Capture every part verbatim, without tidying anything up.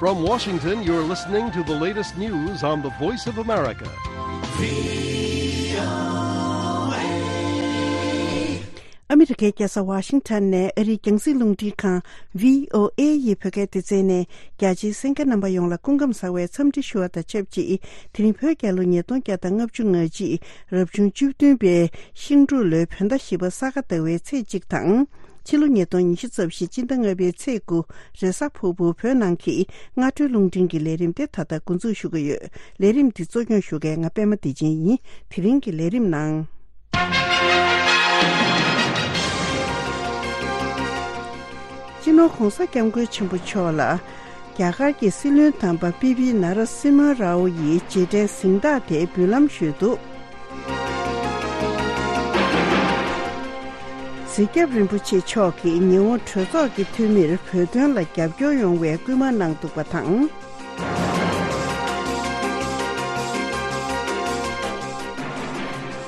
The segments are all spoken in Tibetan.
From Washington, you're listening to the latest news on the Voice of America. ཨ་མི་རི་ཀའི་རྒྱལ་ས་ཝ་ཤིང་ཊོན་ནས་ཨ་རིའི་རྒྱང་སྲིང་རླུང་འཕྲིན་ཁང་བྷི་ཨོ་ཨེ་ཡི་བོད་སྐད་སྡེ་ཚན་ནས་རྒྱ་ཆེའི་གསན་མཁན་རྣམ་པ་ཡོངས་ལ་སྐུ་ཁམས་བཟང་བའི་འཚམས་འདྲི་ཞུ་བ་དང་ཆབས་ཅིག་དེ་རིང་བོད་རྒྱལ་ལོ་ཉིས་སྟོང་བརྒྱ་དང་ལྔ་བཅུ་ང་གཅིག་རབ་བྱུང་བཅུ་བདུན་པའི་ཤིང་འབྲུག་ལོའི་བོད་ཟླ་བཞི་པ་ས་ག་ཟླ་བའི་ཚེས་གཅིག་དང་། ཕྱི་ལོ་ཉིས་སྟོང་ཉི་ཤུ་རྩ་བཞི་སྤྱི་ཟླ་ལྔ་པའི་ཚེས་དགུ་རེས་གཟའ་ཕུར་བུ་བོད་ནང་གི་སྔ་དྲོའི་རླུང་འཕྲིན་གྱི་ལས་རིམ་དེ་ད་ལྟ་འགོ་འཛུགས་ཞུ་གི་ཡོད། ལས་རིམ་འདི་གཙོ་སྐྱོང་ཞུ་མཁན་ང་པད་མ་བདེ་ཆེན་ཡིན། དེ་རིང་གི་ལས་རིམ་ནང་། སྤྱི་ནོར་༧གོང་ས་༧སྐྱབས་མགོན་ཆེན་པོ་མཆོག་ལ་རྒྱ་གར་གྱི་སྲིད་བློན་དམ་པ་པི་པི་ནཱ་ར་སིམ་ཧ་རའོ་ཡིས་རྗེས་དྲན་གཟེངས་རྟགས་དེ་འབུལ་ལམ་ཞུས་འདུག། གཟིགས་སྐྱབས་རིན་པོ་ཆེ་མཆོག་གིས་ཉི་འོང་གྲོས་ཚོགས་ཀྱི་འཐུས་མིར་བོད་དོན་ལ་རྒྱབ་སྐྱོར་ཡོང་བའི་སྐུལ་མ་གནང་འདུག་པ་དང་།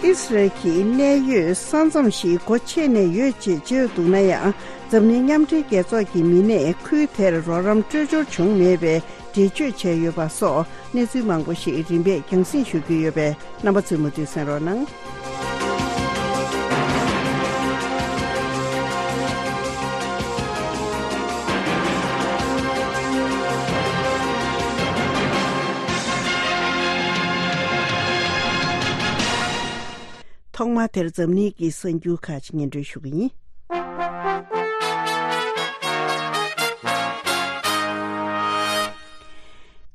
ཨིས་རལ་གྱི་གནད་ཡོད་ས་མཚམས་ཤིག་སྒོ་ཕྱེ་ནས་ཡོད་ཅེས་བརྗོད་འདུག་ན་ཡང་། འཛམ་གླིང་མཉམ་འབྲེལ་རྒྱལ་ཚོགས་ཀྱི་མི་སྣས་ཁུལ་དེར་རོགས་རམ་སྤྲོད་འབྱོར་བྱུང་མེད་པའི་འགྲེལ་བརྗོད་བྱས་ཡོད་པ་སོགས་གནས་ཚུལ་མང་པོ་ཞིག་རིམ་པས་རྒྱང་སྲིང་ཞུ་རྒྱུ་ཡོད་པས་རྣམ་པ་ཚོས་མུ་མཐུད་གསན་རོགས་གནང་། ཐོག་མར་དེར་འཛམ་གླིང་གི་གསར་འགྱུར་ཁག་ཅིག་སྙན་སྒྲོན་ཞུ་གི་ཡིན།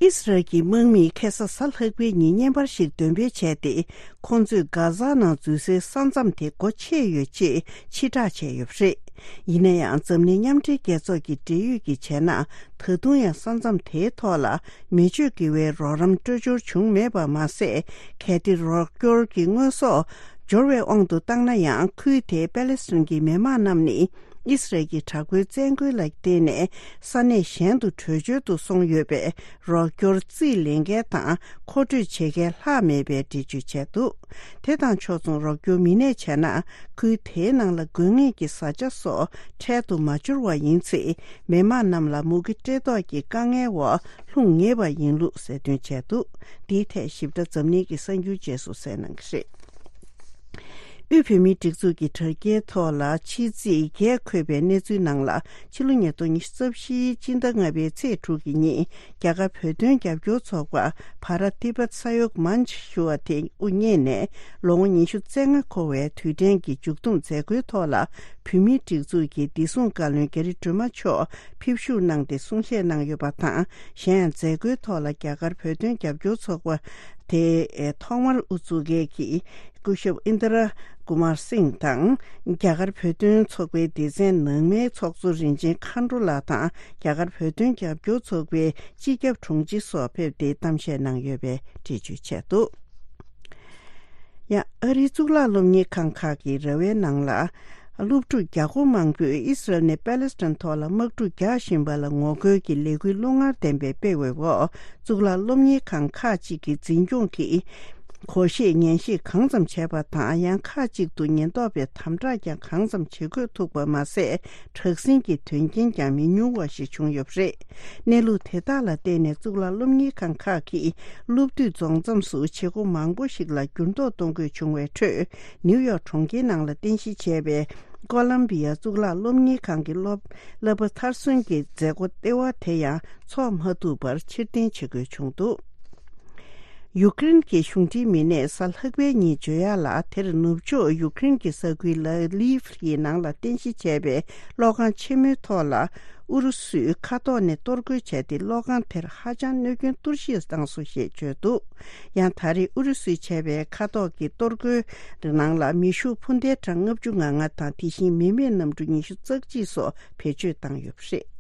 ཨིས་རལ་གྱི་དམག་མིས་ཁ་སང་གཟའ་ལྷག་པའི་ཉིན་བརྙན་པར་ཞིག་འདོན་སྤེལ་བྱས་ཏེ། ཁོང་ཚོས་གྷ་ཛ་ནང་འཛུལ་སའི་ས་མཚམས་དེ་སྒོ་ཕྱེ་ཡོད་ཅེས་ཕྱིར་བསྒྲགས་བྱས་ཡོད་པ་རེད། ཡིན་ན་ཡང་འཛམ་གླིང་མཉམ་འབྲེལ་རྒྱལ་ཚོགས་ཀྱི་འབྲེལ་ཡོད་ཀྱིས་བྱས་ན། ད་དུང་ཡང་ས་མཚམས་དེའི་ཐོག་ལ་མི་སྤྱོད་དགེ་བའི་རོགས་རམ་སྤྲོད་འབྱོར་བྱུང་མེད་པ་མ་ཟད། གལ་ཏེ་རོགས་སྐྱོར་གྱི་དངོས་ཟོག་འབྱོར་བའི་དབང་དུ་བཏང་ན་ཡང་། ཁུལ་དེའི་པེ་ལེ་སི་ཐན་གྱི་མི་མང་རྣམས་ནི་ཨིས་རལ་གྱི་དྲག་པོའི་བཙན་རྒོལ་ལ་བརྟེན་ནས་ས་གནས་གཞན་དུ་བྲོས་བྱོལ་དུ་སོང་ཡོད་པས། རོགས་སྐྱོར་རྩིས་ལེན་མཁན་དང་མཁོ་སྤྲོད་བྱེད་མཁན་ལྷག་མེད་པའི་འགྲེལ་བརྗོད་བྱས་འདུག། དེ་དང་ཕྱོགས་མཚུངས་རོགས་སྐྱོར་མི་སྣས་བྱས་ན། ཁུལ་དེའི་ནང་ལ་དགོས་ངེས་ཀྱི་བཟའ་བཅའ་སོགས་འཕྲལ་དུ་མ་འབྱོར་བ་ཡིན་ཚེ། མི་མང་རྣམས་ལ་མུ་གེ་བཀྲེས་ལྟོགས་ཀྱི་དཀའ་ངལ་འོག་ལྷུང་ངེས་པ་ཡིན་ལུགས་གསལ་སྟོན་བྱས་འདུག། འདིའི་ཐད་ཞིབ་ཕྲ་འཛམ་གླིང་གི་གསར་འགྱུར་རྗེས་སུ་གསན་གནང་གི་རེད། དབུས་བོད་མིའི་སྒྲིག་འཛུགས་ཀྱི་དྲ་རྒྱའི་ཐོག་ལ་ཕྱི་ཚེས་བརྒྱད་འཁོད་པའི་གནས་ཚུལ་ནང་ལ། ཕྱི་ལོ་ཉིས་སྟོང་ཉི་ཤུ་རྩ་བཞིའི་སྤྱི་ཟླ་ལྔ་པའི་ཚེས་དྲུག་གི་ཉིན། རྒྱ་གར་བོད་དོན་རྒྱབ་སྐྱོར་ཚོགས་པ་བྷ་ར་ཏི་བྷ་ས་ཡོག་མན་ཆ་ཞུ་བ་དེ་དབུ་བརྙེས་ནས་ལོ་ངོ་ཉི་ཤུ་རྩ་ལྔ་འཁོར་བའི་དུས་དྲན་གྱི་མཇུག་བསྡོམས་མཛད་སྒོའི་ཐོག་ལ། བོད་མིའི་སྒྲིག་འཛུགས་ཀྱི་བདེ་སྲུང་བཀའ་བློན་རྒྱ་རི་སྒྲོལ་མ་མཆོག་ཕེབས་བཞུགས་གནང་སྟེ་གསུང་བཤད་གནང་ཡོད་པ་དང་། གཞན་ཡང་མཛད་སྒོའི་ཐོག་ལ་རྒྱ་གར་བོད་དོན་རྒྱབ་སྐྱོར་ཚོགས་པ་དེ་ཐོག་མར་དབུ་བཙུགས་མཁན་གྱི་སྐུ་ཞབས་ཨིན་དྲ་ཀུ་མར་སིང་དང་། རྒྱ་གར་བོད་དོན་ཚོགས་པའི་སྡེ་ཚན་ནང་མའི་ཚོགས་གཙོ་རིན་ཆེན་མཁའ་འགྲོ་ལགས་དང་། རྒྱ་གར་བོད་དོན་རྒྱབ་སྐྱོར་ཚོགས་པའི་སྤྱི་ཁྱབ་དྲུང་ཆེ་སོགས་ཕེབས་ཏེ་གཏམ་བཤད་གནང་ཡོད་པའི་འགྲེལ་བརྗོད་བྱས་འདུག། ཡང་ཨ་རིའི་གཙུག་ལག་སློབ་གཉེར་ཁང་ཁག་གི་ར་བའི་ནང་ལ། སློབ་ཕྲུག་བརྒྱ་སྐོར་མང་པོས་ཨི་སི་རལ་ནས་པེ་ལེ་སི་ཐན་ཐོག་ལ་དམག་འཁྲུག་རྒྱག་བཞིན་པ་ལ་ངོ་རྒོལ་གྱི་ལས་འགུལ་རླུང་ངར་ལྡན་པའི་སྤེལ་བའི་འོག། གཙུག་ལག་སློབ་གཉེར་ཁང་ཁག་ཅིག་གི་འཛིན་སྐྱོང་གིས་སྒོར་གཞས་ཉན་བཤད་གང་ཙམ་བྱས་པ་དང་། ཡང་ཁག་ཅིག་ཏུ་ཉེན་རྟོག་པས་དམ་དྲག་ཀྱང་གང་ཙམ་བྱེད་དགོས་ཐུག་པ་མ་ཟད། དྲག་ཟིང་གི་དོན་རྐྱེན་ཀྱང་མི་ཉུང་བ་ཞིག་བྱུང་ཡོད་པ་རེད། གནས་ལུགས་དེ་དག་ལ་བརྟེན་ནས་གཙུག་ལག་སློབ་གཉེར་ཁང་ཁག་གིས་སློབ་དུས་རྫོགས་མཚམས་སུ་བྱེད་སྒོ་མང་པོ་ཞིག་ལ་འགྱུར་ལྡོག་གཏོང་དགོས་བྱུང་བའི་ཁྲོད། ནིའུ་ཡོག་གྲོང་ཁྱེར་ནང་ལ་རྟེན་གཞི་བྱས་པའི་ཀོ་ལམ་བི་ཡ་གཙུག་ལག་སློབ་གཉེར་ཁང་གི་སློབ་བསླབ་པ་མཐར་སོན་གྱི་མཛད་སྒོ་ལྟེ་བ་དེ་ཡང་འཚོགས་མ་ཐུབ་པར་ཕྱིར་འཐེན་བྱེད་དགོས་བྱུང་འདུག། ཡུཀ་རེན་གྱི་གཞུང་འབྲེལ་མི་སྣས་གཟའ་ལྷག་པའི་ཉིན་བརྗོད་ཡག་ལ། དེར་ནུབ་ཕྱོགས་ཡུཀ་རེན་གྱི་ས་ཁུལ་ལ་ལིབ་ཡི་ནང་ལ་རྟེན་གཞི་བྱས་པའི་གློག་ཁང་ཆེན་མོའི་ཐོག་ལ། ཨུ་རུ་སུས་མཁའ་ཐོག་ནས་གཏོར་རྒོལ་བྱས་ཏེ། གློག་ཁང་དེར་ཧ་ཅང་གནོད་སྐྱོན་གཏོར་བཤིག་བཏང་སོང་ཞེས་བརྗོད་འདུག། ཡང་ད་རེས་ཨུ་རུ་སུས་བྱས་པའི་མཁའ་ཐོག་གི་གཏོར་རྒོལ་ནང་ལ་མེ་ཤུགས་འཕུར་མདེལ་གྲངས་ལྔ་བཅུ་ང་ལྔ་དང་། དེ་བཞིན་མི་མེད་གནམ་གྲུ་ཉི་ཤུ་རྩ་གཅིག་སོགས་བེད་སྤྱོད་བཏང་ཡོད་པ་རེད།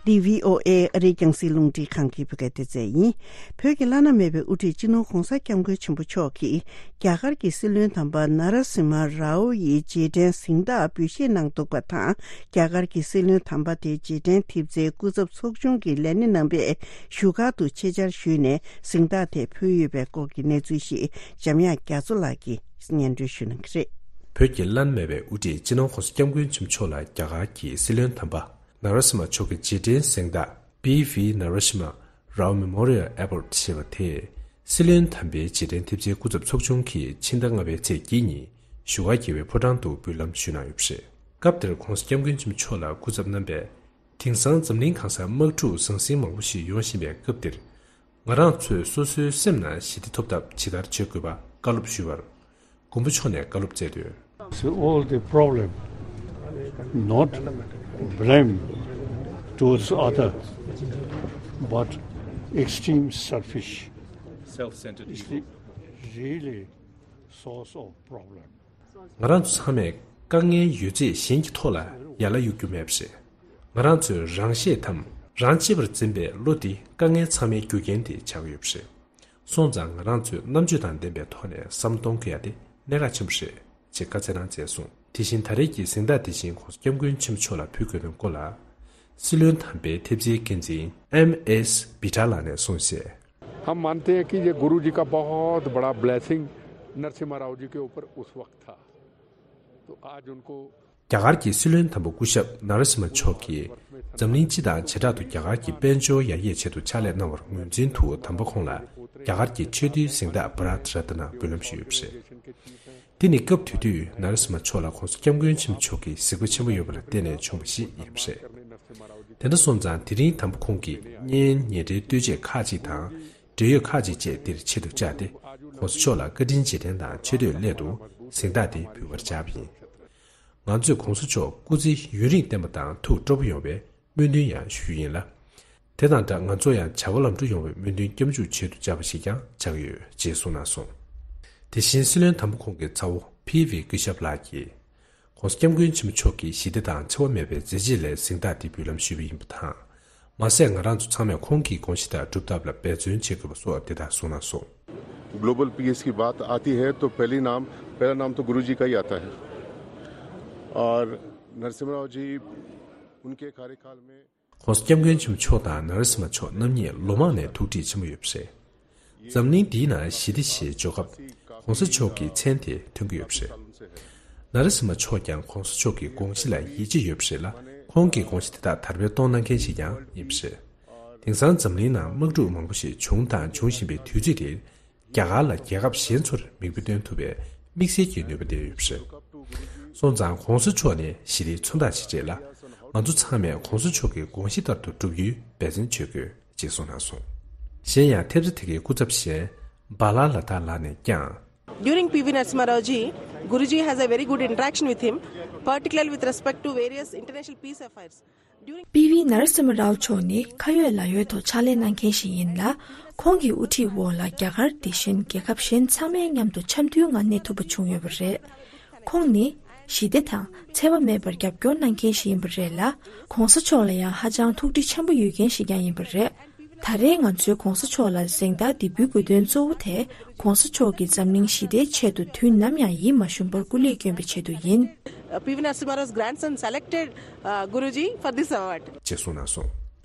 འདི་བྷི་ཨོ་ཨེ་ཨ་རིའི་རྒྱང་སྲིང་རླུང་འཕྲིན་ཁང་གི་བོད་སྐད་སྡེ་ཚན་ཡིན། བོད་ཀྱི་བླ་ན་མེད་པའི་དབུ་ཁྲིད་སྤྱི་ནོར་༧གོང་ས་༧སྐྱབས་མགོན་ཆེན་པོ་མཆོག་གིས། རྒྱ་གར་གྱི་སྲིད་བློན་དམ་པ་ན་ར་སིམ་ཧ་རའོ་ཡི་རྗེས་དྲན་གཟེངས་རྟགས་འབུལ་བཞེས་གནང་འདུག་པ་དང་། རྒྱ་གར་གྱི་སྲིད་བློན་དམ་པ་དེའི་རྗེས་དྲན་ཐེབས་རྩའི་སྐུ་ཚབ་ཚོགས་ཆུང་གི་ལས་སྣེ་རྣམ་པས་བཞུགས་སྒར་དུ་ཆེད་བཅར་ཞུས་ནས་གཟེངས་རྟགས་དེ་ཕུལ་ཡོད་པའི་སྐོར་གྱི་གནས་ཚུལ་ཞིག་འཇམ་དབྱངས་རྒྱ་མཚོ་ལགས་ཀྱིས་སྙན་སྒྲོན་ཞུ་གནང་གི་རེད། བོད་ཀྱི་བླ་ན་མེད་པའི་དབུ་ཁྲིད་སྤྱི་ནོར་༸གོང་ས་༸སྐྱབས་མགོན་ཆེན་པོ་མཆོག་ལ་རྒྱ་གར་གྱི་སྲིད་བློན་དམ་པ་ནཱ་ར་སི་མ་མཆོག་གི་རྗེས་དྲན་གཟེངས་རྟགས་B V Narasimha Rao Memorial Award ཞེས་པ་དེ། སྲིད་བློན་དམ་པའི་རྗེས་དྲན་ཐེབས་རྩའི་སྐུ་ཚབ་ཚོགས་ཆུང་གིས་ཕྱི་ཟླ་ལྔ་པའི་ཚེས་བརྒྱད་ཉིན་བཞུགས་སྒར་རྒྱལ་བའི་ཕོ་བྲང་དུ་འབུལ་ལམ་ཞུས་གནང་ཡོད་པ་རེད། སྐབས་དེར་༸གོང་ས་༸སྐྱབས་མགོན་ཆེན་པོ་མཆོག་ལ་སྐུ་ཚབ་གནང་པས། དེང་སང་འཛམ་གླིང་གང་སར་དམག་འཁྲུག་ཟང་ཟིང་མང་པོ་ཞིག་ཡོང་བཞིན་པའི་སྐབས་འདིར། ང་རང་ཚོས་སོ་སོའི་སེམས་ནང་ཞི་བདེ་ཐོབ་ཐབས་ཇི་ལྟར་བྱེད་དགོས་པ་བཀའ་སློབ་ཞུས་པར། མགོན་པོ་མཆོག་ནས་བཀའ་སློབ་སྩལ་དོན། It's all the problem, not blame towards other, but extreme selfish. Self-centered is the evil. Really source of problem. ང་རང་ཚོ་ཚང་མས་དཀའ་ངལ་ཡོད་ཚད་གཞན་གྱི་ཐོག་ལ་ཡར་ལ་གཡུག་རྒྱུ་མེད་པ་རེད། ང་རང་ཚོས་རང་ཤེད་དམ་རང་གཅེས་པར་འཛིན་པའི་བློ་འདི་དཀའ་ངལ་ཚང་མའི་རྒྱུ་རྐྱེན་དེ་ཆགས་ཀྱི་ཡོད་པ་རེད། སོང་ཙང་ང་རང་ཚོས་རྣམ་དཔྱོད་དང་ལྡན་པའི་ཐོག་ནས་བསམ་བློ་གཏོང་དགོས་ཡ་དེ་གནད་འགག་ཆེན་པོ་རེད་ཅེས་བཀའ་སྩལ་གནང་མཛད་སོང་། དེ་བཞིན་ད་རེས་ཀྱི་གཟེངས་རྟགས་དེ་བཞིན་༸གོང་ས་༸སྐྱབས་མགོན་ཆེན་པོ་མཆོག་ལ་ཕུལ་དགོས་དོན་སྐོར་ལ། སྲིད་བློན་དམ་པའི་ཐེབས་རྩའི་འགན་འཛིན་M S Bitra ལགས་ནས་གསུངས་གསལ། हम मानते हैं कि ये गुरु जी का बहुत बड़ा ब्लेसिंग नरसिम्हा राव जी के ऊपर उस वक्त था। तो आज उनको རྒྱ་གར་གྱི་སྲིད་བློན་དམ་པ་སྐུ་ཞབས་ནཱ་ར་སི་མ་མཆོག་གིས་འཛམ་གླིང་སྤྱི་དང་བྱེ་བྲག་ཏུ་རྒྱ་གར་གྱི་དཔལ་འབྱོར་ཡར་རྒྱས་ཆེད་དུ་ཕྱག་ལས་གནང་བར་ངོས་འཛིན་དུ་དམ་པ་ཁོང་ལ་རྒྱ་གར་གྱི་ཆེས་མཐོའི་གཟེངས་རྟགས་Bharat Ratna འབུལ་ལམ་ཞུས་ཡོད་པ་རེད། དེ་ནི་སྐབས་དེ་དུས་ནཱ་ར་སི་མ་མཆོག་ལ་༸གོང་ས་༸སྐྱབས་མགོན་ཆེན་པོ་མཆོག་གི་གཟིགས་པ་ཆེན་པོ་ཡོད་པ་ལ་བརྟེན་ནས་བྱུང་བ་ཞིག་ཡིན་པ་རེད། དེ་འདྲ་སོང་ཙང་དེ་རིང་དམ་པ་ཁོང་གིས་བརྙན་ཉེ་འབྲེལ་ལྟོས་བཅས་ཁག་ཅིག་དང་། འབྲེལ་ཡོད་ཁག་ཅིག་བཅས་འདིར་ཆེད་དུ་བཅར་ཏེ། ༸གོང་ས་མཆོག་ལ་བཀའ་དྲིན་རྗེས་དྲན་དང་ཆེ་བསྟོད་སླད་དུ་གཟེངས་རྟགས་འདི་འབུལ་བར་བཅར་བ་ཡིན། ང་ཚོས་༸གོང་ས་མཆོག་སྐུ་ཚེ་ཡུན་རིང་བརྟན་པ་དང་ཐུགས་སྤྲོ་པོ་ཡོང་བའི་སྨོན་འདུན་ཡང་ཞུ་རྒྱུ་ཡིན་ལ། དེ་དང་སྦྲགས་ང་ཚོ་ཡང་བྱ་བ་ལམ་འགྲོ་ཡོང་བའི་སྨོན་འདུན་སྐྱབས་འཇུག་ཆེད་དུ་བཅར་བ་ཞིག་ཀྱང་ཆགས་ཀྱི་ཡོད་ཅེས་གསུངས་གནང་སོང་། དེ་བཞིན་སྲིད་བློན་དམ་པ་ཁོང་གི་ཚ་བོ་P V སྐུ་ཞབས་ལགས་ཀྱིས། ༸གོང་ས་༸སྐྱབས་མགོན་ཆེན་པོ་མཆོག་གི་ཞི་བདེ་དང་འཚེ་བ་མེད་པའི་མཛད་རྗེས་ལ་གཟེངས་རྟགས་འདི་འབུལ་ལམ་ཞུས་པ་ཡིན་པ་དང་། མ་ཟད་ང་རང་ཚོ་ཚང་མས་ཁོང་གི་དགོངས་གཞི་ལྟར་སྒྲུབ་ཐབས་ལ་འབད་བརྩོན་བྱེད་དགོས་པ་སོགས་དེ་དག་གསུངས་གནང་སོང་། global piece की बात आती है तो पहली नाम पहला नाम तो गुरु जी का ही आता है। और नरसिम्हा राव जी उनके कार्यकाल में ༸གོང་ས་༸སྐྱབས་མགོན་ཆེན་པོ་མཆོག་དང་ནཱ་ར་སི་མ་མཆོག་རྣམ་གཉིས་ལོ་མང་ནས་ཐུགས་འདྲིས་ཆེན་པོ་ཡོད་པ་རེད། འཛམ་གླིང་འདིའི་ནང་ཞི་བདེ་ཞེས་བརྗོད་སྐབས་༸གོང་ས་མཆོག་གི་མཚན་དེ་ཐོན་གྱི་ཡོད་པ་རེད། ནཱ་ར་སི་མ་མཆོག་ཀྱང་༸གོང་ས་མཆོག་གི་དགོངས་གཞི་ལ་ཡིད་ཆེས་ཡོད་པ་རེད་ལ། ཁོང་གི་དགོངས་གཞི་དེ་དག་དར་སྤེལ་གཏོང་གནང་མཁན་ཞིག་ཀྱང་ཡིན་པ་རེད། དེང་སང་འཛམ་གླིང་ནང་དམག་འཁྲུག་མང་པོ་ཞིག་བྱུང་དང་འབྱུང་བཞིན་པའི་དུས་ཚོད་འདིར། རྒྱ་གར་ལ་རྒྱལ་ཁབ་གཞན་ཚོར་མིག་དཔེ་སྟོན་ཐུབ་པའི་དམིགས་བསལ་གྱི་ནུས་པ་ལྡན་ཡོད་པ་རེད། སོང་ཙང་༸གོང་ས་མཆོག་ནི་ཞི་བདེའི་མཚོན་རྟགས་ཤིག་རེད་ལ། ང་ཚོ་ཚང་མས་༸གོང་ས་མཆོག་གི་དགོངས་གཞི་ལྟར་དུ་བསྒྲུབ་རྒྱུའི་འབད་བརྩོན་བྱེད་དགོས་ཅེས་གསུངས་གནང་སོང་། གཞན་ཡང་ཐེབས་རྩ་དེ་གའི་སྐུ་ཚབ་གཞན་Bala Ladha ལགས་ནས་ཀྱང་། During P V Narasimha Rao ji, Guruji has a very good interaction with him, particularly with respect to various international peace affairs. During P V Narasimha Rao མཆོག་ནི་ཁ་ཡོད་ལག་ཡོད་ཐོག་ཕྱག་ལས་གནང་མཁན་ཞིག་ཡིན་ལ། ཁོང་གི་དབུ་ཁྲིད་འོག་ལ་རྒྱ་གར་དེ་བཞིན་རྒྱལ་ཁབ་གཞན་ཚང་མའི་མཉམ་དུ་འཆམ་མཐུན་ངང་གནས་ཐུབ་པ་བྱུང་ཡོད་པ་རེད། ཁོང་ནི་ཞི་བདེ་དང་འཚེ་བ་མེད་པར་རྒྱབ་སྐྱོར་གནང་མཁན་ཞིག་ཡིན་པ་རེད་ལ། ༸གོང་ས་མཆོག་ལ་ཡང་ཧ་ཅང་ཐུགས་འདྲིས་ཆེན་པོ་ཡོད་མཁན་ཞིག་ཀྱང་ཡིན་པ་རེད། ད་རེས་ང་ཚོས་༸གོང་ས་མཆོག་ལ་གཟེངས་རྟགས་འདི་འབུལ་དགོས་དོན་གཙོ་བོ་དེ་༸གོང་ས་མཆོག་གིས་འཛམ་གླིང་ཞི་བདེའི་ཆེད་དུ་དུས་ནམ་ཡང་ཡིད་མ་ཞུམ་པར་སྐུ་ལས་བསྐྱོན་པའི་ཆེད་དུ་ཡིན། Uh, P V Narasimha Rao's grandson selected, uh, Guruji for this award. ཅེས་གསུངས་གནང་སོང་།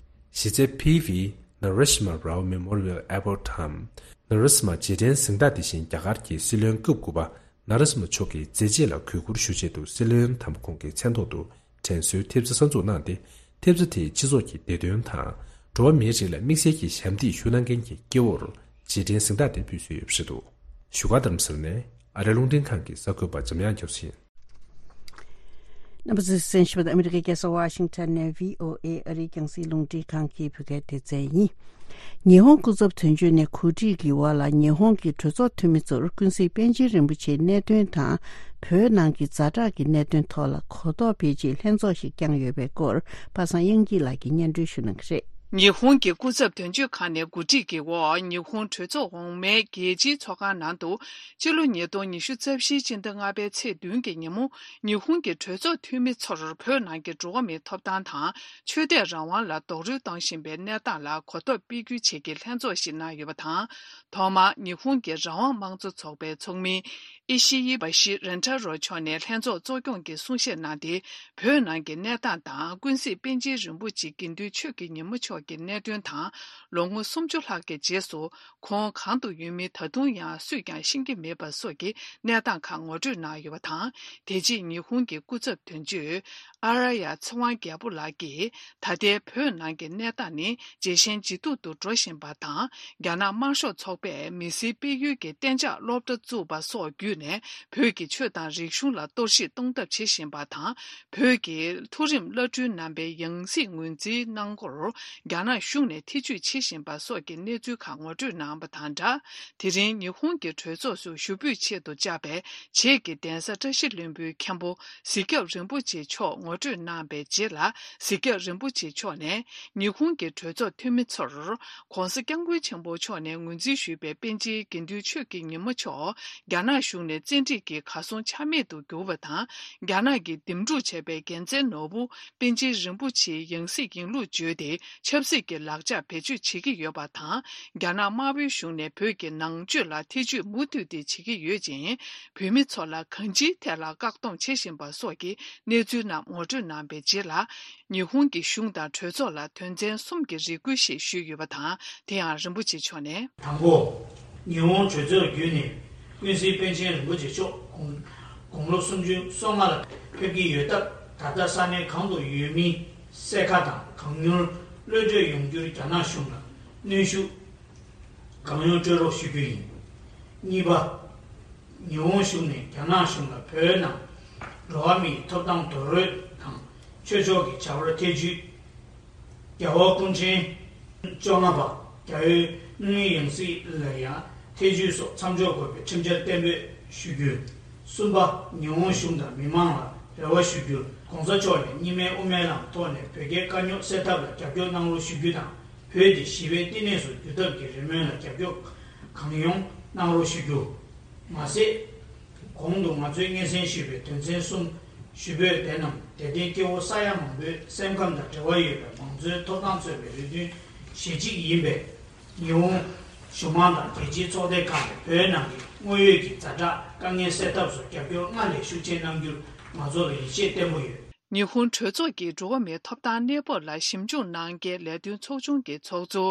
གཞི་རྩའི་P V Narasimha Rao Memorial Award འམ་ནཱ་ར་སི་མ་རྗེས་དྲན་གཟེངས་རྟགས་དེ་བཞིན་རྒྱ་གར་གྱི་སྲིད་བློན་སྐབས་དགུ་པ་ནཱ་ར་སི་མ་མཆོག་གི་མཛད་རྗེས་ལ་གུས་བཀུར་ཞུ་ཆེད་དུ་སྲིད་བློན་དམ་པ་ཁོང་གི་མཚན་ཐོག་ཏུ་དྲན་གསོའི་ཐེབས་རྩ་གསར་འཛུགས་གནང་སྟེ། ཐེབས་རྩ་དེས་སྤྱི་ཚོགས་ཀྱི་བདེ་དོན་དང་། འགྲོ་བ་མིའི་རིགས་ལ་དམིགས་བསལ་གྱི་ཞབས་འདེགས་ཞུ་གནང་མཁན་གྱི་སྐྱེ་བོར་རྗེས་དྲན་གཟེངས་རྟགས་དེ་ཕུལ་སྲོལ་ཡོད་པ་རེད་འདུག་བཞུགས་སྒར་རྡ་རམ་ས་ལ་ནས་ཨ་རིའི་རླུང་འཕྲིན་ཁང་གི་གསར་འགོད་པ་འཇམ་དབྱངས་རྒྱ་མཚོ་ཡིན། རྣམ་པ་ཚོས་གསན་བཞིན་པ་ཨ་མི་རི་ཀའི་རྒྱལ་ས་ཝ་ཤིང་ཊོན་ནས་བྷི་ཨོ་ཨེ་ཨ་རིའི་རྒྱང་སྲིང་རླུང་འཕྲིན་ཁང་གི་བོད་སྐད་སྡེ་ཚན་ཡིན། ཉི་ཧོང་སྐུ་ཚབ་དོན་གཅོད་ནས་གོ་སྒྲིག་གི་འོག་ལ་ཉི་ཧོང་གི་གྲོས་ཚོགས་འཐུས་མི་ཚོར་ཀུན་གཟིགས་པཎ་ཆེན་རིན་པོ་ཆེའི་གནད་དོན་དང་། བོད་ནང་གི་ཛ་དྲག་གི་གནད་དོན་ཐོག་ལ་གོ་རྟོགས་སྤེལ་ཆེད་ལྷན་ཚོགས་ཤིག་བསྐྱངས་ཡོད་པའི་སྐོར་པ་སངས་དབྱངས་སྐྱིད་ལགས་ཀྱིས་སྙན་སྒྲོན་ཞུ་གནང་གི་རེད། ཉི་ཧོང་གི་སྐུ་ཚབ་དོན་གཅོད་ཁང་ནས་གོ་སྒྲིག་གི་འོག་ཉི་ཧོང་གྲོས་ཚོགས་འོག་མའི་རྒྱལ་སྤྱིའི་ཚོགས་ཁང་ནང་དུ། སྤྱི་ལོ་ཉིས་སྟོང་ཉི་ཤུ་རྩ་བཞིའི་སྤྱི་ཟླ་ལྔ་པའི་ཚེས་བདུན་གྱི་ཉིན་མོ། ཉི་ཧོང་གི་གྲོས་ཚོགས་འཐུས་མི་ཚོར་བོད་ནང་གི་འགྲོ་བ་མིའི་ཐོབ་ཐང་དང་། ཆོས་དད་རང་དབང་ལ་རྡོག་རོལ་བཏང་བཞིན་པའི་གནས་སྟངས་ལ་གོ་རྟོགས་སྤེལ་རྒྱུའི་ཆེད་ཀྱི་ལྷན་ཚོགས་ཤིག་གནང་ཡོད་པ་དང་། ཐོག་མར་ཉི་ཧོང་གི་རང་དབང་དམངས་གཙོ་ཚོགས་པའི་ཚོགས་མི་ཨི་ཤི་ཡི་བ་ཤི་རེན་ཊ་རོ་མཆོག་ནས་ལྷན་ཚོགས་གཙོ་སྐྱོང་གི་གསུང་བཤད་གནང་སྟེ། བོད་ནང་གི་གནས་སྟངས་དང་ཀུན་གཟིགས་པཎ་ཆེན་རིན་པོ་ཆེ་དགེ་འདུན་ཆོས་ཀྱི་ཉིན་མོ་མཆོག་གྱི་གནད་དོན་དང་། ལོ་ངོ་སུམ་ཅུ་ལྷག་གི་རྗེས་སུ་ཁོང་གང་དུ་ཡོད་མིན་ད་དུང་ཡང་སུས་ཀྱང་ཤེས་ཀྱི་མེད་པ་སོགས་ཀྱི་གནས་སྟངས་ཁག་ངོ་སྤྲོད་གནང་ཡོད་པ་དང་། དེ་རྗེས་ཉི་ཧོང་གི་སྐུ་ཚབ་དོན་གཅོད་ཨ་ར་ཡ་ཚེ་དབང་རྒྱལ་པོ་ལགས་ཀྱིས། ད་ལྟའི་བོད་ནང་གི་གནས་སྟངས་ནི་ཇེ་ཞན་ཇེ་སྡུག་ཏུ་འགྲོ་བཞིན་པ་དང་། རྒྱ་ནག་དམར་ཤོག་ཚོགས་པས་མི་སེར་སྤེལ་ཡུལ་གྱི་གཏན་འཇགས་སློབ་གྲྭ་བཙུགས་པ་སོགས་བརྒྱུད་ནས། བོད་ཀྱི་ཆོས་དང་རིག་གཞུང་ལ་གཏོར་བཤིག་གཏོང་ཐབས་བྱེད་བཞིན་པ་དང་། བོད་ཀྱི་མཐོ་རིམ་བླ་སྤྲུལ་རྣམ་པའི་ཡང་སྲིད་ངོས་འཛིན་གནང་སྐོར། རྒྱ་ནག་གཞུང་ནས་ཐེ་ཇུས་བྱེད་བཞིན་པ་སོགས་ཀྱི་གནས་ཚུལ་ཁག་ངོ་སྤྲོད་གནང་བ་དང་སྦྲགས། དེ་རིང་ཉི་ཧོང་གི་གྲོས་ཚོགས་སུ་ཞུ་འབོད་ཆེད་དུ་བཅར་བའི་བྱེས་ཀྱི་གདན་ས་བཀྲ་ཤིས་ལྷུན་པོའི་མཁན་པོ་གཟིགས་རྒྱབ་རིན་པོ་ཆེ་མཆོག་ངོ་སྤྲོད་གནང་བའི་རྗེས་ལ། གཟིགས་རྒྱབ་རིན་པོ་ཆེ་མཆོག་ནས་ཉི་ཧོང་གི་གྲོས་ཚོགས་འཐུས་མི་ཚོར། ྋགོང་ས་ྋསྐྱབས་མགོན་ཆེན་པོ་མཆོག་ནས་ངོས་འཛིན་ཞུས་པའི་པཎ་ཆེན་དགེ་འདུན་ཆོས་ཀྱི་ཉི་མ་མཆོག་རྒྱ་ནག་གཞུང་ནས་བཙན་ཁྲིད་ཀྱིས་གར་སོང་ཆ་མེད་དུ་གྱུར་བ་དང་། རྒྱ་ནག་གིས་འདེམས་སྒྲུག་བྱས་པའི་རྒྱལ་མཚན་ནོར་བུ་པཎ་ཆེན་རིན་པོ་ཆེའི་ཡང་སྲིད་ཡིན་ལུགས་བརྗོད་དེ། ཆབ་སྲིད་ཀྱི་ལག་ཆ་བེད་སྤྱོད་བྱེད་ཀྱི་ཡོད་པ་དང་། རྒྱ་ནག་དམར་པོའི་གཞུང་ནས་བོད་ཀྱི་ནང་ཆོས་ལ་ཐེ་ཇུས་མུ་མཐུད་དེ་བྱེད་ཀྱི་ཡོད་ཅིང་། བོད་མི་ཚོ་ལ་གང་ཅིའི་ཐད་ལ་བཀག་སྡོམ་བྱེད་བཞིན་པ་སོགས་ཀྱི་གནས་ཚུལ་རྣམས་ངོ་སྤྲོད་གནང་བའི་རྗེས་ལ། ཉི་ཧོང་གི་གཞུང་དང་གྲོས་ཚོགས་ལ་དོན་ཚན་གསུམ་གྱི་རེ་སྐུལ་ཞིག་ཞུས་ཡོད་པ་དང་། དེ་ཡང་རིན་པོ་ཆེ་མཆོག་ནས། དང་པོ། ཉི་ཧོང་གྲོས་ཚོགས་བརྒྱུད་ནས་ཀུན་གཟིགས་པཎ་ཆེན་རིན་པོ་ཆེ་མཆོག་དགུང་དགུང་ལོ་སུམ་ཅུ་སོ་ལྔ་ལ་ཕེབས་ཀྱི་ཡོད་སྟབས། ད་ལྟ་ས་གནས་གང་དུ་ཡོད་མིན་གསལ་ཁ་དང་། གང་མྱུར་གློད་གྲོལ་ཡོང་རྒྱུར་རྒྱ་ནག་གཞུང་ལ་གནོན་ཤུགས་གང་ཡོང་སྤྲོད་རོགས་ཞུ་རྒྱུ་ཡིན། གཉིས་པ། ཉི་ཧོང་གཞུང་ནས་རྒྱ་ནག་གཞུང་ལ་བོད་ནང་འགྲོ་བ་མིའི་ཐོབ་ཐང་རྡོག་རོལ་དང་ཆོས་ཕྱོགས་ཀྱི་བྱ་བར་ཐེ་ཇུས། རྒྱལ་བ་སྐུ་ཕྲེང་བཅོ་ལྔ་པ་རྒྱལ་བའི་དངོས་ཡང་སྲིད་ལ་ཡང་ཐེ་ཇུས་སོགས་མཚམས་འཇོག་དགོས་པའི་ཁྲིམས་འཆར་གཏན་འབེབས་ཞུ་རྒྱུ། གསུམ་པ། ཉི་ཧོང་གཞུང་དང་མི་མང་ལ་རེ་བ་ཞུ་རྒྱུར། ྋགོང་ས་མཆོག་ནས་གཉིས་སྨན་དབུ་མའི་ལམ་ཐོག་ནས་བོད་རྒྱའི་དཀའ་རྙོག་སེལ་ཐབས་ལ་རྒྱབ་སྐྱོར་གནང་རོགས་ཞུ་རྒྱུ་དང་། བོད་དེ་ཞི་བའི་བསྟི་གནས་སུ་འགྱུར་ཐབས་ཀྱི་རེ་སྨོན་ལ་རྒྱབ་སྐྱོར་གང་ཡོང་གནང་རོགས་ཞུ་རྒྱུ། མ་ཟད། གོང་དུ་ང་ཚོས་སྙན་སེང་ཞུས་པའི་དོན་ཚན་གསུམ་ཞུ་འབོད་དེ་རྣམས་དད་ལྡན་སྐྱེ་བོ་ས་ཡ་མང་པོའི་སེམས་ཁམས་དང་འབྲེལ་བ་ཡོད་པའི་མང་གཙོའི་ཐོབ་ཐང་རྩོད་པའི་རེ་འདུན་གཞི་གཅིག་ཡིན་པས། ཉི་ཧོང་གཞུང་མང་དང་རྒྱལ་སྤྱིའི་ཚོགས་སྡེ་ཁག་ནས་བོད་ནང་གི་དངོས་ཡོད་ཀྱི་ཛ་དྲག་དཀའ་ངལ་སེལ་ཐབས་སུ་རྒྱབ་སྐྱོར་སྔར་ལས་ཤུགས་ཆེ་གནང་རྒྱུར་ང་ཚོ་ལ་ཡིད་ཆེས་བརྟན་པོ་ཡོད། ཉི་ཧོང་གྲོས་ཚོགས་ཀྱིས་འགྲོ་བ་མིའི་ཐོབ་ཐང་གནས་བབ་ལ་ཞིབ་འཇུག་གནང་མཁན་ལས་དོན་ཚོགས་ཆུང་གི་ཚོགས་གཙོ་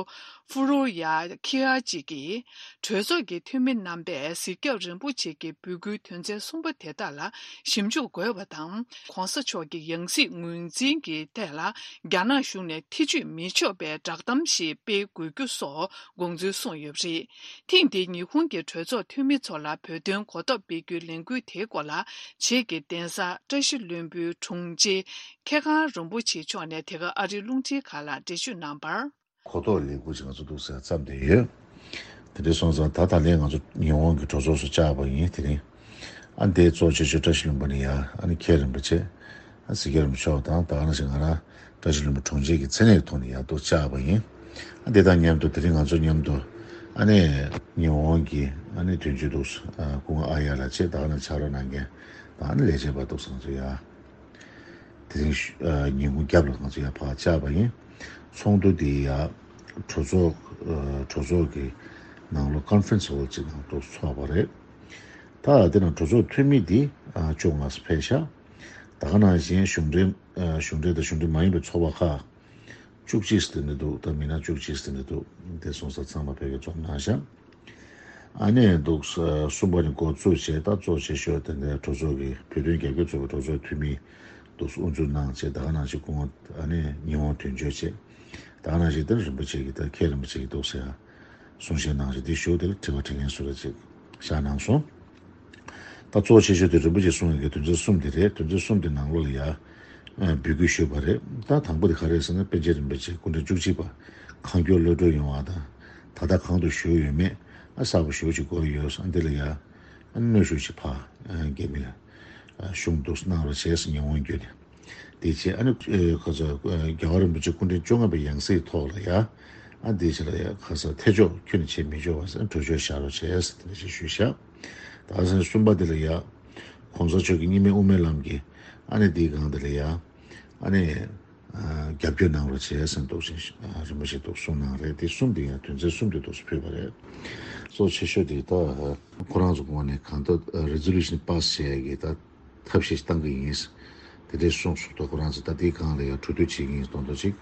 ཧྥུ་རོ་ཡ་ཁི་ཨ་ཅི་གིས། གྲོས་ཚོགས་ཀྱི་འཐུས་མི་རྣམ་པས་གཟིགས་རྒྱབ་རིན་པོ་ཆེ་གི་འབོད་སྐུལ་དོན་ཚན་གསུམ་པ་དེ་དག་ལ་ཞིབ་འཇུག་དགོས་པ་དང་། ྋགོང་ས་མཆོག་གི་ཡང་སྲིད་ངོས་འཛིན་གྱི་ཐད་ལ་རྒྱ་ནག་གཞུང་ནས་ཐེ་ཇུས་མི་ཆོག་པའི་བསྒྲགས་གཏམ་ཞིག་སྤེལ་དགོས་རྒྱུ་སོགས་དགོངས་ཚུལ་གསུངས་ཡོད་པ་རེད། ཐེངས་འདིའི་ཉི་ཧོང་གི་གྲོས་ཚོགས་འཐུས་མི་ཚོ་ལ་བོད་དོན་གོ་རྟོགས་སྤེལ་རྒྱུའི་ལས་འགུལ་དེའི་སྐོར་ལ། བྱེས་ཀྱི་གདན་ས་བཀྲ་ཤིས་ལྷུན་པོའི་དྲུང་ཆེ་མཁས་དབང་རིན་པོ་ཆེ་མཆོག་ནས་དེ་ག་ཨ་རིའི་རླུང་འཕྲིན་ཁང་ལ་འགྲེལ་བརྗོད་གནང་བར། གོ་རྟོགས་ལས་འགུལ་ཅིག་ང་ཚོ་འདུག་ཟེར་བརྩམས་བསྡད་ཡོད། དེ་འདྲ་སོང་ཙང་ད་ད་ལན་ང་ཚོ་ཉི་ཧོང་གི་གྲོས་ཚོགས་སུ་བཅར་བ་ཡིན། དེ་རིང་ཨ་འདིའི་གཙོ་ཆེ་ཤོས་བཀྲ་ཤིས་ལྷུན་པོ་ནས་ཡ། ཨ་ནི་མཁན་རིན་པོ་ཆེ། ཨ་གཟིགས་རྒྱབ་རིན་པོ་ཆེ་དང་ད་ག་ནང་བཞིན་ང་རང་བཀྲ་ཤིས་ལྷུན་པོ་དྲུང་ཆེ་གི་མཚན་གནས་ཐོག་ནས་ཡ་འདུག་བཅར་བ་ཡིན། ཨ་འདི་དང་མཉམ་དུ་དེ་རིང་ང་ཚོ་མཉམ་དུ་ཨ་ནི་ཉི་ཧོང་གི་ཨ་ནི་དོན་གཅོད་འདུག་ཨ་སྐུ་ངོ་ཨ་ཡ་ལགས་བཅས་ད་ག་ནང་ཕྱག་རོགས་གནང་མཁན་དང་ཨ་ནི་ལས་བྱེད་པ་འདུག་ང་ཚོ་ཡ། དེ་རིང་ཤུ་ཨ་ཉིན་གུང་རྒྱབ་ལ་ང་ཚོ་ཡར་ཕར་བཅར་བ་ཡིན། ཚོགས་འདུ་འདི་ཡར་གྲོས་ཚོགས་ཨ་གྲོས་ཚོགས་ཀྱི་ནང་ལོགས་conference hall་ཅིག་ནང་དུ་ཚོགས་པ་རེད། ད་དེ་ནང་གྲོས་ཚོགས་འཐུས་མི་འདི་ཨ་བཅོ་ལྔ་ཙམ་ཕེབས་ཤག་ད་ག་ནང་བཞིན་གཞུང་འབྲེལ་ཨ་གཞུང་འབྲེལ་དང་གཞུང་འབྲེལ་མ་ཡིན་པའི་ཚོགས་པ་ཁག་བཅུ་གཅིག་ཙམ་དེ་འདྲ་འདུག་ད་མི་སྣ་བཅུ་གཅིག་ཙམ་དེ་འདྲ་འདུག་དེ་སོང་ཙང་ཚང་མ་ཕ་གིར་འཛོམས་གནང་ཤག་ཨ་ནི་འདུག་ས་གསུམ་པ་ནི་འགོ་བཙུགས་བྱས། ད་གཙོ་ཆེ་ཤོས་དེ་འདྲའི་གྲོས་ཚོགས་ཀྱི་བོད་དོན་རྒྱབ་སྐྱོར་ཚོགས་པའི་གྲོས་ཚོགས་འཐུས་མི་འདུག་ས་དབུ་འཛུགས་གནང་བྱས། ད་ག་ནང་བཞིན་སྐུ་ངོ་ཨ་ནི་ཉི་ཧོང་དོན་གཅོད་བྱས། ད་ག་ནང་བཞིན་དེ་རིན་པོ་ཆེ་གི་ད་མཁན་རིན་པོ་ཆེ་གི་འདུག་ས་ཡ་གསུང་བཤད་གནང་བྱས། དེ་ཞུ་དེ་ལ་དྲི་བ་དྲི་མཁན་སུ་རེད་ཅིག་བཞག་གནང་སོང་། ད་གཙོ་ཆེ་ཤོས་དེ་རིན་པོ་ཆེ་གསུང་ཡོད་མཁན་དོན་ཚན་གསུམ་དེ་རེད། དོན་ཚན་གསུམ་དེ་ནང་ལོགས་ལ་ཡ་ཨ་འབོད་སྐུལ་ཞུས་པ་རེད། ད་དང་པོ་དེ་ག་རེ་རེད་ཟེར་ན། པཎ་ཆེན་རིན་པོ་ཆེ་སྐུ་ཕྲེང་བཅུ་གཅིག་པ་གང་མགྱོགས་གློད་གྲོལ་ཡོང་བ་དང་། ད་ལྟ་གང་དུ་བཞུགས་ཡོད་མེད་ཨ་གསལ་པོ་ཞེ་པོ་ཅིག་དགོས་ཡོད་ཟེར། ཨ་འདི་ལ་ཡ་ཨ་གནོན་ཤུགས་ཅིག་ཕར་ཨ་རྒྱ་མི་ལ་ཨ་ཞུ་འདུག་གནང་རོགས་བྱས་ཟེར་ཉི་ཧོང་བརྒྱུད་ནས། དེ་བྱས་ཨ་ནི་ཨེ་ཁ་ས་ཨེ་རྒྱལ་བ་རིན་པོ་ཆེ་སྐུ་ཕྲེང་བཅོ་ལྔ་པའི་ཡང་སྲིད་ཐོག་ལ་ཡ་ཨ་དེ་བྱས་ལ་ཡ་ཁ་ས་ཐེ་ཇུས་ཁྱོན་ནས་བྱེད་མི་ཆོག་པ་ཟེར་གྲོས་ཆོད་བཞག་རོགས་བྱས་ཟེར་དེ་འདྲ་ཞིག་ཞུས་ཤག་ད་ཟེར་གསུམ་པ་དེ་ལ་ཡ་གོང་ས་མཆོག་གི་གཉིས་སྨན་དབུ་མའི་ལམ་གྱི་ཨ་ནི་དེའི་སྒང་དེ་ལ་ཡ་ཨ་ནི་ཨ་རྒྱབ་སྐྱོར་གནང་རོགས་བྱས་ཟེར་འདུག་ཟེར་ཨ་རིན་པོ་ཆེ་འདུག་གསུངས་གནང་རེད། དེ་གསུམ་དེ་ཡང་དོན་ཚན་གསུམ་དེ་འདུག་ཕུལ་བ་རེད། གཙོ་ཆེ་ཤོས་དེ་ད་ཁོ་རང་ཚོ་ངོས་ནས་གང་ལྟར་resolution pass་བྱེད་ཡ་གི་ད་ཐབས་ཤེས་བཏང་གི་ཡིན། དེ་འདྲའི་གསུངས་སོང་། ད་ཁོ་རང་ཚོ་ད་དེའི་སྒང་ལ་ཡང་གྲོས་བསྡུར་བྱེད་ཀྱི་ཡིན་མདོག་མདོག་ཅིག་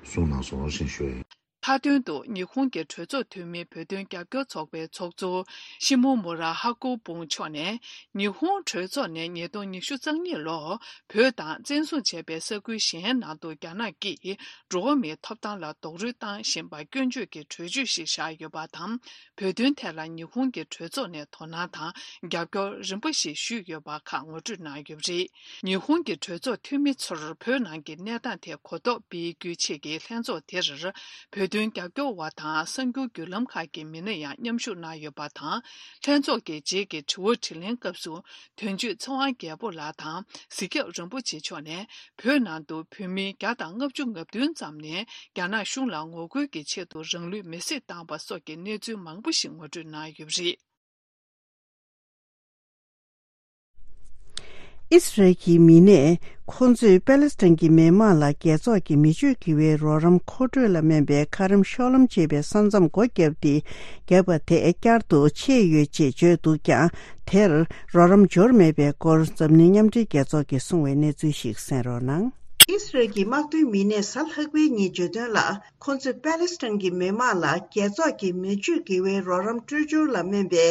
གསུངས་གནང་སོང་ཞེས་ཞུ། མཐའ་དོན་དུ་ཉི་ཧོང་གི་གྲོས་ཚོགས་འཐུས་མི་བོད་དོན་རྒྱབ་སྐྱོར་ཚོགས་པའི་ཚོགས་གཙོ་ཤི་མོ་མུ་ར་ཧ་ཀོ་བུང་མཆོག་ནས། ཉི་ཧོང་གྲོས་ཚོགས་ནས་ཉིས་སྟོང་ཉི་ཤུ་རྩ་གཉིས་ལོར་བོད་དང་བཙན་བཟུང་བྱས་པའི་ས་ཁུལ་གཞན་ནང་དུ་རྒྱ་ནག་གིས་འགྲོ་བ་མིའི་ཐོབ་ཐང་ལ་རྡོག་རོལ་བཏང་བཞིན་པ་སྐྱོན་བརྗོད་ཀྱི་གྲོས་ཆོད་ཞིག་བཞག་ཡོད་པ་དང་། བོད་དོན་ཐད་ལ་ཉི་ཧོང་གི་གྲོས་ཚོགས་ནས་དོ་སྣང་དང་རྒྱབ་སྐྱོར་རིམ་པ་ཞིག་ཞུས་ཡོད་པ་ཁག་ངོ་སྤྲོད་གནང་ཡོད་པ་རེད། ཉི་ཧོང་གི་གྲོས་ཚོགས་འཐུས་མི་ཚོར་བོད་ནང་གི་གནས་སྟངས་ཐད་གོ་རྟོགས་སྤེལ་རྒྱུའི་ཆེད་ཀྱི་ལྷན་ཚོགས་དེར། བོད་དོན་རྒྱབ་སྐྱོར་བ་དང་གསར་འགྱུར་བརྒྱུད་ལམ་ཁག་གི་མི་སྣ་ཡང་མཉམ་ཞུགས་གནང་ཡོད་པ་དང་། ལྷན་ཚོགས་ཀྱི་རྗེས་ཀྱི་དྲི་བ་དྲིས་ལན་སྐབས་སུ། དོན་གཅོད་ཚེ་དབང་རྒྱལ་པོ་ལགས་དང་། གཟིག་སྐྱབས་རིན་པོ་ཆེ་མཆོག་ནས། བོད་ནང་དུ་བོད་མི་བརྒྱ་དང་ལྔ་བཅུ་ང་བདུན་ཙམ་ནས། རྒྱ་ནག་གཞུང་ལ་ངོ་རྒོལ་གྱི་ཆེད་དུ་རང་ལུས་མེར་སྲེག་བཏང་བ་སོགས་ཀྱི་གནས་ཚུལ་མང་པོ་ཞིག་ངོ་སྤྲོད་གནང་ཡོད་པ་རེད། ཨི་སི་རལ་གྱི་མི་སྣས་ཁོ་ཚོས་པ་ལེ་སི་ཐན་གྱི་མི་མང་ལ་རྒྱལ་ཚོགས་ཀྱི་མི་སྤྱོད་དགེ་བའི་རོགས་རམ་མཁོ་སྤྲོད་ལ་སྨན་པའི་ཁ་རམ་ཤོ་ལོམ་ཅེས་པའི་ས་མཚམས་སྒོ་བརྒྱབ་སྟེ། བརྒྱབ་པ་དེ་བསྐྱར་དུ་ཕྱེས་ཡོད་ཅེས་བརྗོད་འདུག་ཀྱང་། དེར་རོགས་རམ་འབྱོར་མེད་པའི་སྐོར་འཛམ་གླིང་མཉམ་འབྲེལ་རྒྱལ་ཚོགས་ཀྱིས་གསུངས་པའི་གནས་ཚུལ་ཞིག་གསན་རོགས་གནང་། ཨི་སི་རལ་གྱི་དམག་དོན་མི་སྣས་གཟའ་ལྷག་པའི་ཉིན་བརྗོད་དོན་ལ། ཁོ་ཚོས་པ་ལེ་སི་ཐན་གྱི་མི་མང་ལ་རྒྱལ་ཚོགས་ཀྱི་མི་སྤྱོད་དགེ་བའི་རོགས་རམ་སྤྲོད་སྦྱོར་ལ་སྨན་པའི་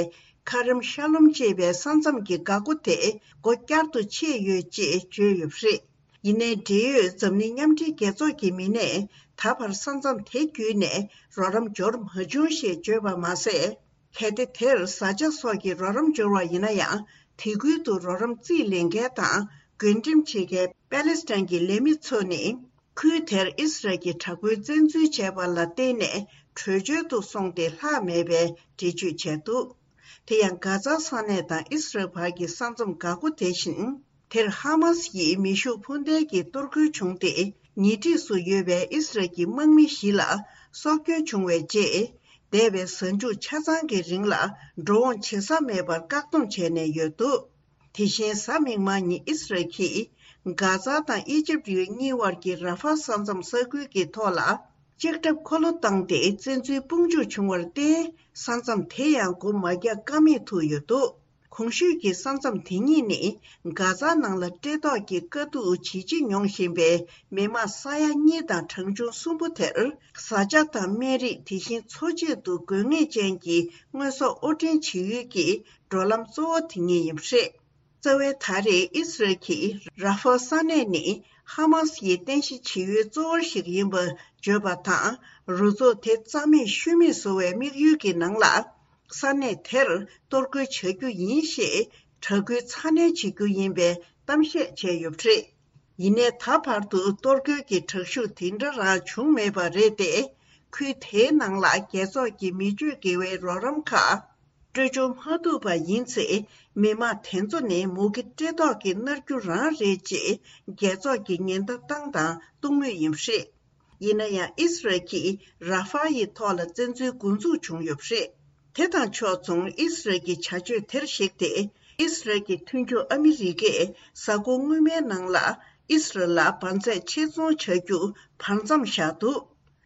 ཁ་རམ་ཤ་ལོམ་ཅེས་པའི་ས་མཚམས་ཀྱི་འགག་སྒོ་དེ་སྒོ་བསྐྱར་དུ་ཕྱེས་ཡོད་ཅེས་བརྗོད་ཡོད་པ་རེད། ཡིན་ནའི་འབྲེལ་ཡོད་འཛམ་གླིང་མཉམ་འབྲེལ་རྒྱལ་ཚོགས་ཀྱི་མི་སྣས་ད་བར་ས་མཚམས་དེ་བརྒྱུད་ནས་རོགས་རམ་འབྱོར་མ་བྱུང་ཞེས་བརྗོད་པ་མ་ཟད། གལ་ཏེ་དེར་བཟའ་བཅའ་སོགས་ཀྱི་རོགས་རམ་འབྱོར་བ་ཡིན་ན་ཡང་། དེ་ཁུལ་དུ་རོགས་རམ་རྩིས་ལེན་མཁན་དང་བགོ་འགྲེམས་བྱེད་མཁན་པ་ལེ་སི་ཐན་གྱི་ལས་མི་ཚོ་ནི། ཁུལ་དེར་ཨི་སི་རལ་གྱི་དྲག་པོའི་བཙན་འཛུལ་བྱས་པ་ལ་བརྟེན་ནས་བྲོས་བྱོལ་དུ་སོང་སྟེ་ལྷག་མེད་པའི་འགྲེལ་བརྗོད་བྱས་འདུག་དེ་ཡང་། གྷ་ཛ་ས་གནས་དང་ཨི་སི་རལ་བར་གྱི་ས་མཚམས་འགག་སྒོ་དེ་བཞིན། དེར་ཧ་མ་སི་ཡིས་མེ་ཤུགས་འཕུར་མདེལ་གྱིས་གཏོར་རྒོལ་བྱུང་སྟེ། ཉེ་འཁྲིས་སུ་ཡོད་པའི་ཨི་སི་རལ་གྱི་དམག་མི་བཞི་ལ་སྲོག་སྐྱོན་བྱུང་བའི་རྗེས། འདས་པའི་གཟའ་མཇུག་ཆ་ཚང་གི་རིང་ལ་འགྲོ་འོང་བྱེད་ས་མེད་པར་བཀག་སྡོམ་བྱས་ནས་ཡོད་འདུག་དེ་བཞིན་གཟའ་མིག་དམར་ཉིན་ཨི་སི་རལ་གྱིས་གྷ་ཛ་དང་ཨི་ཇིབ་ཡུལ་གཉིས་དབར་གྱི་ར་ཧྥ་ས་མཚམས་ས་ཁུལ་གྱི་ཐོག་ལ་ལྕགས་ཁྲབ་འཁོར་ལོ་བཏང་སྟེ་བཙན་འཛུལ་དཔུང་འཇུག་བྱུང་བར་བརྟེན། ས་མཚམས་དེ་ཡང་སྒོ་མ་རྒྱག་ཀ་མེད་ཐུག་ཡོད་འདུག་གོང་ཞུས་ཀྱི་ས་མཚམས་དེ་གཉིས་ནི་གྷ་ཛ་ནང་ལ་བཀྲེས་ལྟོགས་ཀྱི་དཀའ་སྡུག་ཇི་ཆེ་མྱོང་བཞིན་པའི་མི་མང་ས་ཡ་གཉིས་དང་གྲངས་ཆུང་གསུམ་པོ་དེར། བཟའ་བཅའ་དང་སྨན་རིགས། དེ་བཞིན་འཚོ་ཆེད་དུ་དགོས་ངེས་ཅན་གྱི་དངོས་ཟོག་དབོར་འདྲེན་བྱེད་ཡུལ་གྱི་འགྲོ་ལམ་གཙོ་བོ་དེ་གཉིས་ཡིན་པ་རེད། རྩ་བའི་ད་རེས་ཨི་སི་རལ་གྱིས་ར་ཧྥ་ས་གནས་ནི་ཧ་མ་སི་ཡི་རྟེན་གཞི་བྱེད་ཡུལ་གཙོ་བོ་ཞིག་ཡིན་པ་བརྗོད་པ་དང་། རུ་ཚོགས་དེ་རྩ་མེད་ཤུལ་མེད་བཟོ་བའི་དམིགས་ཡུལ་གྱི་ནང་ལ། ས་གནས་དེར་གཏོར་རྒོལ་བྱ་རྒྱུ་ཡིན་ཞེས་དྲག་སྐུལ་ཚ་ནན་བྱེད་རྒྱུ་ཡིན་པའི་གཏམ་བཤད་བྱས་ཡོད་པ་རེད། ཡིན་ནའི་ད་བར་དུ་གཏོར་རྒོལ་གྱི་དྲག་ཤུགས་དེ་འདྲ་རང་བྱུང་མེད་པ་རེད་དེ། ཁུལ་དེའི་ནང་ལ་རྒྱལ་ཚོགས་ཀྱི་མི་སྤྱོད་དགེ་བའི་རོགས་རམ་ཁག་སྤྲོད་འབྱོར་མ་ཐུབ་པ་ཡིན་ཚེ། མི་མང་དེ་ཚོ་ནི་མུ་གེ་བཀྲེས་ལྟོགས་ཀྱིས་མནར་རྒྱུ་རང་རེད་ཅེས་རྒྱལ་ཚོགས་ཀྱིས་ཉེན་བརྡ་བཏང་དང་གཏོང་མུས་ཡིན་པ་རེད། ཡིན་ན་ཡང་ཨི་སི་རལ་གྱིས་ར་ཧྥ་ཡི་ཐོག་ལ་བཙན་འཛུལ་འགོ་འཛུགས་བྱུང་ཡོད་པ་རེད། དེ་དང་ཕྱོགས་མཚུངས་ཨི་སི་རལ་གྱི་བྱ་སྤྱོད་དེར་གཞིགས་ཏེ། ཨི་སི་རལ་གྱི་མཐུན་ཕྱོགས་ཨ་མི་རི་ཀས་གཟའ་འཁོར་སྔོན་མའི་ནང་ལ་ཨི་སི་རལ་ལ་འབར་རྫས་ཆེད་ཚོང་བྱ་རྒྱུ་བར་མཚམས་བཞག་འདུག་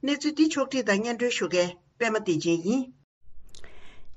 གནས་ཚུལ་འདི་ཕྱོགས་བསྒྲིགས་དང་སྙན་སྒྲོན་ཞུ་མཁན་པད་མ་བདེ་ཆེན་ཡིན།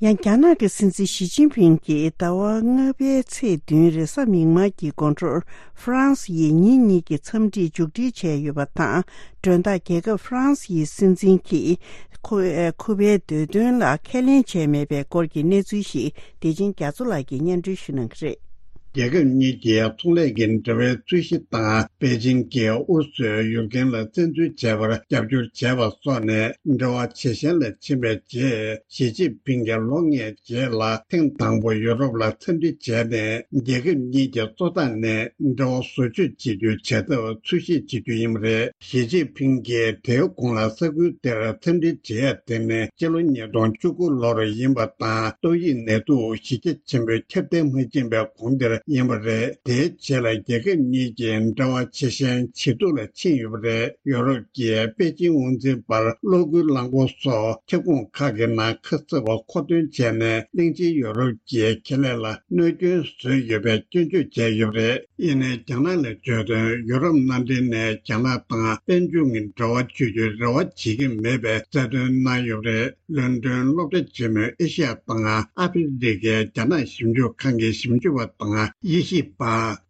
ཡང་རྒྱ་ནག་གི་སྲིད་འཛིན་ཞི་ཅིན་ཕིང་གིས་ཟླ་བ་ལྔ་པའི་ཚེས་བདུན་རེས་གཟའ་མིག་དམར་གྱི་དགོང་དྲོར་ཧྥ་རན་སི་ཡིས་ཉིན་གཉིས་ཀྱི་འཚམས་འདྲི་མཇུག་སྒྲིལ་བྱས་ཡོད་པ་དང་། མགྲོན་བདག་རྒྱལ་ཁབ་ཧྥ་རན་སི་ཡི་སྲིད་འཛིན་གྱིས་ཁོ་ཁུ་པའི་འདོད་དོན་ལ་ཁས་ལེན་བྱས་མེད་པའི་སྐོར་གྱི་གནས་ཚུལ་ཞིག་བདེ་ཆེན་རྒྱ་མཚོ་ལགས་ཀྱིས་སྙན་སྒྲོན་ཞུ་གནང་གི་རེད། རྒྱལ་ཁབ་གཉིས་ཀྱི་ཚོང་ལས་ཀྱི་འབྲེལ་བའི་རྩོད་གཞི་དང་པེ་ཅིང་གིས་ཨུ་རུ་སུས་ཡུཀ་རེན་ལ་བཙན་འཛུལ་བྱས་པར་རྒྱབ་སྐྱོར་བྱས་པ་སོགས་ནས་འབྲེལ་བ་ཇེ་ཞན་ལ་ཕྱིན་པའི་རྗེས། ཞི་ཅིན་ཕིང་གིས་ལོ་ལྔའི་རྗེས་ལ་ཐེངས་དང་པོ་ཡུ་རོབ་ལ་འཚམས་འདྲི་བྱས་ནས། རྒྱལ་ཁབ་གཉིས་ཀྱི་གཙོ་བདག་ནས་འབྲེལ་བ་བཟོ་བཅོས་བྱེད་རྒྱུའི་བྱ་ཐབས་འཚོལ་ཞིབ་བྱེད་རྒྱུ་ཡིན་པ་རེད། ཞི་ཅིན་ཕིང་གིས་དེའི་གོང་ལ་ས་ཁུལ་དེར་འཚམས་འདྲི་བྱེད་ཡ་དེ་ནི་སྤྱི་ལོ་ཉིས་སྟོང་བཅུ་དགུ་ལོར་ཡིན་པ་དང་། ཏོག་དབྱིབས་ནད་དུག་གཞི་རྒྱ་ཆེན་པོས་ཁྱབ་གདལ་མ་ཕྱིན་པའི་གོང་དེར་ཡིན་པ་རེད། དེའི་རྗེས་ལ་རྒྱལ་ཁབ་གཉིས་ཀྱི་འབྲེལ་བ་ཇེ་ཞན་ཇེ་སྡུག་ལ་ཕྱིན་ཡོད་པ་རེད། ཡོ་རོབ་ཀྱིས་པེ་ཅིང་དབང་འཛིན་པར་གློག་སྒུལ་རླངས་འཁོར་སོགས་ཁྱབ་ཁོངས་ཁག་གི་ནང་ཁ་གསབ་པ་མཁོ་འདོན་བྱས་ནས། གླིང་ཆེན་ཡོ་རོབ་ཀྱི་ཁེ་ལས་ལ་གནོད་སྐྱོན་བཟོས་ཡོད་པའི་སྐྱོན་བརྗོད་བྱས་ཡོད་པ་རེད། ཡིན་ནའི་རྒྱ་ནག་ལ་བརྗོད་དོན། ཡུ་རོབ་མནའ་འབྲེལ་ནས་རྒྱ་ནག་དང་དཔལ་འབྱོར་གྱི་འབྲེལ་བ་གཅོད་རྒྱུའི་རེ་བ་བྱེད་ཀྱི་མེད་པའི་གསལ་སྟོན་གནང་ཡོད་པ་རེད། ལོན་ཌོན་སློབ་གྲྭ་ཆེན་མོའི་ཨེ་ཤི་ཡ་དང་ཨ་ཧྥེ་རི་ཁའི་རྒྱ་ནག་ཞིབ་འཇུག་ཁང་གི་ཞིབ་འཇུག་པ་དང་ དབྱེ་ཞིབ་པ་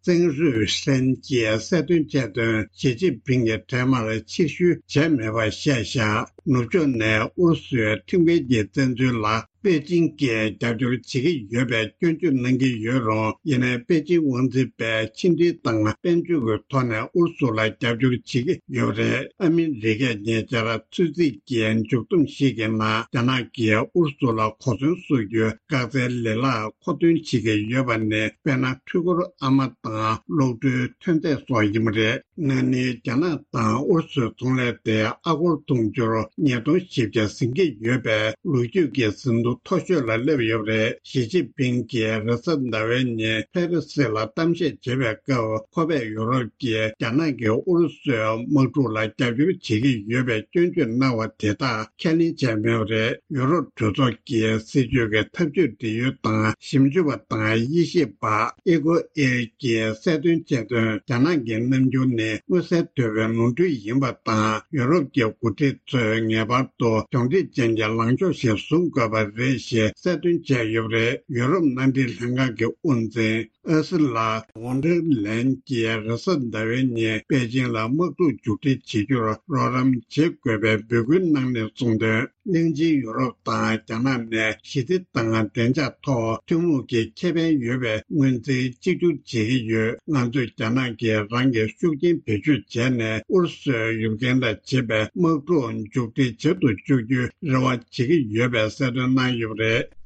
ཙེང་རུས་ཧྲན་གྱིས་གསལ་སྟོན་བྱས་དོན། ཞི་ཅིན་ཕིང་གིས་འཕྲལ་མར་ཕྱིར་བཤོལ་བྱས་མེད་པ་བཤད་བཞག་ནུབ་ཕྱོགས་ནས་ཨུ་རུ་སུའི་ཁྲིམས་འགལ་གྱི་བཙན་འཛུལ་ལ་པེ་ཅིང་གིས་རྒྱབ་སྐྱོར་བྱེད་ཀྱི་ཡོད་པའི་སྐྱོན་བརྗོད་གནང་གི་ཡོད་རུང་། ཡིན་ནའི་པེ་ཅིང་དབང་འཛིན་པས་ཕྱི་འབྲེལ་དང་དཔལ་འབྱོར་གྱི་ཐོག་ནས་ཨུ་རུ་སུ་ལ་རྒྱབ་སྐྱོར་བྱེད་ཀྱི་ཡོད་པ་རེད། ཨ་མི་རི་ཀས་ཉེ་ཆར་ཚོད་རྩིས་ཀྱི་མཇུག་བསྡོམས་ཤིག་གི་ནང་། རྒྱ་ནག་གིས་ཨུ་རུ་སུ་ལ་གོ་མཚོན་བཟོ་རྒྱུའི་བཀག་རྩའི་ལེ་ལག་མཁོ་འདོན་བྱེད་ཀྱི་ཡོད་པ་ནི། དཔེར་ན། འཕྲུལ་འཁོར་ཨ་མ་དང་གློག་འཕྲུལ་ཐོན་རྫས་སོགས་ཡིན་པ་རེད། ན་ནིང་རྒྱ་ནག་དང་ཨུ་རུ་སུའི་ཚོང་ལས་དེ་ཨ་སྒོར་དུང་ཕྱུར་ཉིས་སྟོང་བཞི་བརྒྱ་ཟིན་གྱི་ཡོད་པས། ལོ་རྒྱུས་ཀྱི་ཟིན་ཐོ་མཐོ་ཤོས་ལ་སླེབས་ཡོད་པ་རེད། ཞི་ཅིན་ཕིང་གིས་རེས་གཟའ་ཟླ་བའི་ཉིན་ཕེ་རི་སི་ལ་གཏམ་བཤད་བྱེད་པའི་སྐབས། ཁོ་པས་ཡུ་རོབ་ཀྱིས་རྒྱ་ནག་གིས་ཨུ་རུ་སུའི་དམག་འཁྲུག་ལ་རྒྱབ་སྐྱོར་བྱེད་ཀྱི་ཡོད་པའི་སྐྱོན་བརྗོད་གནང་བ་དེ་དག་ཁས་ལེན་བྱས་མེད་པ་རེད། ཡུ་རོབ་གྲོས་ཚོགས་ཀྱི་སྲིད་ཇུས་ཀྱི་ཐབས་ཇུས་འབྲེལ་ཡོད་དང་ཞིབ་འཇུག་པ་དང་དབྱེ་ཞིབ་པ་ཨེ་ཀོ་ཨེར་གྱིས་གསལ་སྟོན་བྱས་དོན། རྒྱ་ནག་གི་རྣམ་འགྱུར་ནི་མངོན་གསལ་དོད་པའི་ནོར་འཁྲུལ་ཡིན་པ་དང་། ཡུ་རོབ་ཀྱི་འགོ་ཁྲིད་ཚོས་ངེས་པར་དུ་གྱོང་ཁྲིད་ཅན་གྱི་ལངས་ཕྱོགས་ཤིག་བཟུང་དགོས་པ་རེད་ཞེས་གསལ་སྟོན་བྱས་ཡོད་པ་རེད། ཡུ་རོབ་མནའ་འབྲེལ་ལྷན་ཁང་གི་དབུ་འཛིན་ཨར་སི་ལ་ཝོན་ཌེར་ལེན་གྱིས་རེས་གཟའ་ཟླ་བའི་ཉིན་པེ་ཅིང་ལ་དམག་འཁྲུག་མཇུག་སྒྲིལ་བྱེད་རྒྱུར་རོགས་རམ་བྱེད་དགོས་པའི་འབོད་སྐུལ་གནང་ནས་གསུངས་དོན། གླིང་ཆེན་ཡུ་རོབ་དང་རྒྱ་ནག་ནས་ཞི་བདེ་དང་བདེ་འཇགས་ཐོག་ཐུན་མོང་གི་ཁེ་ཕན་ཡོད་པའི་སྔོན་རྩིས་གཅིག་གྱུར་བྱེད་ཀྱི་ཡོད། ང་ཚོས་རྒྱ་ནག་གིས་རང་གི་ཤུགས་རྐྱེན་བེད་སྤྱོད་བྱས་ནས་ཨུ་རུ་སུའི་ཡུཀ་རེན་ལ་བྱེད་པའི་དམག་འཁྲུག་མཇུག་སྒྲིལ་བྱེད་དུ་བཅུག་རྒྱུའི་རེ་བ་བྱེད་ཀྱི་ཡོད་པའི་གསལ་སྟོན་གནང་ཡོད་པ་རེད།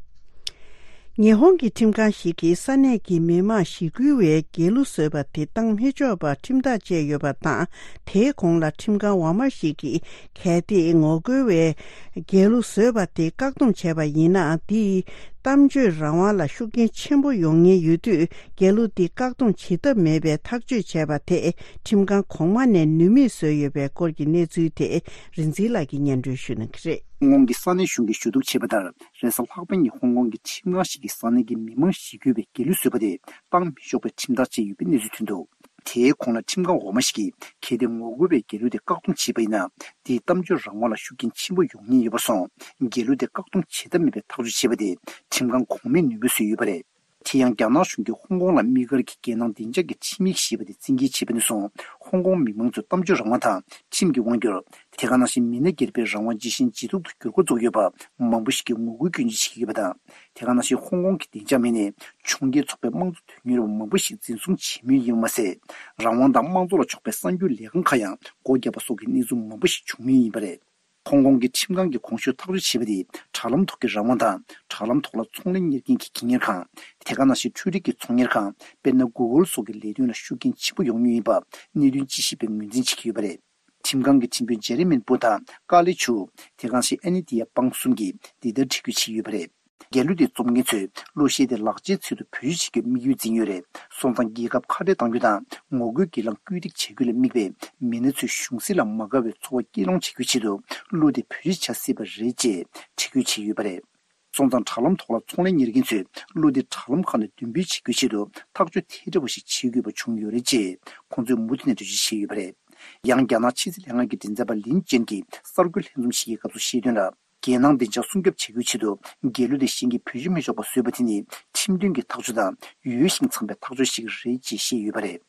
ཉི་ཧོང་གི་ཁྲིམས་ཁང་ཞིག་གིས་ས་གནས་ཀྱི་མི་མང་ཞི་རྒོལ་བའི་རྒྱལ་གླུ་བཟོས་པ་དེ་བཏང་མི་ཆོག་པར་ཁྲིམས་ཐག་བཅད་ཡོད་པ་དང་། དེའི་གོང་ལ་ཁྲིམས་ཁང་འོག་མ་ཞིག་གིས་གལ་ཏེ་ངོ་རྒོལ་བའི་རྒྱལ་གླུ་བཟོས་པ་དེ་བཀག་སྡོམ་བྱས་པ་ཡིན་ན། དེས་གཏམ་བརྗོད་རང་དབང་ལ་ཤུགས་རྐྱེན་ཆེན་པོ་ཡོང་ཉེན་ཡོད་དུས། རྒྱལ་གླུ་དེ་བཀག་སྡོམ་བྱེད་ཐབས་མེད་པའི་ཐག་གཅོད་བྱས་པ་དེ་ཁྲིམས་ཁང་གོང་མ་ནས་ནུས་མེད་བཟོས་ཡོད་པའི་སྐོར་གྱི་གནས་ཚུལ་དེ་རིག་འཛིན་ལགས་ཀྱིས་སྙན་སྒྲོན་ཞུ་གནང་གི་རེད། ཧོང་ཀོང་གི་ས་གནས་གཞུང་གིས་ཞུ་གཏུག་བྱས་པ་ལྟར། རེས་གཟའ་ལྷག་པའི་ཉིན་ཧོང་ཀོང་གི་ཁྲིམས་ཁང་ཞིག་གིས་ས་གནས་ཀྱི་མི་མང་ཞི་རྒོལ་བའི་རྒྱལ་གླུ་བཟོས་པ་དེ་བཏང་མི་ཆོག་པའི་ཁྲིམས་ཐག་བཅད་ཡོད་པའི་གནས་ཚུལ་ཐོན་འདུག་དེའི་གོང་ལ་ཁྲིམས་ཁང་འོག་མ་ཞིག་གིས་གལ་ཏེ་ངོ་རྒོལ་བའི་རྒྱལ་གླུ་དེ་བཀག་སྡོམ་བྱས་པ་ཡིན་ན། དེས་གཏམ་བརྗོད་རང་དབང་ལ་ཤུགས་རྐྱེན་ཆེན་པོ་ཡོང་ཉེན་ཡོད་པར་སོང་། རྒྱལ་གླུ་དེ་བཀག་སྡོམ་བྱེད་ཐབས་མེད་པའི་ཐག་གཅོད་བྱས་པ་དེ་ཁྲིམས་ཁང་གོང་མས་ནུས་མེད་བཟོས་ཡོད་པ་རེད། དེ་ཡང་རྒྱ་ནག་གཞུང་གིས་ཧོང་ཀོང་ལ་དམིགས་བཀར་གྱིས་རྒྱལ་ནང་བདེ་འཇགས་ཀྱི་ཁྲིམས་ཡིག་ཞེས་པ་དེ་བཙན་འགེལ་བྱས་པ་ནས་བཟུང་། ཧོང་ཀོང་མི་མང་ཚོས་གཏམ་བརྗོད་རང་དབང་དང་ཁྲིམས་ཀྱི་དབང་སྒྱུར། དེ་ག་ནང་བཞིན་མི་སྣ་སྒེར་པའི་རང་དབང་ཇི་བཞིན་ཇེ་སྡུག་ཏུ་འགྱུར་འགོ་བཙུགས་ཡོད་པ་མང་པོ་ཞིག་གིས་ངོ་རྒོལ་སྐྱོན་བརྗོད་བྱེད་ཀྱི་ཡོད་པ་དང་། དེ་ག་ནང་བཞིན་ཧོང་ཀོང་གི་བདེ་འཇགས་མིན་ནས་གྱོང་ཁྱེར་ཚོགས་པའི་དམངས་གཙོ་དོན་གཉེར་བ་མང་པོ་ཞིག་འཛིན་བཟུང་བྱེད་མུས་ཡིན་པ་མ་ཟད། རང་དབང་དང་དམངས་གཙོ་ལ་ཕྱོགས་པའི་གསར་འགྱུར་ལས་ཁང་ཁག་ཡང་སྒོ་བརྒྱབ་པ་སོགས་ཀྱི་གནས་ཚུལ་མང་པོ་ཞིག་བྱུང་མུས་ཡིན་པ་རེད། ཧོང་ཀོང་གི་ཁྲིམས་ཁང་གིས་གོང་ཞུས་ཐག་གཅོད་བྱས་པ་དེས་དྲ་ལམ་ཐོག་གི་རང་དབང་དང་། དྲ་ལམ་ཐོག་ལ་ཚོང་ལས་གཉེར་མཁན་གྱི་སྒེར་གཉེར་ཁང་། དེ་ག་ནང་བཞིན་འཕྲུལ་རིག་གི་ཚོང་གཉེར་ཁང་། དཔེར་ན། གུ་གལ་སོགས་ཀྱི་ལས་དོན་ལ་ཤུགས་རྐྱེན་ཆེན་པོ་ཡོང་མུས་ཡིན་པ་གནད་དོན་དཔྱད་ཞིབ་པས་ངོས་འཛིན་བྱེད་ཀྱི་ཡོད་པ་རེད། ཁྲིམས་ཁང་གི་ཁྲིམས་དཔོན་ཇེ་རི་མིན་པུ་དང་ཀ་ལི་ཆུ། དེ་ག་ནང་བཞིན་ཨན་ནི་ཏི་ཡ་པང་གསུམ་གྱིས་འདི་ལྟར་འགྲེལ་བརྗོད་བྱས་ཡོད་པ་རེད། རྒྱལ་གླུ་དེ་རྩོམ་མཁན་ཚོས་གླུ་གཞས་དེ་ལག་ཆའི་ཚུལ་དུ་བེད་སྤྱོད་བྱེད་རྒྱུར་དམིགས་ཡུལ་འཛིན་ཡོད་རེད། སོང་ཙང་རྒྱལ་ཁབ་ཁ་བྲལ་གཏང་རྒྱུ་དང་ངོ་རྒོལ་སྒེར་ལངས་སྐུལ་འདེད་བྱ་རྒྱུ་ལ་དམིགས་པའི་མི་སྣ་ཚོས་གཞུང་སྲིད་ལ་མ་དགའ་བའི་ཚོར་བ་སྐྱེད་སློང་བྱ་རྒྱུའི་ཆེད་དུ་གླུ་དེ་བེད་སྤྱོད་བྱ་སྲིད་པ་རེད་ཅེས་འགྲེལ་བརྗོད་བྱས་ཡོད་པ་རེད། སོང་ཙང་དྲ་ལམ་ཐོག་ལ་ཚོང་ལས་གཉེར་མཁན་ཚོས་གླུ་དེ་དྲ་ལམ་ཁག་ནས་འདོན་སྤེལ་བྱེད་རྒྱུའི་ཆེད་དུ་ཐག་གཅོད་དེ་འདྲ་བ་ཞིག་བྱེད་དགོས་པ་བྱུང་ཡོད་རེད་ཅེས་ཁོང་ཚོས་མུ་མཐུད་ནས་འགྲེལ་བརྗོད་བྱས་ཡོད་པ་རེད། ཡང་རྒྱ་ནག་ཕྱི་སྲིད་ལྷན་ཁང་གི་མགྲིན་ཚབ་པ་ལིན་ཅན་གྱིས་གསར་འགོད་ལྷན་འཛོམས་ཤིག་གི་སྐབས་སུ་བཤད་དོན་ལ། རྒྱལ་ནང་བདེ་འཇགས་སྲུང་སྐྱོབ་བྱ་རྒྱུའི་ཆེད་དུ་རྒྱལ་གླུ་དེ་གཞན་གྱིས་བེད་སྤྱོད་མི་ཆོག་པ་བཟོས་པ་དེ་ནི་ཁྲིམས་མཐུན་གྱི་ཐག་གཅོད་དང་ཡོ་བྱད་ཤིང་འཚམ་པའི་ཐག་གཅོད་ཞིག་རེད་ཅེས་བཤད་ཡོད་པ་རེད།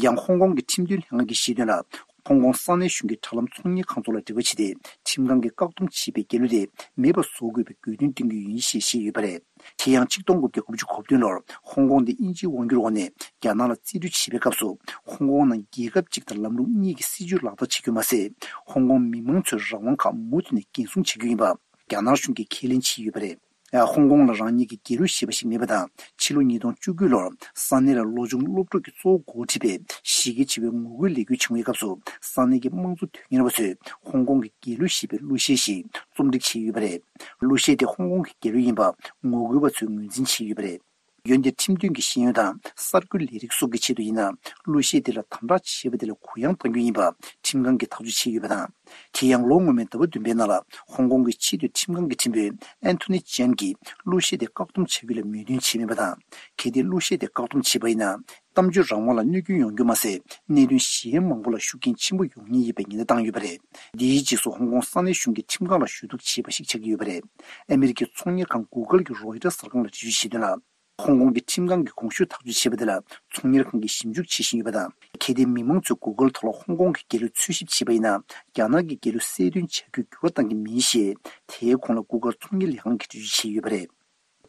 ཡང་ཧོང་ཀོང་གི་ཁྲིམས་མཐུན་ལྷན་ཁང་གིས་བཤད་དོན་ལ། ཧོང་ཀོང་ས་གནས་གཞུང་གིས་དྲ་ལམ་ཚོང་གཉེར་ཁང་ཚོ་ལ་འབྲེལ་བ་བྱས་ཏེ་ཁྲིམས་ཁང་གིས་བཀག་སྡོམ་བྱས་པའི་རྒྱལ་གླུ་དེ་མེད་པ་བཟོ་དགོས་པའི་དགོས་འདུན་བཏོན་གྱི་ཡིན་ཞེས་བཤད་ཡོད་པ་རེད། དེ་ཡང་ཆིག་སྟོང་དགུ་བརྒྱ་དགུ་བཅུ་གོ་བདུན་ལོར་ཧོང་ཀོང་དེ་དབྱིན་ཇིའི་དབང་སྒྱུར་འོག་ནས་རྒྱ་ནག་ལ་རྩིས་སྤྲོད་བྱེད་པའི་སྐབས་སུ། ཧོང་ཀོང་ནང་རྒྱལ་ཁབ་གཅིག་དང་ལམ་ལུགས་གཉིས་ཀྱི་སྲིད་བྱུས་ལག་བསྟར་བྱེད་རྒྱུ་མ་ཟད། ཧོང་ཀོང་མི་མང་ཚོའི་རང་དབང་ཁག་མུ་མཐུད་ནས་འགན་སྲུང་བྱེད་རྒྱུ་ཡིན་པ་རྒྱ་ནག་གཞུང་གིས་ཁས་ལེན་བྱས་ཡོད་པ་རེད། ཧོང་ཀོང་ལ་རང་ཉིད་ཀྱི་རྒྱལ་གླུ་ཞེས་པ་ཞིག་མེད་པ་དང་། ཕྱི་ལོ་ཉིས་སྟོང་བཅུ་དགུ་ལོར་ས་གནས་ལ་ལོ་ཆུང་སློབ་ཕྲུག་གིས་གཙོ་བོ་འགོ་ཁྲིད་པའི་གཞི་རྒྱ་ཆེ་བའི་ངོ་རྒོལ་ལས་འགུལ་བྱུང་བའི་སྐབས་སུ། ས་གནས་ཀྱི་དམངས་གཙོ་དོན་གཉེར་བ་ཚོས་ཧོང་ཀོང་གི་རྒྱལ་གླུ་ཞེས་པའི་གླུ་གཞས་ཤིག་རྩོམ་སྒྲིག་བྱས་ཡོད་པ་རེད། གླུ་གཞས་དེ་ཧོང་ཀོང་གི་རྒྱལ་གླུ་ཡིན་པ་ངོ་རྒོལ་བ་ཚོས་ངོས་འཛིན་བྱས་ཡོད་པ་རེད། འོན་ཏེ་ཁྲིམས་མཐུན་གྱི་ཤེས་ཡོན་དང་གསར་འགོད་ལས་རིགས་སོགས་ཀྱི་ཆེད་དུ་ཡིན་ན། གླུ་གཞས་དེ་ལ་དམ་དྲག་བྱས་པ་དེ་ལ་གུ་ཡངས་གཏང་རྒྱུ་ཡིན་པ་ཁྲིམས་ཁང་གིས་ཐག་གཅོད་བྱས་ཡོད་པ་དང་། དེ་ཡང་ལོ་སྔོན་མའི་ཟླ་བ་བདུན་པའི་ནང་ལ་ཧོང་ཀོང་གི་ཆེས་མཐོའི་ཁྲིམས་ཁང་གི་ཁྲིམས་དཔོན་ཨན་ཐོ་ནི་ཅན་གྱིས་གླུ་གཞས་དེ་བཀག་སྡོམ་བྱ་རྒྱུ་ལ་མོས་མཐུན་བྱས་མེད་པ་དང་། གལ་ཏེ་གླུ་གཞས་དེ་བཀག་སྡོམ་བྱས་པ་ཡིན་ན། གཏམ་བརྗོད་རང་དབང་ལ་གནོད་སྐྱོན་ཡོང་རྒྱུ་མ་ཟད། གནད་དོན་གཞན་མང་པོ་ལ་ཤུགས་རྐྱེན་ཆེན་པོ་ཡོང་ངེས་ཡིན་པའི་ཉེན་བརྡ་བཏང་ཡོད་པ་རེད། འདིའི་རྗེས་སུ་ཧོང་ཀོང་ས་གནས་གཞུང་གིས་ཁྲིམས་ཁང་ལ་ཞུ་གཏུག་བྱས་པ་ཞིག་ཆགས་ཀྱི་ཡོད་པ་རེད། ཨ་མི་རི་ཀའི་ཚོང་གཉེར་ཁང་གུ་གལ་གྱིས་རོའི་ཊར་གསར་ཁང་ལ་འགྲེལ་བརྗོད་བྱས་དོན་ལ། ཧོང་ཀོང་གི་ཁྲིམས་ཁང་གིས་གོང་ཞུས་ཐག་གཅོད་བྱས་པ་དེ་ལ་ཚོང་གཉེར་ཁང་གིས་ཞིབ་འཇུག་བྱེད་བཞིན་ཡོད་པ་དང་། གལ་ཏེ་མི་མང་ཚོས་Google་ཐོག་ལ་ཧོང་ཀོང་གི་རྒྱལ་གླུ་འཚོལ་ཞིབ་བྱས་པ་ཡིན་ན། རྒྱ་ནག་གི་རྒྱལ་གླུ་གསལ་སྟོན་བྱ་རྒྱུར་འགྱུར་བ་གཏང་གི་མིན་ཞེས། དེའི་གོང་ལ་Google་ཚོང་གཉེར་ལས་ཁང་གིས་འགྲེལ་བརྗོད་བྱས་ཡོད་པ་རེད།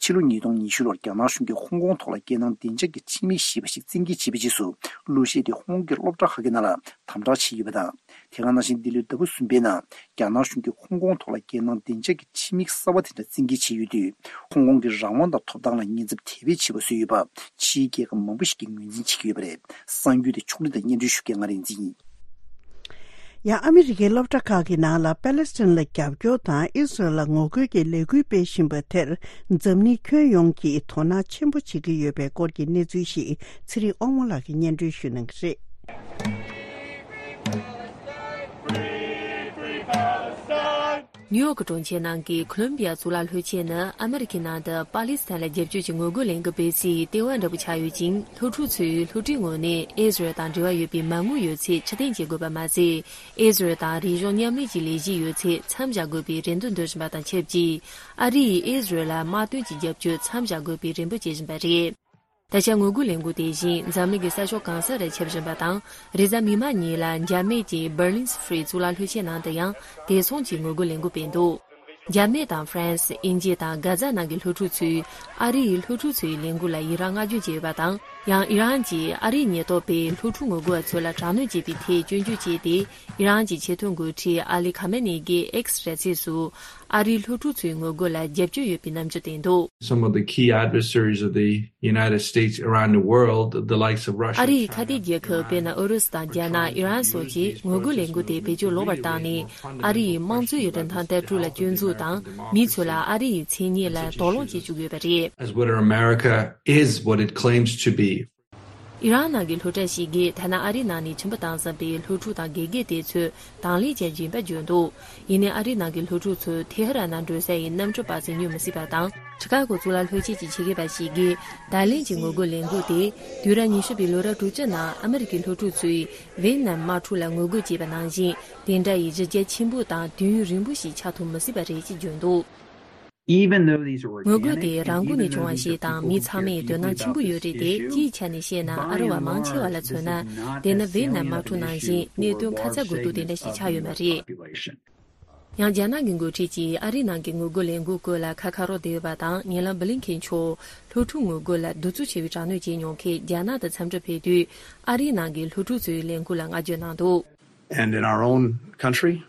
ཕྱི་ལོ་ཉིས་སྟོང་ཉི་ཤུ་ལོར་རྒྱ་ནག་གཞུང་གིས་ཧོང་ཀོང་ཐོག་ལ་རྒྱལ་ནང་བདེ་འཇགས་ཀྱི་ཁྲིམས་ཡིག་ཞེས་པ་ཞིག་བཙན་འགེལ་བྱས་པའི་རྗེས་སུ། གླུ་གཞས་དེ་ཧོང་ཀོང་གི་སློབ་གྲྭ་ཁག་གི་ནང་ལ་དམ་དྲག་བྱས་ཡོད་པ་དང་། དེ་ག་ནང་བཞིན་འདི་ལོའི་ཟླ་བ་གསུམ་པའི་ནང་རྒྱ་ནག་གཞུང་གིས་ཧོང་ཀོང་ཐོག་ལ་རྒྱལ་ནང་བདེ་འཇགས་ཀྱི་ཁྲིམས་ཡིག་གསར་བ་དེ་འདྲ་བཙན་འགེལ་བྱས་ཡོད་དུས། ཧོང་ཀོང་གི་རང་དབང་དང་ཐོབ་ཐང་ལ་ཉེན་ཚབས་དེ་བས་ཆེ་བ་བཟོས་ཡོད་པ། ཕྱིའི་རྒྱལ་ཁབ་མང་པོ་ཞིག་གིས་ངོས་འཛིན་བྱེད་ཀྱི་ཡོད་པ་རེད། གསར་འགྱུར་དེ་ཕྱོགས་སྒྲིག་དང་སྙན་སྒྲོན་ཞུ་མཁན་ང་རིག་འཛིན་ཡིན། ཡང་ཨ་མི་རི་ཀའི་སློབ་གྲྭ་ཁག་གི་ནང་ལ་པེ་ལེ་སི་ཐན་ལ་རྒྱབ་སྐྱོར་དང་ཨི་སི་རལ་ལ་ངོ་རྒོལ་གྱི་ལས་འགུལ་སྤེལ་བཞིན་པ་དེར། འཛམ་གླིང་ཁྱོན་ཡོངས་ཀྱིས་དོ་སྣང་ཆེན་པོ་བྱེད་ཀྱི་ཡོད་པའི་སྐོར་གྱི་གནས་ཚུལ་ཞིག་ཚེ་རིང་དབང་མོ་ལགས་ཀྱིས་སྙན་སྒྲོན་ཞུ་གནང་གི་རེད། ནིའུ་ཡོག་གྲོང་ཁྱེར་ནང་གི་ཁོ་ལོམ་བི་ཡ་གཙུག་ལག་ལྷོ་ཆེན་ནི་ཨ་མི་རི་ཁའི་ནང་དུ་པ་ལི་སི་ཐན་ལ་རྒྱབ་སྐྱོར་གྱི་ངོ་རྒོལ་ལས་འགུལ་སྤེལ་སའི་ལྟེ་བ་འདྲ་པོ་ཆགས་ཡོད་ཅིང་། སློབ་ཕྲུག་ཚོས་སློབ་གྲྭའི་ངོས་ནས་ཨི་སི་རལ་དང་འབྲེལ་བ་ཡོད་པའི་མ་དངུལ་ཡོད་ཚད་ཕྱིར་འཐེན་བྱེད་དགོས་པ་མ་ཟད། ཨི་སི་རལ་དང་རིག་གཞུང་མཉམ་ལས་ཀྱི་ལས་གཞི་ཡོད་ཚད་མཚམས་བཞག་དགོས་པའི་རེ་འདུན་འདོན་བཞིན་པ་དང་ཆབས་ཅིག། ཨ་རི་ཡིས་ཨི་སི་རལ་ལ་དམག་དོན་གྱི་རྒྱབ་སྐྱོར་མཚམས་བཞག་དགོས་པའི་རེ་འབོད་བྱེད་བཞིན་པ་རེད། ད་ཆ་ངོ་རྒོལ་ལས་འགུལ་དེ་བཞིན་འཛམ་གླིང་གི་ས་ཕྱོགས་གང་ས་རུ་ཁྱབ་བཞིན་པ་དང་། རེས་གཟའ་མིག་དམར་ཉིན་ལ་འཇར་མན་གྱི་Berlin Free གཙུག་ལག་ལྷོ་ཆེན་ནང་དུ་ཡང་དེ་མཚུངས་ཀྱི་ངོ་རྒོལ་ལས་འགུལ་སྤེལ་འདུག། འཇར་མན་དང་ཧྥ་རན་སི། དབྱིན་ཇི་དང་གྷ་ཛ་ནང་གི་སློབ་ཕྲུག་ཚོས་ཨ་རི་ཡི་སློབ་ཕྲུག་ཚོའི་ལས་འགུལ་ལ་ཡི་རངས་བསྔགས་བརྗོད་བྱས་ཡོད་པ་དང་། ཡང་ཨི་རན་གྱིས་ཨ་རིའི་ཉེན་རྟོག་པས་སློབ་ཕྲུག་ངོ་རྒོལ་བ་ཚོ་ལ་དྲག་གནོན་བྱས་པའི་ཐད་སྐྱོན་བརྗོད་བྱས་ཏེ། ཨི་རན་གྱི་ཆེས་མཐོའི་འགོ་ཁྲིད་ཨ་ལི་ཁ་མེ་ནེ་གིས་X་ར་ཚིགས་སུ། ཨ་རིའི་སློབ་ཕྲུག་ཚོའི་ངོ་རྒོལ་ལ་རྒྱབ་སྐྱོར་ཡོད་པའི་རྣམ་འགྱུར་བསྟན་འདུག། Some of the key adversaries of the United States around the world, the likes of Russia, ཨ་རིའི་ཁ་གཏད་རྒྱལ་ཁབ་དཔེར་ན་ཨུ་རུ་སུ་དང་རྒྱ་ནག། ཨི་རན་སོགས་ཀྱིས་ངོ་རྒོལ་ལས་འགུལ་དེ་བེད་སྤྱོད་ལོག་པར་བཏང་ནས། ཨ་རི་ཡི་དམངས་གཙོ་ཡི་རིན་ཐང་ལྟ་གྲུབ་ལ་སྐྱོན་འཛུགས་དང་། མི་ཚོ་ལ་ཨ་རི་ཡི་མཚན་སྙན་ལ་དོགས་སློང་བྱེད་བཅུག་ཡོད་པ་རེད། As what America is, what it claims to be. ཨི་རན་ནང་གི་སློབ་གྲྭ་ཞིག་གིས་ཐ་ན་ཨ་རིའི་ནང་ནས་ཁྱིམ་པ་བཏང་ཟིན་པའི་སློབ་ཕྲུག་དང་དགེ་རྒན་དེ་ཚོས་དང་ལེན་བྱེད་བཞིན་པ་བརྗོད་འདུག། ཡིན་ནའི་ཨ་རིའི་ནང་གི་སློབ་ཕྲུག་ཚོས་ཐེ་ཧ་རན་ནང་འགྲོ་ས་ཡི་གནམ་གྲུ་པར་ཙམ་སྙོན་མི་སྲིད་པ་དང་། ཆི་ཀ་གོ་གཙུག་ལག་སློབ་ཆེན་གྱི་ཆེད་མཁས་པ་ཞིག་གིས། ད་ལན་གྱི་ངོ་རྒོལ་ལས་འགུལ་དེ་དུས་རབས་ཉི་ཤུ་པའི་ལོ་རབས་དྲུག་ཅུ་ནང་ཨ་མི་རི་ཀའི་སློབ་ཕྲུག་ཚོས་ཝེ་ནམ་དམག་འཁྲུག་ལ་ངོ་རྒོལ་བྱས་པ་ནང་བཞིན། དེ་འདྲ་ཡི་གཞི་རྒྱ་ཆེན་པོ་དང་དུས་ཡུན་རིང་པོ་ཞིག་ཆགས་ཐུབ་མི་སྲིད་པ་རེད་ཅེས་བརྗོད་འདུག། Even though these are ངོ་རྒོལ་དེ་organic and རང་འགུལ་ནས་even བྱུང་བ་though these ཞིག་are དང་མི་ཚང་མས་དོ་སྣང་ཆེན་པོ་ཡོད་རེད་དེ། སྤྱིའི་ཆ་ནས་བཤད་ན་ཨ་རི་བ་མང་ཆེ་བ་ལ་མཚོན་ན། དེ་ནི་ཝེ་ནམ་དམག་འཁྲུག་ནང་བཞིན་གནད་དོན་ཁ་ཚ་དགོས་གཏུག་དེ་འདྲ་ཞིག་ཆགས་ཡོད་མ་རེད། ཡང་རྒྱ་ནག་གི་འགོ་ཁྲིད་ཀྱིས་ཨ་རིའི་ནང་གི་ངོ་རྒོལ་ལས་འགུལ་སྐོར་ལ་ཁ་ཁ་རོག་བསྡད་ཡོད་པ་དང་། ཉེ་ལམ་བྷི་ལིན་ཁེན་མཆོག་སློབ་ཕྲུག་ངོ་རྒོལ་ལ་གདུག་རྩུབ་ཆེ་བའི་དྲག་གནོན་བྱས་མྱོང་མཁན་རྒྱ་ནག་ཏུ་འཚམས་འདྲིར་ཕེབས་དུས། ཨ་རིའི་ནང་གི་སློབ་ཕྲུག་ཚོའི་ལས་འགུལ་ལ་བསྔགས་བརྗོད་གནང་འདུག། And in our own country,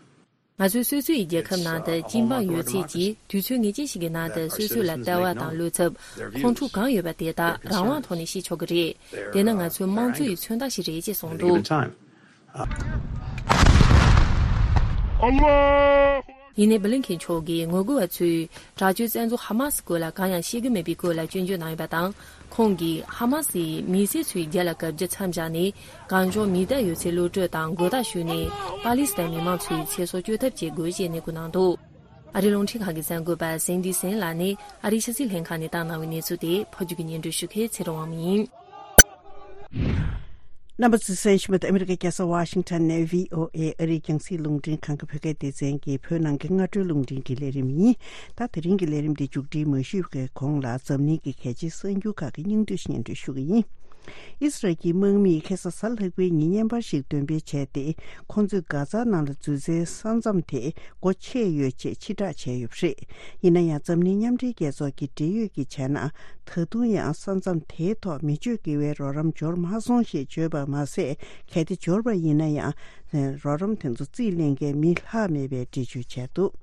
ང་ཚོའི་སོ་སོའི་རྒྱལ་ཁབ་ནང་དུ་སྐྱིད་འབངས་ཡོད་ཚད་ཀྱིས་དུས་ཚོད་ངེས་ཅན་ཞིག་གི་ནང་དུ་སོ་སོ་ལ་ལྟ་བ་དང་བློ་འཚབ། ཁོང་ཁྲོ་གང་ཡོད་པ་དེ་དག་རང་དབང་ཐོག་ནས་ཤེས་ཆོག་གི་རེད། དེ་ནི་ང་ཚོའི་དམངས་གཙོ་ཡི་མཚོན་རྟགས་ཤིག་རེད་ཅེས་གསུངས་འདུག། ཡིན་ནའི་བྷི་ལིན་ཁེན་མཆོག་གིས་ངོ་རྒོལ་བ་ཚོས་དྲག་སྤྱོད་བཙན་འཛུལ་ཧ་མ་སི་སྐོར་ལ་གང་ཡང་བཤད་ཀྱི་མེད་པའི་སྐོར་ལ་སྐྱོན་བརྗོད་གནང་ཡོད་པ་དང་། ཁོང་གིས་ཧ་མ་སིས་མི་སེར་ཚོའི་རྒྱབ་ལ་བཀའ་བཀྱོན་མཚམས་བཞག་ནས། གང་བྱུང་མི་བདག་ཡོད་ཚད་གློད་གྲོལ་དང་མགོ་བཏགས་ཞུས་ནས། པ་ལི་སི་ཐན་མི་མང་ཚོའི་ཚེ་སྲོག་བཅོས་ཐབས་བྱེད་དགོས་ཞེས་ནན་སྐུལ་གནང་འདུག། ཨ་རིའི་རླུང་འཕྲིན་ཁང་གི་གསར་འགོད་པ་སེན་ཌི་སེན་ལགས་ནས་ཨ་རིའི་ཕྱི་སྲིད་ལྷན་ཁང་ནས་བཏང་གནང་བའི་གནས་ཚུལ་དེ་ཕབ་སྒྱུར་གྱིས་སྙན་སྒྲོན་ཞུ་མཁན་ཚེ་རིང་དབང་མོ་ཡིན། རྣམ་པ་ཚོས་གསན་བཞིན་པ་དེ་ཨ་མི་རི་ཀའི་རྒྱལ་ས་ཝ་ཤིང་ཊོན་ནས་བྷི་ཨོ་ཨེ་ཨ་རིའི་རྒྱང་སྲིང་རླུང་འཕྲིན་ཁང་གི་བོད་སྐད་སྡེ་ཚན་གྱི་བོད་ནང་གི་སྔ་དྲོའི་རླུང་འཕྲིན་གྱི་ལས་རིམ་ཡིན། ད་དེ་རིང་གི་ལས་རིམ་འདི་མཇུག་སྒྲིལ་མ་ཞུས་པའི་གོང་ལ་འཛམ་གླིང་གི་གལ་ཆེའི་གསར་འགྱུར་ཁག་གི་སྙིང་བསྡུས་སྙན་སྒྲོན་ཞུ་གི་ཡིན། ཨི་སི་རལ་གྱི་དམག་མིས་ཁ་སང་གཟའ་ལྷག་པའི་ཉིན་བརྙན་པར་ཞིག་འདོན་སྤེལ་བྱས་ཏེ། ཁོང་ཚོས་གྷ་ཛ་ནང་ལ་འཛུལ་སའི་ས་མཚམས་དེ་སྒོ་ཕྱེ་ཡོད་ཅེས་ཕྱིར་བསྒྲགས་བྱས་ཡོད་པ་རེད། ཡིན་ན་ཡང་འཛམ་གླིང་མཉམ་འབྲེལ་རྒྱལ་ཚོགས་ཀྱི་འབྲེལ་ཡོད་ཀྱིས་བྱས་ན། ད་དུང་ཡང་ས་མཚམས་དེའི་ཐོག་མི་སྤྱོད་དགེ་བའི་རོགས་རམ་འབྱོར་མ་སོང་ཞེས་བརྗོད་པ་མ་ཟད། གལ་ཏེ་འབྱོར་བ་ཡིན་ན་ཡང་། རོགས་རམ་དེ་ཚོ་རྩིས་ལེན་མཁན་མི་ལྷག་མེད་པའི་འགྲེལ་བརྗོད་བྱས་འདུག།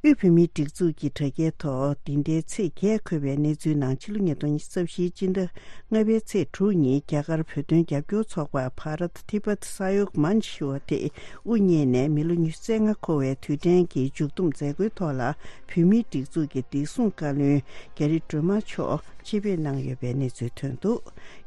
དབུས་བོད་མིའི་སྒྲིག་འཛུགས་ཀྱི་དྲ་རྒྱའི་ཐོག་འདི་ཟླའི་ཚེས་བརྒྱད་འཁོད་པའི་གནས་ཚུལ་ནང་། ཕྱི་ལོ་ཉིས་སྟོང་ཉི་ཤུ་རྩ་བཞིའི་སྤྱི་ཟླ་ལྔ་པའི་ཚེས་དྲུག་ཉིན། རྒྱ་གར་བོད་དོན་རྒྱབ་སྐྱོར་ཚོགས་པ་Bharat Tibet Sahayog Manch ཞུ་བ་དེ་དབུ་བརྙེས་ནས་མི་ལོ་ཉི་ཤུ་རྩ་ལྔ་འཁོར་བའི་དུས་དྲན་གྱི་མཇུག་བསྡོམས་མཛད་སྒོའི་ཐོག་ལ། བོད་མིའི་སྒྲིག་འཛུགས་ཀྱི་བདེ་སྲུང་བཀའ་བློན་རྒྱ་རི་སྒྲོལ་མ་མཆོག་ཆེད་ཕེབས་གནང་ཡོད་པའི་གནས་ཚུལ་ཐོན་འདུག།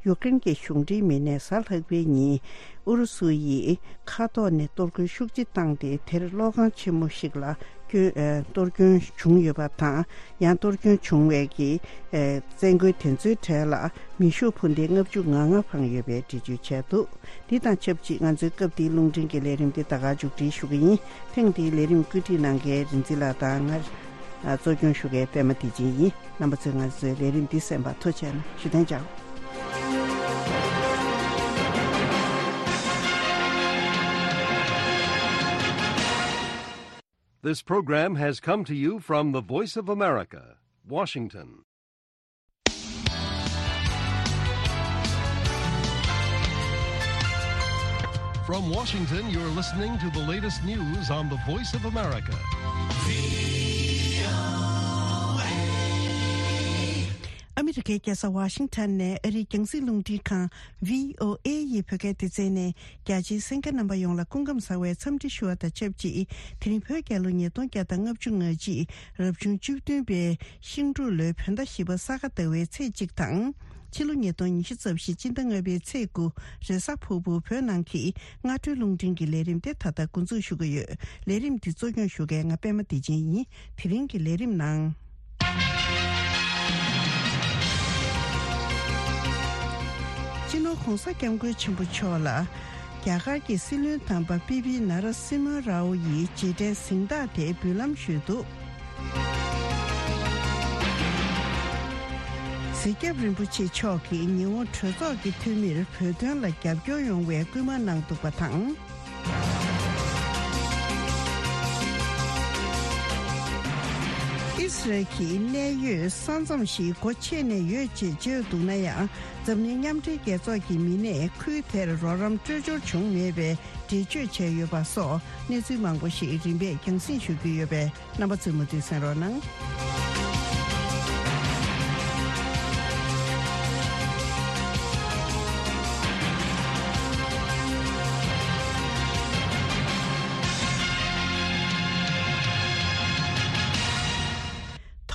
ཡུཀ་རེན་གྱི་གཞུང་འབྲེལ་མི་སྣས་གཟའ་ལྷག་པའི་ཉིན་ཨུ་རུ་སུ་ཡིས་མཁའ་ཐོག་ནས་གཏོར་རྒོལ་ཤུགས་ཆེ་བཏང་སྟེ། དེར་གློག་ཁང་ཆེན་མོ་ཞིག་ལ་སྐྱོན་ཨ་གཏོར་སྐྱོན་བྱུང་ཡོད་པ་དང་། ཡང་གཏོར་སྐྱོན་བྱུང་བའི་གི་ཨ་བཙན་རྒོལ་དེ་ཚོའི་གྲས་ལ་མེ་ཤུགས་འཕུར་མདེལ་ལྔ་བཅུ་ང་ལྔ་འཕངས་ཡོད་པའི་འགྲེལ་བརྗོད་བྱས་འདུག། འདི་དང་ཆབས་ཅིག་ང་ཚོའི་སྐབས་འདིའི་རླུང་འཕྲིན་གྱི་ལས་རིམ་འདི་ད་ག་མཇུག་སྒྲིལ་ཞུ་གི་ཡིན། ཐེངས་འདིའི་ལས་རིམ་བཀོད་སྒྲིག་གནང་མཁན་རིག་འཛིན་ལགས་དང་ང་ གཙོ་སྐྱོང་ཞུ་མཁན་པད་མ་བདེ་ཆེན་ཡིན། རྣམ་པ་ཚོས་ང་ཚོའི་ལས་རིམ་འདི་གསན་པར་ཐུགས་རྗེ་གནང་། ཞུ་དོན་ཅང་། This program has come to you from the Voice of America, Washington. From Washington, you're listening to the latest news on the Voice of America. ཨ་མི་རི་ཀའི་རྒྱལ་ས་ཝ་ཤིང་ཊོན་ནས་ཨ་རིའི་རྒྱང་སྲིང་རླུང་འཕྲིན་ཁང་བྷི་ཨོ་ཨེ་ཡི་བོད་སྐད་སྡེ་ཚན་ནས། རྒྱ་ཆེའི་གསན་མཁན་རྣམ་པ་ཡོངས་ལ་སྐུ་ཁམས་བཟང་བའི་འཚམས་འདྲི་ཞུ་བ་དང་ཆབས་ཅིག་དེ་རིང་བོད་རྒྱལ་ལོ་ཉིས་སྟོང་བརྒྱ་དང་ལྔ་བཅུ་ང་གཅིག་རབ་བྱུང་བཅུ་བདུན་པའི་ཤིང་འབྲུག་ལོའི་བོད་ཟླ་བཞི་པ་ས་ག་ཟླ་བའི་ཚེས་གཅིག་དང་། ཕྱི་ལོ་ཉིས་སྟོང་ཉི་ཤུ་རྩ་བཞི་སྤྱི་ཟླ་ལྔ་པའི་ཚེས་དགུ་རེས་གཟའ་ཕུར་བུ་བོད་ནང་གི་སྔ་དྲོའི་རླུང་འཕྲིན་གྱི་ལས་རིམ་དེ་ད་ལྟ་འགོ་འཛུགས་ཞུ་གི་ཡོད། ལས་རིམ་འདི་གཙོ་སྐྱོང་ཞུ་མཁན་ང་པད་མ་བདེ་ཆེན་ཡིན། དེ་རིང་གི་ལས་རིམ་ནང་། སྤྱི་ནོར་༧གོང་ས་༧སྐྱབས་མགོན་ཆེན་པོ་མཆོག་ལ་རྒྱ་གར་གྱི་སྲིད་བློན་དམ་པ་པི་པི་ནཱ་ར་སིམ་ཧ་རའོ་ཡིས་རྗེས་དྲན་གཟེངས་རྟགས་དེ་འབུལ་ལམ་ཞུས་འདུག་གཟིགས་སྐྱབས་རིན་པོ་ཆེ་མཆོག་གིས་ཉི་ཧོང་གྲོས་ཚོགས་ཀྱི་འཐུས་མིར་བོད་དོན་ལ་རྒྱབ་སྐྱོར་ཡོང་བའི་སྐུལ་མ་གནང་འདུག་པ་དང་། ཨིས་རལ་གྱི་གནད་ཡོད་ས་མཚམས་ཤིག་སྒོ་ཕྱེ་ནས་ཡོད་ཅེས་བརྗོད་འདུག་ན་ཡང་། འཛམ་གླིང་མཉམ་འབྲེལ་རྒྱལ་ཚོགས་ཀྱི་མི་སྣས་ཁུལ་དེར་རོགས་རམ་སྤྲོད་འབྱོར་བྱུང་མེད་པའི་འགྲེལ་བརྗོད་བྱས་ཡོད་པ་སོགས་གནས་ཚུལ་མང་པོ་ཞིག་རིམ་པས་རྒྱང་སྲིང་ཞུ་རྒྱུ་ཡོད་པས། རྣམ་པ་ཚོས་མུ་མཐུད་གསན་རོགས་གནང་།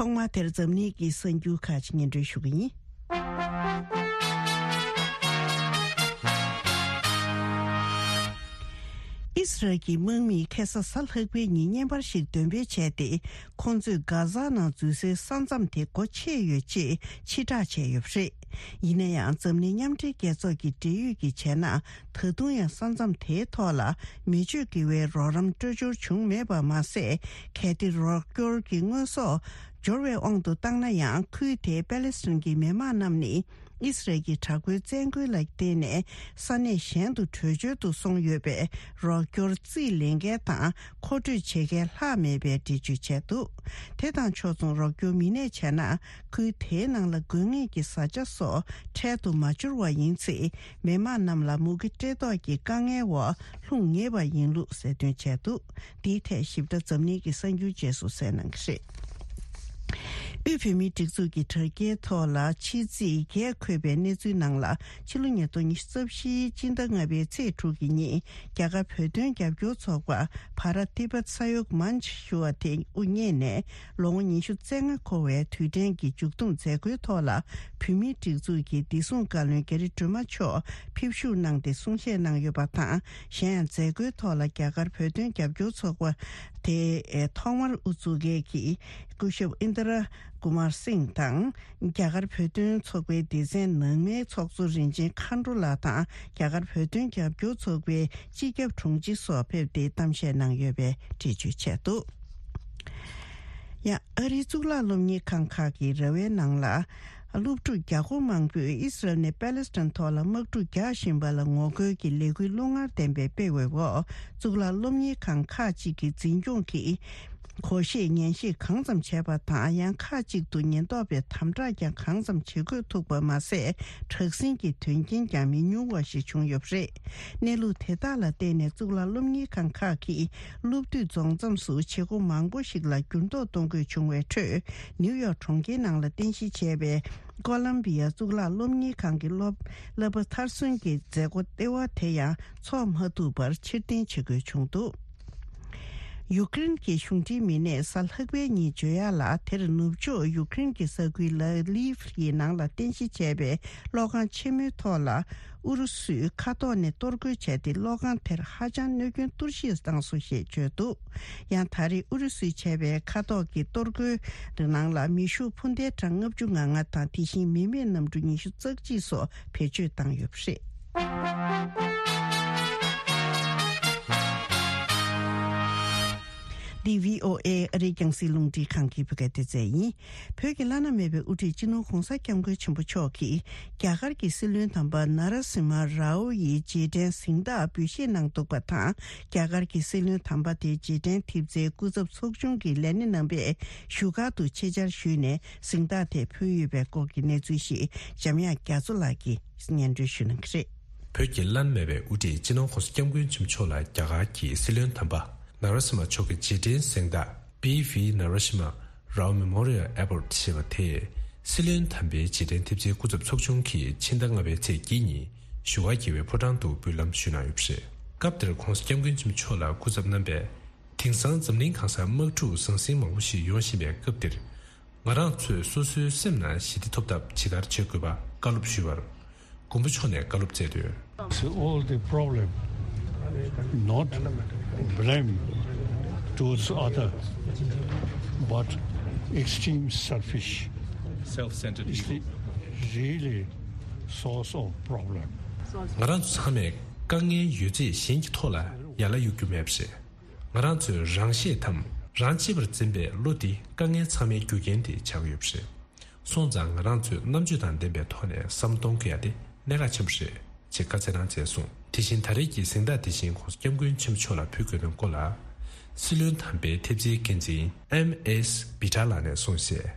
ཐོག་མར་དེར་འཛམ་གླིང་གི་གསར་འགྱུར་ཁག་ཅིག་སྙན་སྒྲོན་ཞུ་གི་ཡིན། ཨིས་རལ་གྱི་དམག་མིས་ཁ་སང་གཟའ་ལྷག་པའི་ཉིན་བརྙན་པར་ཞིག་འདོན་སྤེལ་བྱས་ཏེ། ཁོང་ཚོས་གྷ་ཛ་ནང་འཛུལ་སའི་ས་མཚམས་དེ་སྒོ་ཕྱེ་ཡོད་ཅེས་ཕྱིར་བསྒྲགས་བྱས་ཡོད་པ་རེད། ཡིན་ན་ཡང་། འཛམ་གླིང་མཉམ་འབྲེལ་རྒྱལ་ཚོགས་ཀྱི་འབྲེལ་ཡོད་ཀྱིས་བྱས་ན། ད་དུང་ཡང་ས་མཚམས་དེའི་ཐོག་ལ་མི་སྤྱོད་དགེ་བའི་རོགས་རམ་སྤྲོད་འབྱོར་བྱུང་མེད་པ་མ་ཟད། གལ་ཏེ་རོགས་སྐྱོར་གྱི་དངོས་ཟོག་འབྱོར་བའི་དབང་དུ་བཏང་ན་ཡང་། ཁུལ་དེའི་པ་ལེ་སི་ཐན་གྱི་མི་དམངས་རྣམས་ནི། ཨིས་རལ་གྱི་དྲག་པོའི་བཙན་རྒོལ་ལ་བརྟེན་ནས་ས་གནས་གཞན་དུ་བྲོས་བྱོལ་དུ་སོང་ཡོད་པས། རོགས་སྐྱོར་རྩིས་ལེན་མཁན་དང་མཁོ་སྤྲོད་བྱེད་མཁན་ལྷག་མེད་པའི་འགྲེལ་བརྗོད་བྱས་འདུག་དེ་དང་ཕྱོགས་མཚུངས། རོགས་སྐྱོར་མི་སྣས་བྱས་ན། ཁུལ་དེའི་ནང་ལ་དགོས་ངེས་ཀྱི་བཟའ་བཅའ་སོགས་འཕྲལ་དུ་མ་འབྱོར་བ་ཡིན་ཚེ། མི་དམངས་རྣམས་ལ་མུ་གེ་བཀྲེས་ལྟོགས་ཀྱི་དཀའ་ངལ་འོག་ལྷུང་ངེས་པ་ཡིན་ལུགས་གསལ་སྟོན་བྱས་འདུག་འདིའི་ཐད་ཞིབ་ཕྲ་འཛམ་གླིང་གི་གསར་འགྱུར་རྗེས་སུ་གསན་གནང་གི་རེད། དབུས་བོད་མིའི་སྒྲིག་འཛུགས་ཀྱི་དྲ་རྒྱའི་ཐོག་ལ་ཕྱི་ཚིག་བརྒྱད་འཁོད་པའི་གནས་ཚུལ་ནང་ལ། ཕྱི་ལོ་ཉིས་སྟོང་ཉི་ཤུ་རྩ་བཞིའི་སྤྱི་ཟླ་ལྔ་པའི་ཚེས་དྲུག་གི་ཉིན། རྒྱ་གར་བོད་དོན་རྒྱབ་སྐྱོར་ཚོགས་པ་བྷ་ར་ཏི་པད་ས་ཡོག་མན་ཆ་ཞུ་བ་དེ་དབུ་བརྙེས་ནས། ལོ་ངོ་ཉི་ཤུ་རྩ་ལྔ་འཁོར་བའི་དུས་དྲན་གྱི་མཇུག་བསྡོམས་མཛད་སྒོའི་ཐོག་ལ། བོད་མིའི་སྒྲིག་འཛུགས་ཀྱི་བདེ་སྲུང་བཀའ་བློན་རྒྱ་རི་སྒྲོལ་མ་མཆོག་ཕེབས་བཞུགས་གནང་སྟེ་གསུང་བཤད་གནང་ཡོད་པ་དང་། གཞན་ཡང་མཛད་སྒོའི་ཐོག་ལ་རྒྱ་གར་བོད་དོན་རྒྱབ་སྐྱོར་ཚོགས་པ་དེ་ཐོག་མར་དབུ་འཛུགས་མཁན་གྱི་སྐུ་ཞབས་ཨིན་དྲ་ཀུ་མར་སིང་དང་། རྒྱ་གར་བོད་དོན་ཚོགས་པའི་སྡེ་ཚན་ནང་མའི་ཚོགས་གཙོ་རིན་ཆེན་མཁའ་འགྲོ་ལགས་དང་། རྒྱ་གར་བོད་དོན་རྒྱབ་སྐྱོར་ཚོགས་པའི་སྤྱི་ཁྱབ་དྲུང་ཆེ་སོགས་ཕེབས་ཏེ་གཏམ་བཤད་གནང་ཡོད་པའི་འགྲེལ་བརྗོད་བྱས་འདུག་ཡང་ཨ་རིའི་གཙུག་ལག་སློབ་གཉེར་ཁང་ཁག་གི་ར་བའི་ནང་ལ། སློབ་ཕྲུག་བརྒྱ་སྐོར་མང་པོས་ཨིས་རལ་ནས་པ་ལེ་སི་ཐན་ཐོག་ལ་དམག་འཁྲུག་རྒྱག་བཞིན་པ་ལ་ངོ་རྒོལ་གྱི་ལས་འགུལ་རླུང་ངར་ལྡན་པའི་སྤེལ་བའི་འོག་གཙུག་ལག་སློབ་གཉེར་ཁང་ཁག་ཅིག་གི་འཛིན་སྐྱོང་གིས་གོ་ཤེས་ཉན་ཤེས་གང་ཙམ་བྱས་པ་དང་། ཡང་ཁག་ཅིག་ཏུ་ཉེན་རྟོག་པས་དམ་དྲག་ཀྱང་གང་ཙམ་བྱེད་དགོས་ཐུག་པ་མ་ཟད། དྲག་ཟིང་གི་དོན་རྐྱེན་ཀྱང་མི་ཉུང་བ་ཞིག་བྱུང་ཡོད་པ་རེད། གནས་ལུགས་དེ་དག་ལ་བརྟེན་ནས་གཙུག་ལག་སློབ་གཉེར་ཁང་ཁག་གིས་སློབ་དུས་རྫོགས་མཚམས་སུ་བྱེད་སྒོ་མང་པོ་ཞིག་ལ་འགྱུར་ལྡོག་གཏོང་དགོས་བྱུང་བའི་ཁྲོད། ནིའུ་ཡོག་གྲོང་ཁྱེར་ནང་ལ་རྟེན་གཞི་བྱས་པའི་ཀོ་ལམ་བི་ཡ་གཙུག་ལག་སློབ་གཉེར་ཁང་གི་སློབ་བསླབ་པ་མཐར་སོན་གྱི་མཛད་སྒོ་ལྟེ་བ་དེ་ཡང་འཚོགས་མ་ཐུབ་པར་ཕྱིར་འཐེན་བྱེད་དགོས་བྱུང་འདུག་ཡུཀ་རེན་གྱི་གཞུང་འབྲེལ་མི་སྣས་གཟའ་ལྷག་པའི་ཉིན་བརྗོད་ཡག་ལ། དེར་ནུབ་ཕྱོགས་ཡུཀ་རེན་གྱི་ས་ཁུལ་ལ་ལིབ་ཡི་ནང་ལ་རྟེན་གཞི་བྱས་པའི་གློག་ཁང་ཆེན་མོའི་ཐོག་ལ་ཨུ་རུ་སུས་མཁའ་ཐོག་ནས་གཏོར་རྒོལ་བྱས་ཏེ། གློག་ཁང་དེར་ཧ་ཅང་གནོད་སྐྱོན་གཏོར་བཤིག་བཏང་སོང་ཞེས་བརྗོད་འདུག་ཡང་ད་རེས་ཨུ་རུ་སུས་བྱས་པའི་མཁའ་ཐོག་གི་གཏོར་རྒོལ་ནང་ལ་མེ་ཤུགས་འཕུར་མདེལ་གྲངས་ལྔ་བཅུ་ང་ལྔ་དང་། དེ་བཞིན་མི་མེད་གནམ་གྲུ་ཉི་ཤུ་རྩ་གཅིག་སོགས་བེད་སྤྱོད་བཏང་ཡོད་པ་རེད། འདི་བྷི་ཨོ་ཨེ་ཨ་རིའི་རྒྱང་སྲིང་རླུང་འཕྲིན་ཁང་གི་བོད་སྐད་སྡེ་ཚན་ཡིན། བོད་ཀྱི་བླ་ན་མེད་པའི་དབུ་ཁྲིད་སྤྱི་ནོར་༧གོང་ས་༧སྐྱབས་མགོན་ཆེན་པོ་མཆོག་གིས་རྒྱ་གར་གྱི་སྲིད་བློན་དམ་པ་ན་ར་སི་མ་རའོ་ཡི་རྗེས་དྲན་གཟེངས་རྟགས་འབུལ་བཞེས་གནང་འདུག་པ་དང་། རྒྱ་གར་གྱི་སྲིད་བློན་དམ་པ་དེའི་རྗེས་དྲན་ཐེབས་རྩའི་སྐུ་ཚབ་ཚོགས་ཆུང་གི་ལས་སྣེ་རྣམ་པས་བཞུགས་སྒར་དུ་ཆེད་བཅར་ཞུས་ནས་གཟེངས་རྟགས་དེ་ཕུལ་ཡོད་པའི་སྐོར་གྱི་གནས་ཚུལ་ཞིག་འཇམ་དབྱངས་རྒྱ་མཚོ་ལགས་ཀྱིས་སྙན་སྒྲོན་ཞུ་གནང་གི་རེད། བོད་ཀྱི་བླ་ན་མེད་པའི་དབུ་ཁྲིད་སྤྱི་ནོར་༧གོང་ས་༧སྐྱབས་མགོན་ཆེན་པོ་མཆོག་ལ་རྒྱ་གར་གྱི་སྲིད་བློན་དམ་པ་ན་ར་སི་མ་མཆོག་གི་རྗེས་དྲན་གཟེངས་རྟགས་པི་ཝི་ན་ར་སི་མ་རའོ་མེ་མོ་རི་ཡལ་ཨེ་ཝར་ཌི་ཞེས་པ་དེ་སྲིད་བློན་དམ་པའི་རྗེས་དྲན་ཐེབས་རྩའི་སྐུ་ཚབ་ཚོགས་ཆུང་གིས་ཕྱི་ཟླ་ལྔ་པའི་ཚེས་བརྒྱད་ཉིན་བཞུགས་སྒར་རྒྱལ་བའི་ཕོ་བྲང་དུ་འབུལ་ལམ་ཞུས་གནང་ཡོད་པ་རེད། སྐབས་དེར་༧གོང་ས་༧སྐྱབས་མགོན་ཆེན་པོ་མཆོག་ལ་སྐུ་ཚབ་རྣམ་པས། དེང་སང་འཛམ་གླིང་གང་སར་དམག་འཁྲུག་ཟང་ཟིང་མང་པོ་ཞིག་ཡོང་བཞིན་པའི་སྐབས་འདིར། ང་རང་ཚོས་སོ་སོའི་སེམས་ནང་ཞི་བདེ་ཐོབ་ཐབས་ཇི་ལྟར་བྱེད་དགོས་པ་བཀའ་སློབ་ཞུས་པར། མགོན་པོ་མཆོག་ནས་བཀའ་སློབ་སྩལ་དོན། It's all the problem, not blame towards other, but extreme selfish, self-centered is the ego, really source of problem. ང་རང་ཚོ་ཚང་མས་དཀའ་ངལ་ཡོད་ཚད་གཞན་གྱི་ཐོག་ལ་ཡ་ལ་གཡུག་རྒྱུ་མེད་པ་རེད། ང་རང་ཚོས་རང་ཤེད་དམ་རང་གཅེས་པར་འཛིན་པའི་བློ་འདི་དཀའ་ངལ་ཚང་མའི་རྒྱུ་རྐྱེན་དེ་ཆགས་ཡོད་པ་རེད། སོང་ཙང་ང་རང་ཚོས་རྣམ་དཔྱོད་དང་ལྡན་པའི་ཐོག་ནས་བསམ་གཏོང་དགོས་ཡ་དེ་གནད་འགག་ཆེན་པོ་རེད་ཅེས་བཀའ་སྩལ་གནང་མཛད་སོང་། དེ་བཞིན་ད་རེས་ཀྱི་གཟེངས་རྟགས་དེ་བཞིན་༧གོང་ས་༧སྐྱབས་མགོན་ཆེན་པོ་མཆོག་ལ་ཕུལ་དགོས་དོན་སྐོར་ལ། སྲིད་བློན་དམ་པའི་ཐེབས་རྩའི་འགན་འཛིན་ཨེམ་ཨེས་བི་ཏྲ་ལགས་ནས་གསུངས་གསལ།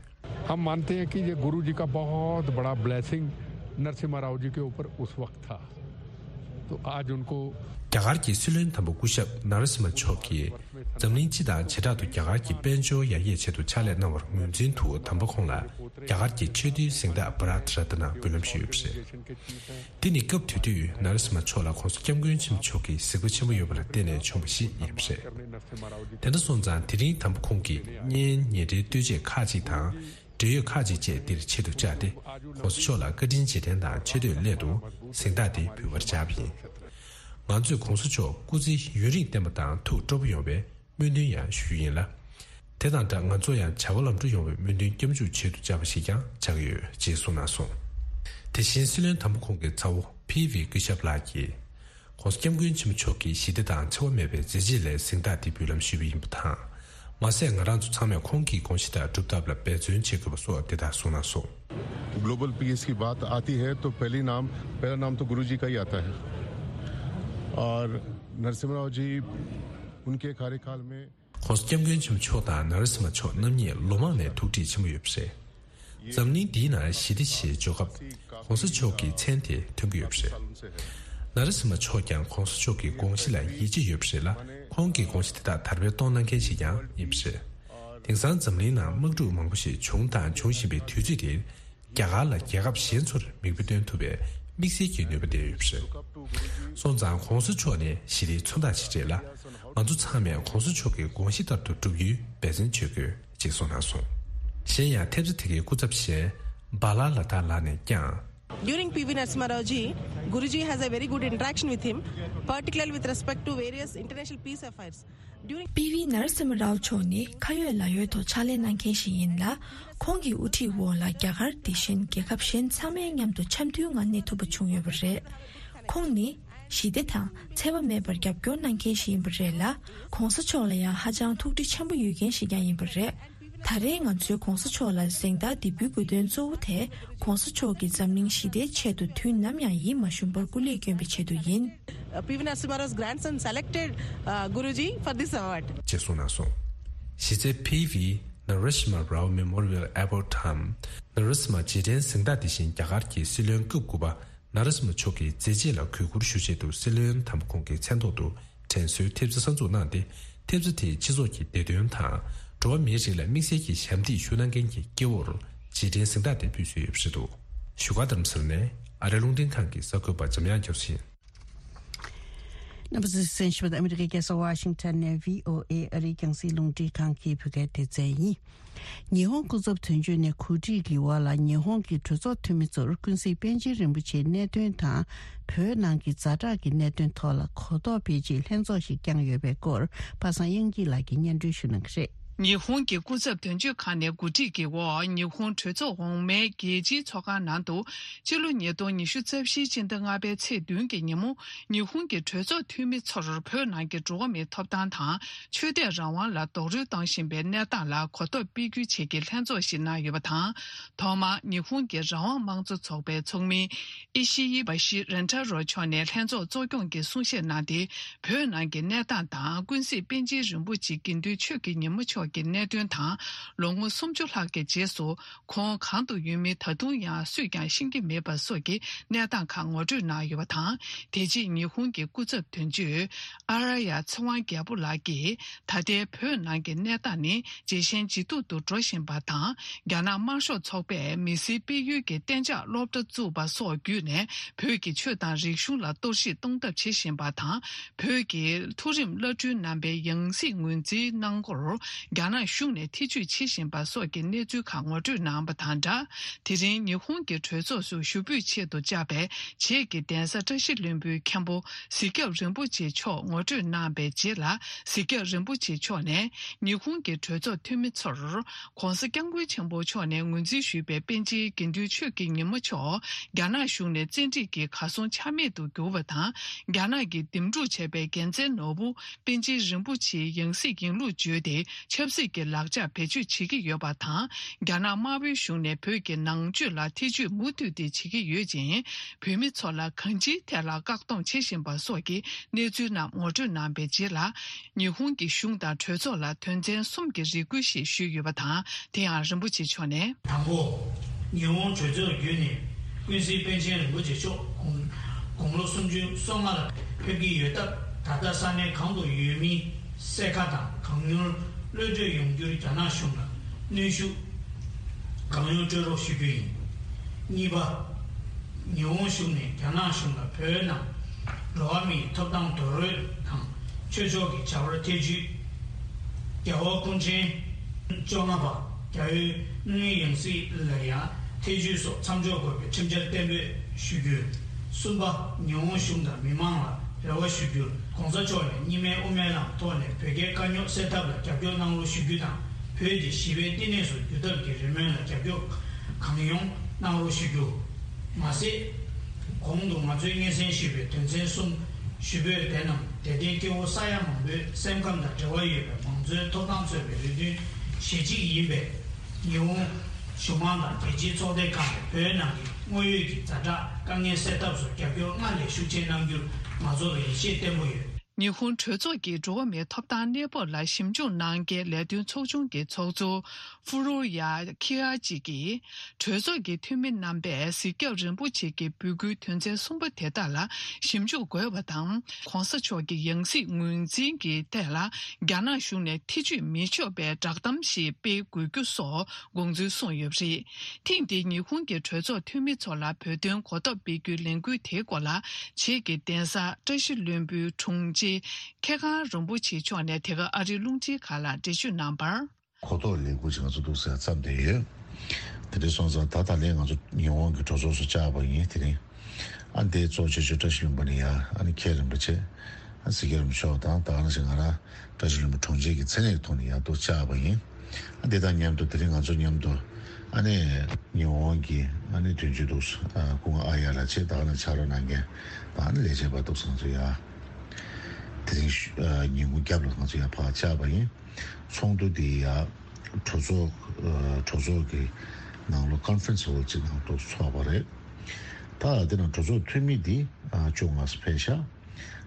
हम मानते हैं कि ये गुरु जी का बहुत बड़ा ब्लेसिंग नरसिम्हा राव जी के ऊपर उस वक्त था। तो आज उनको རྒྱ་གར་གྱི་སྲིད་བློན་དམ་པ་སྐུ་ཞབས་ན་ར་སི་མ་མཆོག་གིས་འཛམ་གླིང་སྤྱི་དང་བྱེ་བྲག་ཏུ་རྒྱ་གར་གྱི་དཔལ་འབྱོར་ཡར་རྒྱས་ཆེད་དུ་ཕྱག་ལས་གནང་བར་ངོས་འཛིན་དུ་དམ་པ་ཁོང་ལ་རྒྱ་གར་གྱི་ཆེས་མཐོའི་གཟེངས་རྟགས་བྷ་རཏ་རཏ་ན་འབུལ་ལམ་ཞུས་ཡོད་པ་རེད། འདི་ནི་སྐབས་དེ་དུས་ན་ར་སི་མ་མཆོག་ལ་༧གོང་ས་༧སྐྱབས་མགོན་ཆེན་པོ་མཆོག་གི་གཟིགས་པ་ཆེན་པོ་ཡོད་པ་ལ་བརྟེན་ནས་བྱུང་བ་ཞིག་ཡིན་པ་རེད། དེ་འདྲ་སོང་ཙང་དེ་རིང་དམ་པ་ཁོང་གིས་བརྙན་ཉེ་འབྲེལ་ལྟོས་བཅས་ཁག་ཅིག་དང་། འབྲེལ་ཡོད་ཁག་ཅིག་བཅས་འདིར་ཆེད་དུ་བཅར་ཏེ། ༸གོང་ས་མཆོག་ལ་བཀའ་དྲིན་རྗེས་དྲན་དང་ཆེ་བསྟོད་སླད་དུ་གཟེངས་རྟགས་འདི་འབུལ་བར་བཅར་བ་ཡིན། ང་ཚོས་༸གོང་ས་མཆོག་སྐུ་ཚེ་ཡུན་རིང་བརྟན་པ་དང་ཐུགས་སྤྲོ་པོ་ཡོང་བའི་སྨོན་འདུན་ཡང་ཞུ་རྒྱུ་ཡིན་ལ། དེ་དང་སྦྲགས་ང་ཚོ་ཡང་བྱ་བ་ལམ་འགྲོ་ཡོང་བའི་སྨོན་འདུན་སྐྱབས་འཇུག་ཆེད་དུ་བཅར་བ་ཞིག་ཀྱང་ཆགས་ཀྱི་ཡོད་ཅེས་གསུངས་གནང་སོང་། དེ་བཞིན་སྲིད་བློན་དམ་པ་ཁོང་གི་ཚ་བོ་ཕི་ཝི་སྐུ་ཞབས་ལགས་ཀྱིས། ༸གོང་ས་༸སྐྱབས་མགོན་ཆེན་པོ་མཆོག་གི་ཞི་བདེ་དང་འཚེ་བ་མེད་པའི་མཛད་རྗེས་ལས་གཟེངས་རྟགས་འདི་འབུལ་ལམ་ཞུས་པ་ཡིན་པ་དང་། མ་ཟད་ང་རང་ཚོ་ཚང་མས་ཁོང་གི་དགོངས་གཞི་ལྟར་སྒྲུབ་ཐབས་ལ་འབད་བརྩོན་བྱེད་དགོས་པ་སོགས་དེ་དག་གསུངས་གནང་སོང་། ग्लोबल पीस की बात आती है तो पहली नाम पहला नाम तो गुरु जी का ही आता है। और नरसिम्हा राव जी उनके कार्यकाल में༸གོང་ས་༸སྐྱབས་མགོན་ཆེན་པོ་མཆོག་དང་ན་ར་སི་མ་མཆོག་རྣམ་གཉིས་ལོ་མང་ནས་ཐུག་འཕྲད་ཆེན་པོ་ཡོད་པ་རེད། འཛམ་གླིང་འདིའི་ནང་ཞི་བདེ་ཞེས་འཇོག་སྐབས་༸གོང་ས་མཆོག་གི་མཚན་དེ་ཐོན་གྱི་ཡོད་པ་རེད། ན་ར་སི་མ་མཆོག་ཀྱང་༸གོང་ས་མཆོག་གི་དགོངས་གཞི་ལ་ཡིད་ཆེས་ཡོད་པ་རེད་ལ། ཁོང་གི་དགོངས་གཞི་དེ་དག་དར་སྤེལ་གཏོང་གནང་མཁན་ཞིག་ཀྱང་ཡིན་པ་རེད། དེང་སང་འཛམ་གླིང་ནང་དམག་འཁྲུག་མང་པོ་ཞིག་བྱུང་དང་འབྱུང་བཞིན་པའི་དུས་ཚོད་འདིར། རྒྱ་གར་ལ་རྒྱལ་ཁབ་གཞན་ཚོར་མིག་དཔེ་སྟོན་ཐུབ་པའི་དམིགས་བསལ་གྱི་ནུས་པ་ལྡན་ཡོད་པ་རེད། སོང་ཙང་༸གོང་ས་མཆོག་ནི་ཞི་བདེའི་མཚོན་རྟགས་ཤིག་རེད་ལ། ང་ཚོ་ཚང་མས་༸གོང་ས་མཆོག་གི་དགོངས་གཞི་ལྟར་དུ་བསྒྲུབ་རྒྱུའི་འབད་བརྩོན་བྱེད་དགོས་ཅེས་གསུངས་གནང་སོང་། གཞན་ཡང་ཐེབས་རྩ་དེ་གའི་སྐུ་ཚབ་གཞན་བྷ་ལ་ལ་དྭགས་ལགས་ནས་ཀྱང་། During P V Narasimha Rao ji, Guruji has a very good interaction with him, particularly with respect to various international peace affairs. During པི་ཝི་ནར་སི་མ་རའོ་མཆོག་ནི་ཁ་ཡོད་ལག་ཡོད་ཐོག་ཕྱག་ལས་གནང་མཁན་ཞིག་ཡིན་ལ། ཁོང་གི་དབུ་ཁྲིད་འོག་ལ་རྒྱ་གར་དེ་བཞིན་རྒྱལ་ཁབ་གཞན་ཚང་མའི་མཉམ་དུ་འཆམ་མཐུན་ངང་གནས་ཐུབ་པ་བྱུང་ཡོད་པ་རེད། ཁོང་ནི་ཞི་བདེ་དང་འཚེ་བ་མེད་པར་རྒྱབ་སྐྱོར་གནང་མཁན་ཞིག་ཡིན་པ་རེད་ལ། ༸གོང་ས་མཆོག་ལ་ཡང་ཧ་ཅང་ཐུགས་འདྲི་ཆེན་པོ་ཡོད་མཁན་ཞིག་ཀྱང་ཡིན་པ་རེད། ད་རེས་ང་ཚོས་༸གོང་ས་མཆོག་ལ་གཟེངས་རྟགས་འདི་འབུལ་དགོས་དོན་གཙོ་བོ་དེ་༸གོང་ས་མཆོག་གིས་འཛམ་གླིང་ཞི་བདེའི་ཆེད་དུ་དུས་ནམ་ཡང་ཡིད་མ་ཞུམ་པར་སྐུ་ལས་བསྐྱོན་པའི་ཆེད་དུ་ཡིན། Uh, P V Narasimha Rao's grandson selected, uh, Guruji for this award. ཅེས་གསུངས་གནང་སོང་། གཞི་རྩའི་ཕི་ཝི་ནར་སི་མ་རའོ་མེ་མོ་རི་ཡལ་ཨེ་ཝར་ཌི་དམ། ནར་སི་མ་རྗེས་དྲན་གཟེངས་རྟགས་དེ་བཞིན་རྒྱ་གར་གྱི་སྲིད་བློན་སྐབས་དགུ་པ་ནར་སི་མ་མཆོག་གི་མཛད་རྗེས་ལ་གུས་བཀུར་ཞུ་ཆེད་དུ་སྲིད་བློན་དམ་པ་ཁོང་གི་མཚན་ཐོག་ཏུ་དྲན་གསོའི་ཐེབས་རྩ་གསར་འཛུགས་གནང་སྟེ། ཐེབས་རྩ་དེས་སྤྱི་ཚོགས་ཀྱི་བདེ་དོན་དང་། འགྲོ་བ་མིའི་རིགས་ལ་དམིགས་བསལ་གྱི་ཞབས་འདེགས་ཞུ་གནང་མཁན་གྱི་སྐྱེ་བོར་རྗེས་དྲན་གཟེངས་རྟགས་དེ་ཕུལ་སྲོལ་ཡོད་པ་རེད་འདུག་བཞུགས་སྒར་རྡ་རམ་ས་ལ་ནས་ཨ་རིའི་རླུང་འཕྲིན་ཁང་གི་གསར་འགོད་པ་འཇམ་དབྱངས་རྒྱ་མཚོ་ཡིན། རྣམ་པ་ཚོས་གསན་བཞིན་པ་ཨ་མི་རི་ཀའི་རྒྱལ་ས་ཝ་ཤིང་ཊོན་ནས་བྷི་ཨོ་ཨེ་ཨ་རིའི་རྒྱང་སྲིང་རླུང་འཕྲིན་ཁང་གི་བོད་སྐད་སྡེ་ཚན་ཡིན། ཉི་ཧོང་སྐུ་ཚབ་དོན་གཅོད་ནས་གོ་སྒྲིག་གི་འོག་ལ་ཉི་ཧོང་གི་གྲོས་ཚོགས་འཐུས་མི་ཚོར་ཀུན་གཟིགས་པཎ་ཆེན་རིན་པོ་ཆེའི་གནད་དོན་དང་། བོད་ནང་གི་ཛ་དྲག་གི་གནད་དོན་ཐོག་ལ་གོ་རྟོགས་སྤེལ་ཆེད་ལྷན་ཚོགས་ཤིག་བསྐྱངས་ཡོད་པའི་སྐོར། པ་སངས་དབྱངས་སྐྱིད་ལགས་ཀྱིས་སྙན་སྒྲོན་ཞུ་གནང་གི་རེད། ཉི་ཧོང་གི་སྐུ་ཚབ་དོན་གཅོད་ཁང་ནས་གོ་སྒྲིག་གི་འོག་ཉི་ཧོང་གྲོས་ཚོགས་འོག་མའི་རྒྱལ་སྤྱིའི་ཚོགས་ཁང་ནང་དུ་ཕྱི་ལོ་ཉིས་སྟོང་ཉི་ཤུ་རྩ་བཞིའི་སྤྱི་ཟླ་ལྔ་པའི་ཚེས་བདུན་གྱི་ཉིན་མོ། ཉི་ཧོང་གི་གྲོས་ཚོགས་འཐུས་མི་ཚོར་བོད་ནང་གི་འགྲོ་བ་མིའི་ཐོབ་ཐང་དང་ཆོས་དད་རང་དབང་ལ་རྡོག་རོལ་གཏོང་བཞིན་པའི་གནས་སྟངས་ལ་གོ་རྟོགས་སྤེལ་རྒྱུའི་ཆེད་ཀྱི་ལྷན་ཚོགས་ཤིག་གནང་ཡོད་པ་དང་། ཐོག་མར་ཉི་ཧོང་གི་རང་དབང་དམངས་གཙོ་ཚོགས་པའི་ཚོགས་མི་ཨི་ཤི་ཡི་བ་ཤི་རན་ཏ་རོ་མཆོག་ནས་ལྷན་ཚོགས་གཙོ་སྐྱོང་གི་གསུང་བཤད་གནང་སྟེ། བོད་ནང་གི་གནས་སྟངས་དང་ཀུན་གཟིགས་པཎ་ཆེན་རིན་པོ་ཆེ་དགེ་འདུན་ཆོས་ཀྱི་ཉིན་མོ་མཆོག་གི་གནད་དོན་དང་། ལོ་ངོ་སུམ་ཅུ་ལྷག་གི་རྗེས་སུ་ཁོང་གང་དུ་ཡོད་མིན་ད་དུང་ཡང་སུས་ཀྱང་ཤེས་ཀྱི་མེད་པ་སོགས་ཀྱི་གནས་སྟངས་ཁག་ངོ་སྤྲོད་གནང་ཡོད་པ་དང་། དེ་རྗེས་ཉི་ཧོང་གི་སྐུ་ཚབ་དོན་གཅོད་ཨ་ར་ཡ་ཚེ་དབང་རྒྱལ་པོ་ལགས་ཀྱིས། ད་ལྟའི་བོད་ནང་གི་གནས་སྟངས་ནི་ཇེ་ཞན་ཇེ་སྡུག་ཏུ་འགྲོ་བཞིན་པ་དང་། རྒྱ་ནག་དམར་ཤོག་ཚོགས་པས་མི་སེར་སྤེལ་ཡུལ་གྱི་གཏན་འཇགས་སློབ་གྲྭ་བཙུགས་པ་སོགས་བརྒྱུད་ནས་བོད་ཀྱི་ཆོས་དང་རིག་གཞུང་ལ་གཏོར་བཤིག་གཏོང་ཐབས་བྱེད་བཞིན་པ་དང་། བོད་ཀྱི་མཐོ་རིམ་བླ་སྤྲུལ་རྣམ་པའི་ཡང་སྲིད་ངོས་འཛིན་གནང་སྐོར་རྒྱ་ནག་གཞུང་ནས་ཐེ་ཇུས་བྱེད་བཞིན་པ་སོགས་ཀྱི་གནས་ཚུལ་ཁག་ངོ་སྤྲོད་གནང་བ་དང་སྦྲགས། དེ་རིང་ཉི་ཧོང་གི་གྲོས་ཚོགས་སུ་ཞུ་འབོད་ཆེད་དུ་བཅར་བའི་བྱེས་ཀྱི་གདན་ས་བཀྲ་ཤིས་ལྷུན་པོའི་མཁན་པོ་གཟིགས་རྒྱབ་རིན་པོ་ཆེ་མཆོག་ངོ་སྤྲོད་གནང་བའི་རྗེས་ལ། གཟིགས་རྒྱབ་རིན་པོ་ཆེ་མཆོག་ནས་ཉི་ཧོང་གི་གྲོས་ཚོགས་འཐུས་མི་ཚོར། ྋགོང་ས་ྋསྐྱབས་མགོན་ཆེན་པོ་མཆོག་ནས་ངོས་འཛིན་ཞུས་པའི་པཎ་ཆེན་དགེ་འདུན་ཆོས་ཀྱི་ཉིན་མོ་མཆོག་རྒྱ་ནག་གཞུང་ནས་བཙན་ཁྲིད་ཀྱིས་གར་སོང་ཆ་མེད་དུ་གྱུར་བ་དང་། རྒྱ་ནག་གིས་འདེམས་སྒྲུག་བྱས་པའི་རྒྱལ་མཚན་ནོར་བུ་པཎ་ཆེན་རིན་པོ་ཆེའི་ཡང་སྲིད་ཡིན་ལུགས་བརྗོད་དེ། ཆབ་སྲིད་ཀྱི་ལག་ཆ་བེད་སྤྱོད་བྱེད་ཀྱི་ཡོད་པ་དང་། རྒྱ་ནག་དམར་པོའི་གཞུང་ནས་བོད་ཀྱི་ནང་ཆོས་ལ་ཐེ་ཇུས་མུ་མཐུད་དེ་བྱེད་ཀྱི་ཡོད་ཅིང་། བོད་མི་ཚོ་ལ་གང་ཅིའི་ཐད་ལ་བཀག་སྡོམ་བྱེད་བཞིན་པ་སོགས་ཀྱི་གནས་ཚུལ་རྣམས་ངོ་སྤྲོད་གནང་བའི་རྗེས་ལ། ཉི་ཧོང་གི་གཞུང་དང་གྲོས་ཚོགས་ལ་དོན་ཚན་གསུམ་གྱི་རེ་སྐུལ་ཞིག་ཞུས་ཡོད་པ་དང་། དེ་ཡང་རིན་པོ་ཆེ་མཆོག་ནས། དང་པོ། ཉི་ཧོང་གྲོས་ཚོགས་བརྒྱུད་ནས་ཀུན་གཟིགས་པཎ་ཆེན་རིན་པོ་ཆེ་མཆོག་དགུང་དགུང་ལོ་སུམ་ཅུ་སོ་ལྔ་ལ་ཕེབས་ཀྱི་ཡོད་སྟབས། ད་ལྟ་ས་གནས་གང་དུ་ཡོད་མིན་གསལ་ཁ་དང་། གང་མྱུར་གློད་གྲོལ་ཡོང་རྒྱུར་རྒྱ་ནག་གཞུང་ལ་གནོན་ཤུགས་གང་ཡོང་སྤྲོད་རོགས་ཞུ་རྒྱུ་ཡིན། གཉིས་པ། ཉི་ཧོང་གཞུང་ནས་རྒྱ་ནག་གཞུང་ལ་བོད་ནང་འགྲོ་བ་མིའི་ཐོབ་ཐང་རྡོག་རོལ་དང་ཆོས་ཕྱོགས་ཀྱི་བྱ་བར་ཐེ་ཇུས། རྒྱལ་བ་སྐུ་ཕྲེང་བཅོ་ལྔ་པ་རྒྱལ་བའི་དངོས་ཡང་སྲིད་ལ་ཡང་ཐེ་ཇུས་སོགས་མཚམས་འཇོག་དགོས་པའི་ཁྲིམས་འཆར་གཏན་འབེབས་ཞུ་རྒྱུ། གསུམ་པ། ཉི་ཧོང་གཞུང་དང་མི་མང་ལ་རེ་བ་ཞུ་རྒྱུར། ྋགོང་ས་མཆོག་ནས་གཉིས་སྨན་དབུ་མའི་ལམ་ཐོག་ནས་བོད་རྒྱའི་དཀའ་རྙོག་སེལ་ཐབས་ལ་རྒྱབ་སྐྱོར་གནང་རོགས་ཞུ་རྒྱུ་དང་། བོད་ཀྱི་ཞི་བའི་བསྟི་གནས་སུ་འགྱུར་ཐབས་ཀྱི་རེ་སྨོན་ལ་རྒྱབ་སྐྱོར་གང་ཡོང་གནང་རོགས་ཞུ་རྒྱུ། མ་ཟད། གོང་དུ་ང་ཚོས་སྙན་སེང་ཞུས་པའི་དོན་ཚན་གསུམ་ཞུ་འབོད་དེ་རྣམས་དད་ལྡན་སྐྱེ་བོ་ས་ཡ་མང་པོའི་སེམས་ཁམས་དང་འབྲེལ་བ་ཡོད་པའི་མང་གཙོའི་ཐོབ་ཐང་རྩོད་པའི་རེ་འདུན་གཞི་གཅིག་ཡིན་པས། ཉི་ཧོང་གཞུང་མང་དང་རྒྱལ་སྤྱིའི་ཚོགས་སྡེ་ཁག་ནས་བོད་ནང་གི་དངོས་ཡོད་ཀྱི་ཛ་དྲག་དཀའ་ངལ་སེལ་ཐབས་སུ་རྒྱབ་སྐྱོར་སྔར་ལས་ཤུགས་ཆེ་གནང་རྒྱུར་ང་ཚོ་ལ་ཡིད་ཆེས་བརྟན་པོ་ཡོད། ཉི་ཧོང་གྲོས་ཚོགས་ཀྱི་འགྲོ་བ་མིའི་ཐོབ་ཐང་གནས་བབ་ལ་ཞིབ་འཇུག་གནང་མཁན་ལས་དོན་ཚོགས་ཆུང་གི་ཚོགས་གཙོ་ཧྥུ་རོ་ཡ་ཁི་ཨ་ཅི་གིས། གྲོས་ཚོགས་ཀྱི་འཐུས་མི་རྣམ་པས་གཟིགས་རྒྱབ་རིན་པོ་ཆེ་གི་འབོད་སྐུལ་དོན་ཚན་གསུམ་པ་དེ་དག་ལ་ཞིབ་འཇུག་དགོས་པ་དང་། ྋགོང་ས་མཆོག་གི་ཡང་སྲིད་ངོས་འཛིན་གྱི་ཐད་ལ་རྒྱ་ནག་གཞུང་ནས་ཐེ་ཇུས་མི་ཆོག་པའི་བསྒྲགས་གཏམ་ཞིག་སྤེལ་དགོས་རྒྱུ་སོགས་དགོངས་ཚུལ་གསུངས་ཡོད་པ་རེད། ཐེངས་འདིའི་ཉི་ཧོང་གི་གྲོས་ཚོགས་འཐུས་མི་ཚོ་ལ་བོད་དོན་གོ་རྟོགས་སྤེལ་རྒྱུའི་ལས་འགུལ་དེའི་སྐོར་ལ། བྱེས་ཀྱི་གདན་ས་བཀྲ་ཤིས་ལྷུན་པོའི་དྲུང་ཆེ་མཁས་དབང་རིན་པོ་ཆེ་མཆོག་ནས་དེ་ག་ཨ་རིའི་རླུང་འཕྲིན་ཁང་ལ་འགྲེལ་བརྗོད་གནང་བར། གོ་རྟོགས་ལས་འགུལ་ཅིག་ང་ཚོ་འདུག་ཟེར་བརྩམས་བསྡད་ཡོད། དེ་འདྲ་སོང་ཙང་ད་ད་ལན་ང་ཚོ་ཉི་ཧོང་གི་གྲོས་ཚོགས་སུ་བཅར་བ་ཡིན། དེ་རིང་ཨ་འདིའི་གཙོ་ཆེ་ཤོས་བཀྲ་ཤིས་ལྷུན་པོ་ནས་ཡ་ཨ་ནི་མཁན་རིན་པོ་ཆེ། ཨ་གཟིགས་རྒྱབ་རིན་པོ་ཆེ་དང་ད་ག་ནང་བཞིན་ང་རང་བཀྲ་ཤིས་ལྷུན་པོ་དྲུང་ཆེ་གི་མཚན་གནས་ཀྱི་ཐོག་ནས་ཡ་འདུག་བཅར་བ་ཡིན། ཨ་འདི་དང་མཉམ་དུ་དེ་རིང་ང་ཚོ་མཉམ་དུ་ཨ་ནི་ཉི་ཧོང་གི་ཨ་ནི་དོན་གཅོད་འདུག་ཨ་སྐུ་ངོ་ཨ་ཡ་ལགས་བཅས་ད་ག་ནང་ཕྱག་རོགས་གནང་མཁན་ད་ཨ་ནི་ལས་བྱེད་པ་འདུག་ང་ཚོ་ཡ་དེ་རིང་ཨ་ཉིན་གུང་རྒྱབ་ལ་ང་ཚོ་ཡ་ཕར་བཅར་བ་ཡིན། ཚོགས་འདུ་འདི་ཡ་གྲོས་ཚོགས་ཨ་གྲོས་ཚོགས་ཀྱི་ནང་ལོགས་ཀོན་ཕ་རེན་སི་ཧོལ་གཅིག་ནང་དུ་ཚོགས་པ་རེད། ད་དེ་ནང་གྲོས་ཚོགས་འཐུས་མི་འདི་ཨ་བཅོ་ལྔ་ཙམ་ཕེབས་ཤག་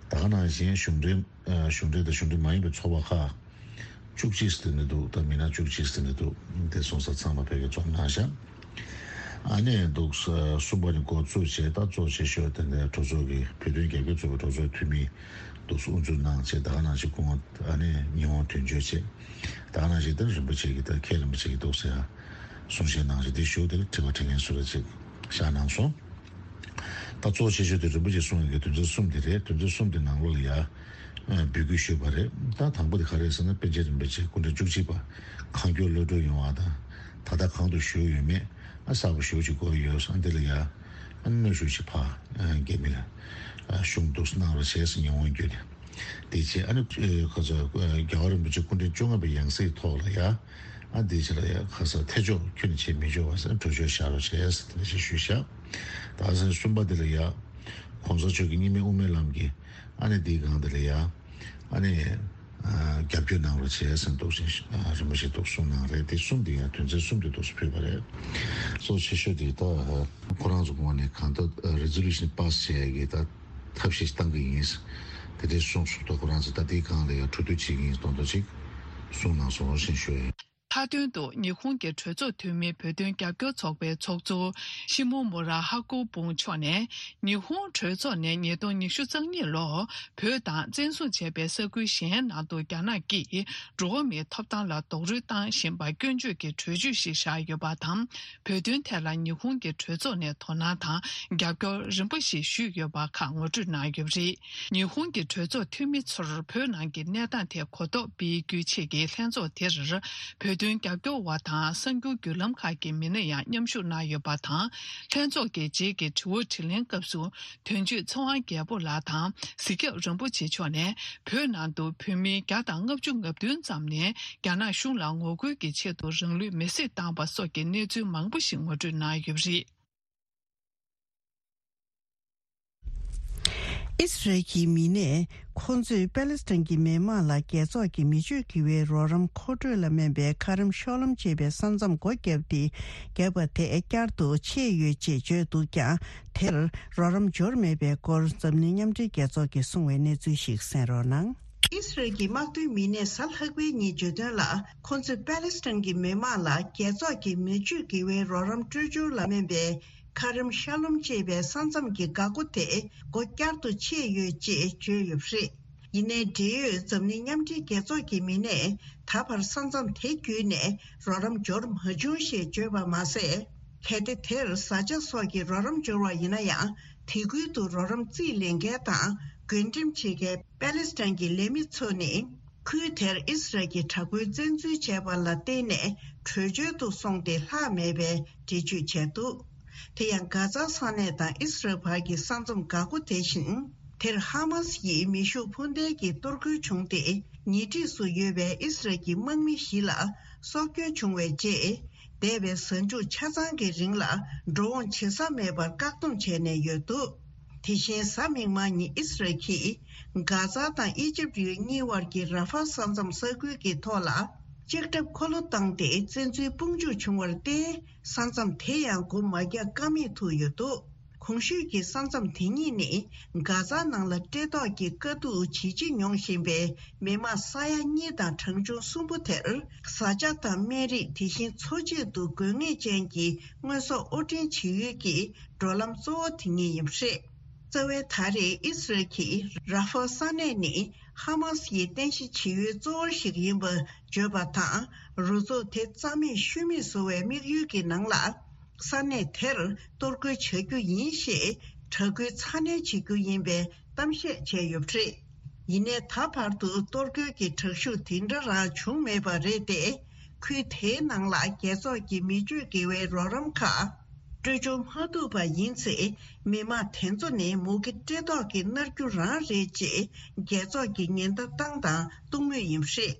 ད་ག་ནང་བཞིན་གཞུང་འབྲེལ་ཨ་གཞུང་འབྲེལ་དང་གཞུང་འབྲེལ་མ་ཡིན་པའི་ཚོགས་པ་ཁག་བཅུ་གཅིག་ཙམ་དེ་འདྲ་འདུག་ད་མི་སྣ་བཅུ་གཅིག་ཙམ་དེ་འདྲ་འདུག་དེ་སོང་ཙང་ཚང་མ་ཕ་གིར་འཛོམས་གནང་ཤག་ཨ་ནི་འདུག་ས་གསུམ་པ་ནས་འགོ་བཙུགས་བྱས། ད་གཙོ་ཆེ་ཤོས་དེ་འདྲ་གྲོས་ཚོགས་ཀྱི་བོད་དོན་རྒྱབ་སྐྱོར་ཚོགས་པའི་གྲོས་ཚོགས་འཐུས་མི་འདུག་ས་དབུ་འཛུགས་གནང་བྱས། ད་ག་ནང་བཞིན་སྐུ་ངོ་ཨ་ནི་ཉི་ཧོང་དོན་གཅོད་བྱས། ད་ག་ནང་བཞིན་དེ་རིན་པོ་ཆེ་གི་ད་མཁན་རིན་པོ་ཆེ་གི་འདུག་ས་ཡ་གསུང་བཤད་གནང་བྱས། དེ་ཞུ་དེ་ལ་དྲི་བ་དྲི་མཁན་སུ་རེད་ཅིག་བཞག་གནང་སོང་། ད་གཙོ་ཆེ་ཤོས་དེ་རིན་པོ་ཆེས་གསུངས་ཡོད་མཁན་དོན་ཚན་གསུམ་དེ་རེད། དོན་ཚན་གསུམ་དེ་ནང་ལོགས་ལ་ཡ་འབོད་སྐུལ་ཞུས་པ་རེད། ད་དང་པོ་དེ་ག་རེ་ཟེར་ན། པཎ་ཆེན་རིན་པོ་ཆེ་སྐུ་ཕྲེང་བཅུ་གཅིག་པ་གང་མགྱོགས་གློད་གྲོལ་ཡོང་བ་དང་། ད་ལྟ་གང་དུ་བཞུགས་ཡོད་མེད་ཨ་གསལ་པོ་ཞེ་པོ་ཅིག་གོ་ཡོད་ས་འདི་ལ་ཡ་ཨ་གནོན་ཤུགས་ཅིག་ཕར་རྒྱ་མི་ལ་ཞུ་འདུག་གནང་རོགས་བྱས་ཟེར་ཉི་ཧོང་བརྒྱུད་ནས། དེ་བྱས་ཨ་ནི་ཁ་ཚ་རྒྱལ་བ་རིན་པོ་ཆེ་སྐུ་ཕྲེང་བཅོ་ལྔ་པའི་ཡང་སྲིད་ཐོག་ལ་ཡ། ཨ་དེ་ཕྱིར་ཡ་ཁ་ས་ཐེ་ཆོག་ཁྱོན་ནས་བྱེད་མི་ཆོག་པ་ཟེར་གྲོས་ཆོད་བཞག་རོགས་བྱས་ཟེར་དེ་འདྲ་ཞིག་ཞུས་བཞག་ད་ཟེར་གསུམ་པ་དེ་ལ་ཡ། གོང་ས་མཆོག་གི་སྙིགས་མའི་དབུ་མའི་ལམ་གྱི་ཨ་ནི་དེའི་སྒང་དེ་ལ་ཡ། ཨ་ནི་རྒྱབ་སྐྱོར་གནང་རོགས་བྱས་ཟེར་འདུག་ཟེར་རིན་པོ་ཆེ་འདུག་གསུངས་གནང་རེད། དེ་གསུམ་དེ་ཡ་དོན་ཚན་གསུམ་དེ་འདུག་ཕུལ་བ་རེད། གཙོ་ཆེ་ཤོས་དེ་ད་ཁོ་རང་ཚོ་ངོས་ནས་གང་ལྟར་resolution pass་བྱས་ཡ་གི་ད། ཐབས་ཤེས་བཏང་གི་ཡིན། དེ་འདྲའི་གསུངས་སོང་། ད་ཁོ་རང་ཚོ་ད་དེའི་སྒང་ལ་ཡང་གྲོས་བསྡུར་བྱེད་ཀྱི་ཡིན་མདོག་མདོག་ཅིག་གསུངས་གནང་སོང་ཞེས་ཞུ་ཡ་ཡིན། མཐའ་དོན་དུ་ཉི་ཧོང་གི་གྲོས་ཚོགས་འཐུས་མི་བོད་དོན་རྒྱབ་སྐྱོར་ཚོགས་པའི་ཚོགས་གཙོ་ཤི་མོ་མོ་ར་ཧ་ཀོ་བུང་མཆོག་ནས་ཉི་ཧོང་གྲོས་ཚོགས་ནས་ཉིས་སྟོང་ཉི་ཤུ་རྩ་གཉིས་ལོར་བོད་དང་བཙན་བཟུང་བྱས་པའི་ས་ཁུལ་གཞན་ནང་དུ་རྒྱ་ནག་གིས་འགྲོ་བ་མིའི་ཐོབ་ཐང་ལ་རྡོག་རོལ་བཏང་བཞིན་པར་སྐྱོན་བརྗོད་ཀྱི་གྲོས་ཆོད་ཞིག་བཞག་ཡོད་པ་དང་། བོད་དོན་ཐད་ལ་ཉི་ཧོང་གི་གྲོས་ཚོགས་ནས་དོ་སྣང་དང་རྒྱབ་སྐྱོར་རིམ་པ་ཞིག་ཞུས་ཡོད་པ་ཁག་ངོ་སྤྲོད་གནང་ཡོད་པ་རེད། ཉི་ཧོང་གི་གྲོས་ཚོགས་འཐུས་མི་ཚོར་བོད་ནང་གི་གནས་སྟངས་ཐད་གོ་རྟོགས་སྤེལ་རྒྱུའི་ཆེད་ཀྱི་ལྷན་ཚོགས་དེར་བོད་དོན་རྒྱབ་སྐྱོར་བ་དང་གསར་འགྱུར་བརྒྱུད་ལམ་ཁག་གི་མི་སྣ་ཡང་མཉམ་ཞུགས་གནང་ཡོད་པ་དང་། ལྷན་ཚོགས་ཀྱི་རྗེས་ཀྱི་དྲི་བ་དྲིས་ལན་སྐབས་སུ། དོན་གཅོད་ཚེ་དབང་རྒྱལ་པོ་ལགས་དང་གཟིགས་རྒྱབ་རིན་པོ་ཆེ་མཆོག་ནས་བོད་ནང་དུ་བོད་མི་བརྒྱ་དང་ལྔ་བཅུ་ང་བདུན་ཙམ་ནས་རྒྱ་ནག་གཞུང་ལ་ངོ་རྒོལ་གྱི་ཆེད་དུ་རང་ལུས་མེར་སྲེག་བཏང་བ་སོགས་ཀྱི་གནས་ཚུལ་མང་པོ་ཞིག་ངོ་སྤྲོད་གནང་ཡོད་པ་རེད། ཨི་སི་རལ་གྱི་མི་སྣས་ཁོང་ཚོས་པ་ལེ་སི་ཐན་གྱི་མི་མང་ལ་རྒྱལ་ཚོགས་ཀྱི་མི་སྤྱོད་དགེ་བའི་རོགས་རམ་མཁོ་སྤྲོད་ལ་སྨན་པའི་ཁ་རམ་ཤོག་ལམ་ཅེས་པའི་ས་མཚམས་སྒོ་བརྒྱབ་སྟེ། བརྒྱབ་པ་དེ་བསྐྱར་དུ་ཕྱེས་ཡོད་ཅེས་བརྗོད་འདུག་ཀྱང་། དེར་རོགས་རམ་འབྱོར་མེད་པའི་སྐོར་འཛམ་གླིང་མཉམ་འབྲེལ་རྒྱལ་ཚོགས་ཀྱིས་གསུངས་པའི་གནས་ཚུལ་ཞིག་གསན་རོགས་གནང་། ཨི་སི་རལ་གྱི་དམག་དོན་མི་སྣས་གཟའ་ལྷག་པའི་ཉིན་བརྗོད་དོན་ལ། ཁོ་ཚོས་པ་ལེ་སི་ཐན་གྱི་མི་མང་ལ་རྒྱལ་ཚོགས་ཀྱི་མི་སྤྱོད་དགེ་བའི་རོགས་རམ་སྤྲོད་སྦྱོར་ལ་སྨན་པའི་ཁ་རམ་ཤ་ལོམ་ཅེས་པའི་ས་མཚམས་ཀྱི་འགག་སྒོ་དེ་སྒོ་བསྐྱར་དུ་ཕྱེས་ཡོད་ཅེས་བརྗོད་ཡོད་པ་རེད། ཡིན་ནའི་འབྲེལ་ཡོད་འཛམ་གླིང་མཉམ་འབྲེལ་རྒྱལ་ཚོགས་ཀྱི་མི་སྣས་ད་བར་ས་མཚམས་དེ་བརྒྱུད་ནས་རོགས་རམ་འབྱོར་མ་བྱུང་ཞེས་བརྗོད་པ་མ་ཟད། གལ་ཏེ་དེར་བཟའ་བཅའ་སོགས་ཀྱི་རོགས་རམ་འབྱོར་བ་ཡིན་ན་ཡང་། དེ་ཁུལ་དུ་རོགས་རམ་རྩིས་ལེན་མཁན་དང་བགོ་འགྲེམས་བྱེད་མཁན་པ་ལེ་སི་ཐན་གྱི་ལས་མི་ཚོ་ནི། ཁུལ་དེར་ཨི་སི་རལ་གྱི་དྲག་པོའི་བཙན་འཛུལ་བྱས་པ་ལ་བརྟེན་ནས་བྲོས་བྱོལ་དུ་སོང་སྟེ་ལྷག་མེད་པའི་འགྲེལ་བརྗོད་བྱས་འདུག་དེ་ཡང་། གྷ་ཛ་ས་གནས་དང་ཨི་སི་རལ་བར་གྱི་ས་མཚམས་འགག་སྒོ་དེ་བཞིན། དེར་ཧ་མ་སི་ཡིས་མེ་ཤུགས་འཕུར་མདེལ་གྱིས་གཏོར་རྒོལ་བྱུང་སྟེ། ཉེ་འཁྲིས་སུ་ཡོད་པའི་ཨི་སི་རལ་གྱི་དམག་མི་བཞི་ལ་སྲོག་སྐྱོན་བྱུང་བའི་རྗེས། འདས་པའི་གཟའ་མཇུག་ཆ་ཚང་གི་རིང་ལ་འགྲོ་འོང་བྱེད་ས་མེད་པར་བཀག་སྡོམ་བྱས་ནས་ཡོད་འདུག་དེ་བཞིན་གཟའ་མིག་དམར་ཉིན་ཨི་སི་རལ་གྱིས་གྷ་ཛ་དང་ཨི་ཇིབ་ཡུལ་གཉིས་བར་གྱི་ར་ཧྥ་ས་མཚམས་ས་ཁུལ་གྱི་ཐོག་ལ་ལྕགས་ཁྲབ་འཁོར་ལོ་བཏང་སྟེ་བཙན་འཛུལ་དཔུང་འཇུག་བྱུང་བར་བརྟེན། ས་མཚམས་དེ་ཡང་སྒོ་མ་རྒྱག་ཀ་མེད་ཐུག་ཡོད་འདུག་གོང་ཞུས་ཀྱི་ས་མཚམས་དེ་གཉིས་ནི་གྷ་ཛ་ནང་ལ་བཀྲེས་ལྟོགས་ཀྱི་དཀའ་སྡུག་ཇི་ཆེ་མྱོང་བཞིན་པའི་མི་དམངས་ས་ཡ་གཉིས་དང་གྲངས་ཆུང་གསུམ་པོ་དེར་བཟའ་བཅའ་དང་སྨན་རིགས། དེ་བཞིན་འཚོ་བྱེད་དུ་དགོས་ངེས་ཅན་གྱི་དངོས་ཟོག་དབོར་འདྲེན་བྱེད་ཡུལ་གྱི་འགྲོ་ལམ་གཙོ་བོ་དེ་གཉིས་ཡིན་པ་རེད། རྩ་བའི་ད་རེས་ཨི་སི་རལ་གྱིས་ར་ཧྥ་ས་གནས་ནི་ཧ་མ་སི་ཡི་རྟེན་གཞི་བྱེད་ཡུལ་གཙོ་བོ་ཞིག་ཡིན་པ་བརྗོད་པ་དང་། རུ་ཚོགས་དེ་རྩ་མེད་ཤུལ་མེད་བཟོ་བའི་དམིགས་ཡུལ་གྱི་ནང་ལ། ས་གནས་དེར་གཏོར་རྒོལ་བྱ་རྒྱུ་ཡིན་ཞེས་དྲག་རྒོལ་ཚ་ནན་བྱེད་རྒྱུ་ཡིན་པའི་གཏམ་བཤད་བྱས་ཡོད་པ་རེད། ཡིན་ནའི་ད་བར་དུ་གཏོར་རྒོལ་གྱི་དྲག་ཤུགས་དེ་འདྲ་རང་བྱུང་མེད་པ་རེད་དེ། ཁུལ་དེའི་ནང་ལ་རྒྱལ་ཚོགས་ཀྱི་མི་སྤྱོད་དགེ་བའི་རོགས་རམ་ཁག་སྤྲོད་འབྱོར་མ་ཐུབ་པ་ཡིན་ཚེ། མི་དམངས་དེ་ཚོ་ནི་མུ་གེ་བཀྲེས་ལྟོགས་ཀྱིས་མནར་རྒྱུ་རང་རེད་ཅེས་རྒྱལ་ཚོགས་ཀྱིས་ཉེན་བརྡ་བཏང་དང་གཏོང་མུས་ཡིན་པ་རེད།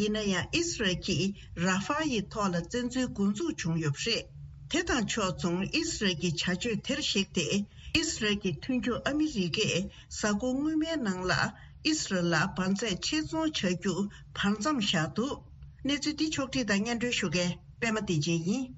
ཡིན་ན་ཡང་ཨི་སི་རལ་གྱིས་ར་ཧྥ་ཡི་ཐོག་ལ་བཙན་འཛུལ་འགོ་འཛུགས་བྱུང་ཡོད་པ་རེད། དེ་དང་ཕྱོགས་མཚུངས་ཨི་སི་རལ་གྱི་བྱ་སྤྱོད་དེར་གཞིགས་ཏེ། ཨི་སི་རལ་གྱི་མཐུན་ཕྱོགས་ཨ་མི་རི་ཀས་གཟའ་འཁོར་སྔོན་མའི་ནང་ལ་ཨི་སི་རལ་ལ་འབར་རྫས་ཕྱིར་ཚོང་བྱ་རྒྱུ་བར་མཚམས་བཞག་འདུག་གནས་ཚུལ་འདི་ཕྱོགས་བསྒྲིགས་དང་སྙན་སྒྲོན་ཞུ་མཁན་པད་མ་བདེ་ཆེན་ཡིན།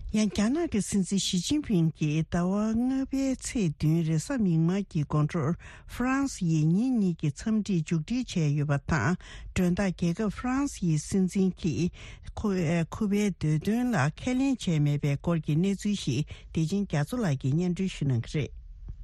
ཡང་རྒྱ་ནག་གི་སྲིད་འཛིན་ཞི་ཅིན་ཕིང་གིས་ཟླ་བ་ལྔ་པའི་ཚེས་བདུན་རེས་གཟའ་མིག་དམར་གྱི་དགོང་དྲོར་ཧྥ་རན་སི་ཡིས་ཉིན་གཉིས་ཀྱི་འཚམས་འདྲི་མཇུག་སྒྲིལ་བྱས་ཡོད་པ་དང་། མགྲོན་བདག་རྒྱལ་ཁབ་ཧྥ་རན་སི་ཡི་སྲིད་འཛིན་གྱིས་ཁོ་ཁོ་པའི་འདོད་དོན་ལ་ཁས་ལེན་བྱས་མེད་པའི་སྐོར་གྱི་གནས་ཚུལ་ཞིག་བདེ་ཆེན་རྒྱ་མཚོ་ལགས་ཀྱིས་སྙན་སྒྲོན་ཞུ་གནང་གི་རེད།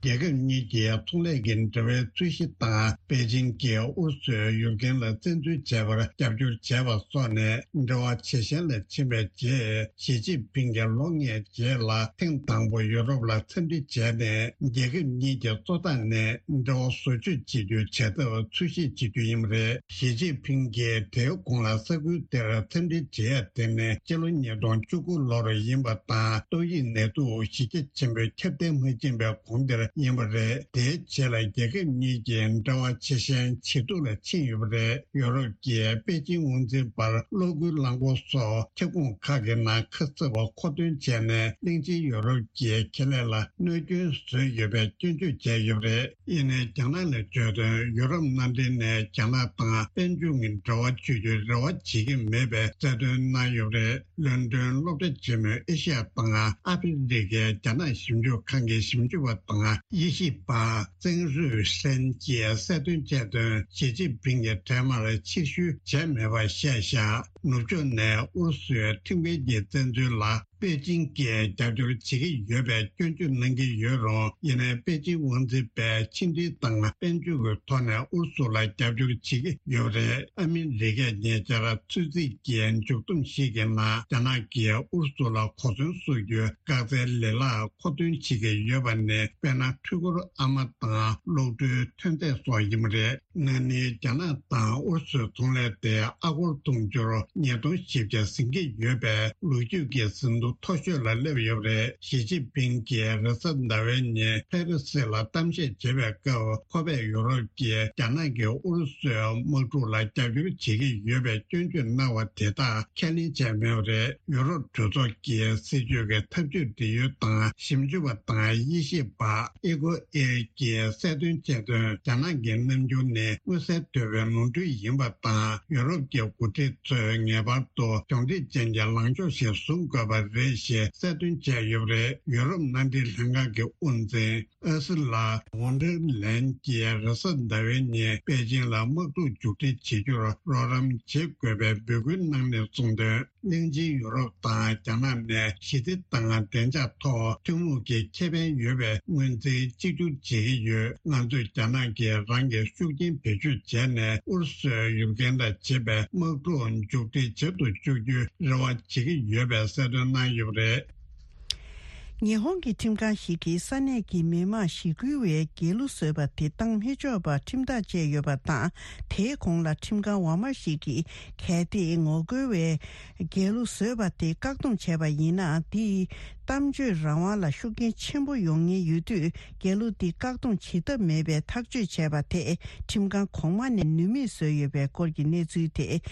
རྒྱལ་ཁབ་གཉིས་ཀྱི་ཚོང་ལས་ཀྱི་འབྲེལ་བའི་རྩོད་གཞི་དང་པེ་ཅིང་གིས་ཨུ་རུ་སུའི་ཡུལ་གྱར་ལ་བཙན་འཛུལ་བྱས་པར་རྒྱབ་སྐྱོར་བྱས་པ་སོགས་ནས་འབྲེལ་བ་ཇེ་ཞན་ལ་ཕྱིན་པའི་རྗེས། ཞི་ཅིན་ཕིང་གིས་ལོ་ལྔའི་རྗེས་ལ་ཐེངས་དང་པོ་ཡུ་རོབ་ལ་འཚམས་འདྲི་བྱས་ནས། རྒྱལ་ཁབ་གཉིས་ཀྱི་གཙོ་བདག་ནས་འབྲེལ་བ་བཟོ་བཅོས་བྱེད་རྒྱུའི་བྱ་ཐབས་འཚོལ་ཞིབ་བྱེད་རྒྱུ་ཡིན་པ་རེད། ཞི་ཅིན་ཕིང་གིས་དེའི་གོང་ལ་ས་ཁུལ་དེར་འཚམས་འདྲི་བྱེད་ཡ་དེ་ནི་སྤྱི་ལོ་ཉིས་སྟོང་བཅུ་དགུ་ལོར་ཡིན་པ་དང་། ཏོག་དབྱིབས་ནད་དུག་གཞི་རྒྱ་ཆེན་པོས་ཁྱབ་གདལ་མ་ཕྱིན་པའི་གོང་དེར་ ཡིན་པ་རེད། དེའི་རྗེས་ལ་རྒྱལ་ཁབ་གཉིས་ཀྱི་འབྲེལ་བ་ཇེ་ཞན་ཇེ་སྡུག་ལ་ཕྱིན་ཡོད་པ་རེད། ཡོ་རོབ་ཀྱིས་པེ་ཅིང་དབང་འཛིན་པར་གློག་སྒུལ་རླངས་འཁོར་སོགས་ཁྱབ་ཁོངས་ཁག་གི་ནང་ཁ་གསབ་པ་མཁོ་འདོན་བྱས་ནས་གླིང་ཆེན་ཡོ་རོབ་ཀྱི་ཁེ་ལས་ལ་གནོད་སྐྱོན་བཟོས་ཡོད་པའི་སྐྱོན་བརྗོད་བྱས་ཡོད་པ་རེད། ཡིན་ནའི་རྒྱ་ནག་ལ་བརྗོད་དོན། ཡོ་རོབ་མནའ་འབྲེལ་ནས་རྒྱ་ནག་དང་དཔལ་འབྱོར་གྱི་འབྲེལ་བ་བྱེད་རྒྱུའི་རེ་བ་བྱེད་ཀྱི་མེད་པའི་གསལ་སྟོན་གནང་ཡོད་པ་རེད། ལོན་ཌོན་སློབ་གྲྭ་ཆེན་མོའི་ཨེ་ཤི་ཡ་དང་ཨ་ཧྥེ་རི་ཁའི་རྒྱ་ནག་ཞིབ་འཇུག་ཁང་གི་ཞིབ་འཇུག་པ་དང་དབྱེ་ཞིབ་པ་ཙེང་རུས་ཧྲན་གྱིས་གསལ་སྟོན་བྱས་དོན། ཞི་ཅིན་ཕིང་གིས་འཕྲལ་མར་ཕྱིར་བཤོལ་བྱས་མེད་པ་བཤད་བཞག་ནུབ་ཕྱོགས་ནས་ཨུ་རུ་སུའི་ཁྲིམས་འགལ་གྱི་བཙན་འཛུལ་ལ་པེ་ཅིང་གིས་རྒྱབ་སྐྱོར་བྱེད་ཀྱི་ཡོད་པའི་སྐྱོན་བརྗོད་གནང་གི་ཡོད་རུང་། ཡིན་ནའི་པེ་ཅིང་དབང་འཛིན་པས་ཕྱི་འབྲེལ་དང་དཔལ་འབྱོར་གྱི་ཐོག་ནས་ཨུ་རུ་སུ་ལ་རྒྱབ་སྐྱོར་བྱེད་ཀྱི་ཡོད་པ་རེད། ཨ་མི་རི་ཀས་ཉེ་ཆར་ཚོད་རྩིས་ཀྱི་མཇུག་བསྡོམས་ཤིག་གི་ནང་རྒྱ་ནག་གིས་ཨུ་རུ་སུ་ལ་གོ་མཚོན་སོགས་ཀྱི་འགག་རྩའི་ལེ་ལག་མཁོ་འདོན་བྱེད་ཀྱི་ཡོད་པ་ནི། དཔེར་ན། འཕྲུལ་འཁོར་ཨ་མ་དང་གློག་འཕྲུལ་ཐོན་རྫས་སོགས་ཡིན་པ་རེད། ན་ནིང་རྒྱ་ནག་དང་ཨུ་རུ་སུའི་ཚོང་ལས་དེ་ཨ་སྒོར་དུང་ཕྱུར་ཉིས་སྟོང་བཞི་བརྒྱ་ཟིན་གྱི་ཡོད་པའི་ལོ་རྒྱུས་ཀྱི་ཟིན་ཐོ་མཐོ་ཤོས་ལ་སླེབས་ཡོད་པ་རེད། ཞི་ཅིན་ཕིང་གིས་རེས་གཟའ་ཟླ་བའི་ཉིན་ཕེ་རི་སི་ལ་གཏམ་བཤད་བྱེད་པའི་སྐབས། ཁོ་པས་ཡོ་རོབ་ཀྱིས་རྒྱ་ནག་གིས་ཨུ་རུ་སུའི་དམག་འཁྲུག་ལ་རྒྱབ་སྐྱོར་བྱེད་ཀྱི་ཡོད་པའི་སྐྱོན་བརྗོད་གནང་བ་དེ་དག་ཁས་ལེན་བྱས་མེད་པ་རེད། ཡོ་རོབ་གྲོས་ཚོགས་ཀྱི་སྲིད་ཇུས་ཀྱི་ཐབས་ཇུས་འབྲེལ་ཡོད་དང་ཞིབ་འཇུག་པ་དང་དབྱེ་ཞིབ་པ་ཨེ་ཀོ་ཨེར་གྱིས་གསལ་སྟོན་བྱས་དོན། རྒྱ་ནག་གི་རྣམ་འགྱུར་ནི་མངོན་གསལ་དོད་པའི་ནོར་འཁྲུལ་ཡིན་པ་དང་། ཡོ་རོབ་ཀྱི་འགོ་ཁྲིད་ཚོས་ངེས་པར་དུ་གྱོང་ཁྲིད་ཅན་གྱི་ལངས་ཕྱོགས་ཤིག་བཟུང་དགོས་པ་རེད་ཞེས་གསལ་སྟོན་བྱས་ཡོད་པ་རེད། ཡོ་རོབ་མནའ་འབྲེལ་ལྷན་ཁང་གི་དབུ་འཛིན་ཨར་སུ་ལ་ཝོན་ཌར་ལེན་གྱིས་རེས་གཟའ་ཟླ་བའི་ཉིན་པེ་ཅིང་ལ་དམག་འཁྲུག་མཇུག་སྒྲིལ་བྱེད་རྒྱུར་རོགས་རམ་བྱེད་དགོས་པའི་འབོད་སྐུལ་གནང་ནས་གསུངས་དོན། གླིང་ཆེན་ཡུ་རོབ་དང་རྒྱ་ནག་ནས་ཞི་བདེ་དང་བདེ་འཇགས་ཐོག་ཐུན་མོང་གི་ཁེ་ཕན་ཡོད་པའི་ངོས་འཛིན་གཅིག་གྱུར་བྱེད་ཀྱི་ཡོད། ང་ཚོས་རྒྱ་ནག་གིས་རང་གི་ཤུགས་རྐྱེན་བེད་སྤྱོད་བྱས་ནས་ཨུ་རུ་སུའི་ཡུལ་གན་ལ་བྱེད་པའི་དམག་འཁྲུག་མཇུག་སྒྲིལ་བྱེད་དུ་བཅུག་རྒྱུའི་རེ་བ་བྱེད་ཀྱི་ཡོད་པའི་གསལ་སྟོན་གནང་ཡོད་པ་རེད། ཉི་ཧོང་གི་ཁྲིམས་ཁང་ཞིག་གིས་ས་གནས་ཀྱི་མི་མང་ཞི་རྒོལ་བའི་རྒྱལ་གླུ་བཟོས་པ་དེ་བཏང་མི་ཆོག་པར་ཁྲིམས་ཐག་བཅད་ཡོད་པ་དང་། དེའི་གོང་ལ་ཁྲིམས་ཁང་འོག་མ་ཞིག་གིས་གལ་ཏེ་ངོ་རྒོལ་བའི་རྒྱལ་གླུ་བཟོས་པ་དེ་བཀག་སྡོམ་བྱས་པ་ཡིན་ན། དེས་གཏམ་བརྗོད་རང་དབང་ལ་ཤུགས་རྐྱེན་ཆེན་པོ་ཡོང་ཉེན་ཡོད་དུས། རྒྱལ་གླུ་དེ་བཀག་སྡོམ་བྱེད་ཐབས་མེད་པའི་ཐག་གཅོད་བྱས་པ་དེས་ཁྲིམས་ཁང་གོང་མ་ནས་ནུས་མེད་བཟོས་ཡོད་པའི་སྐོར་གྱི་གནས་ཚུལ་དེ་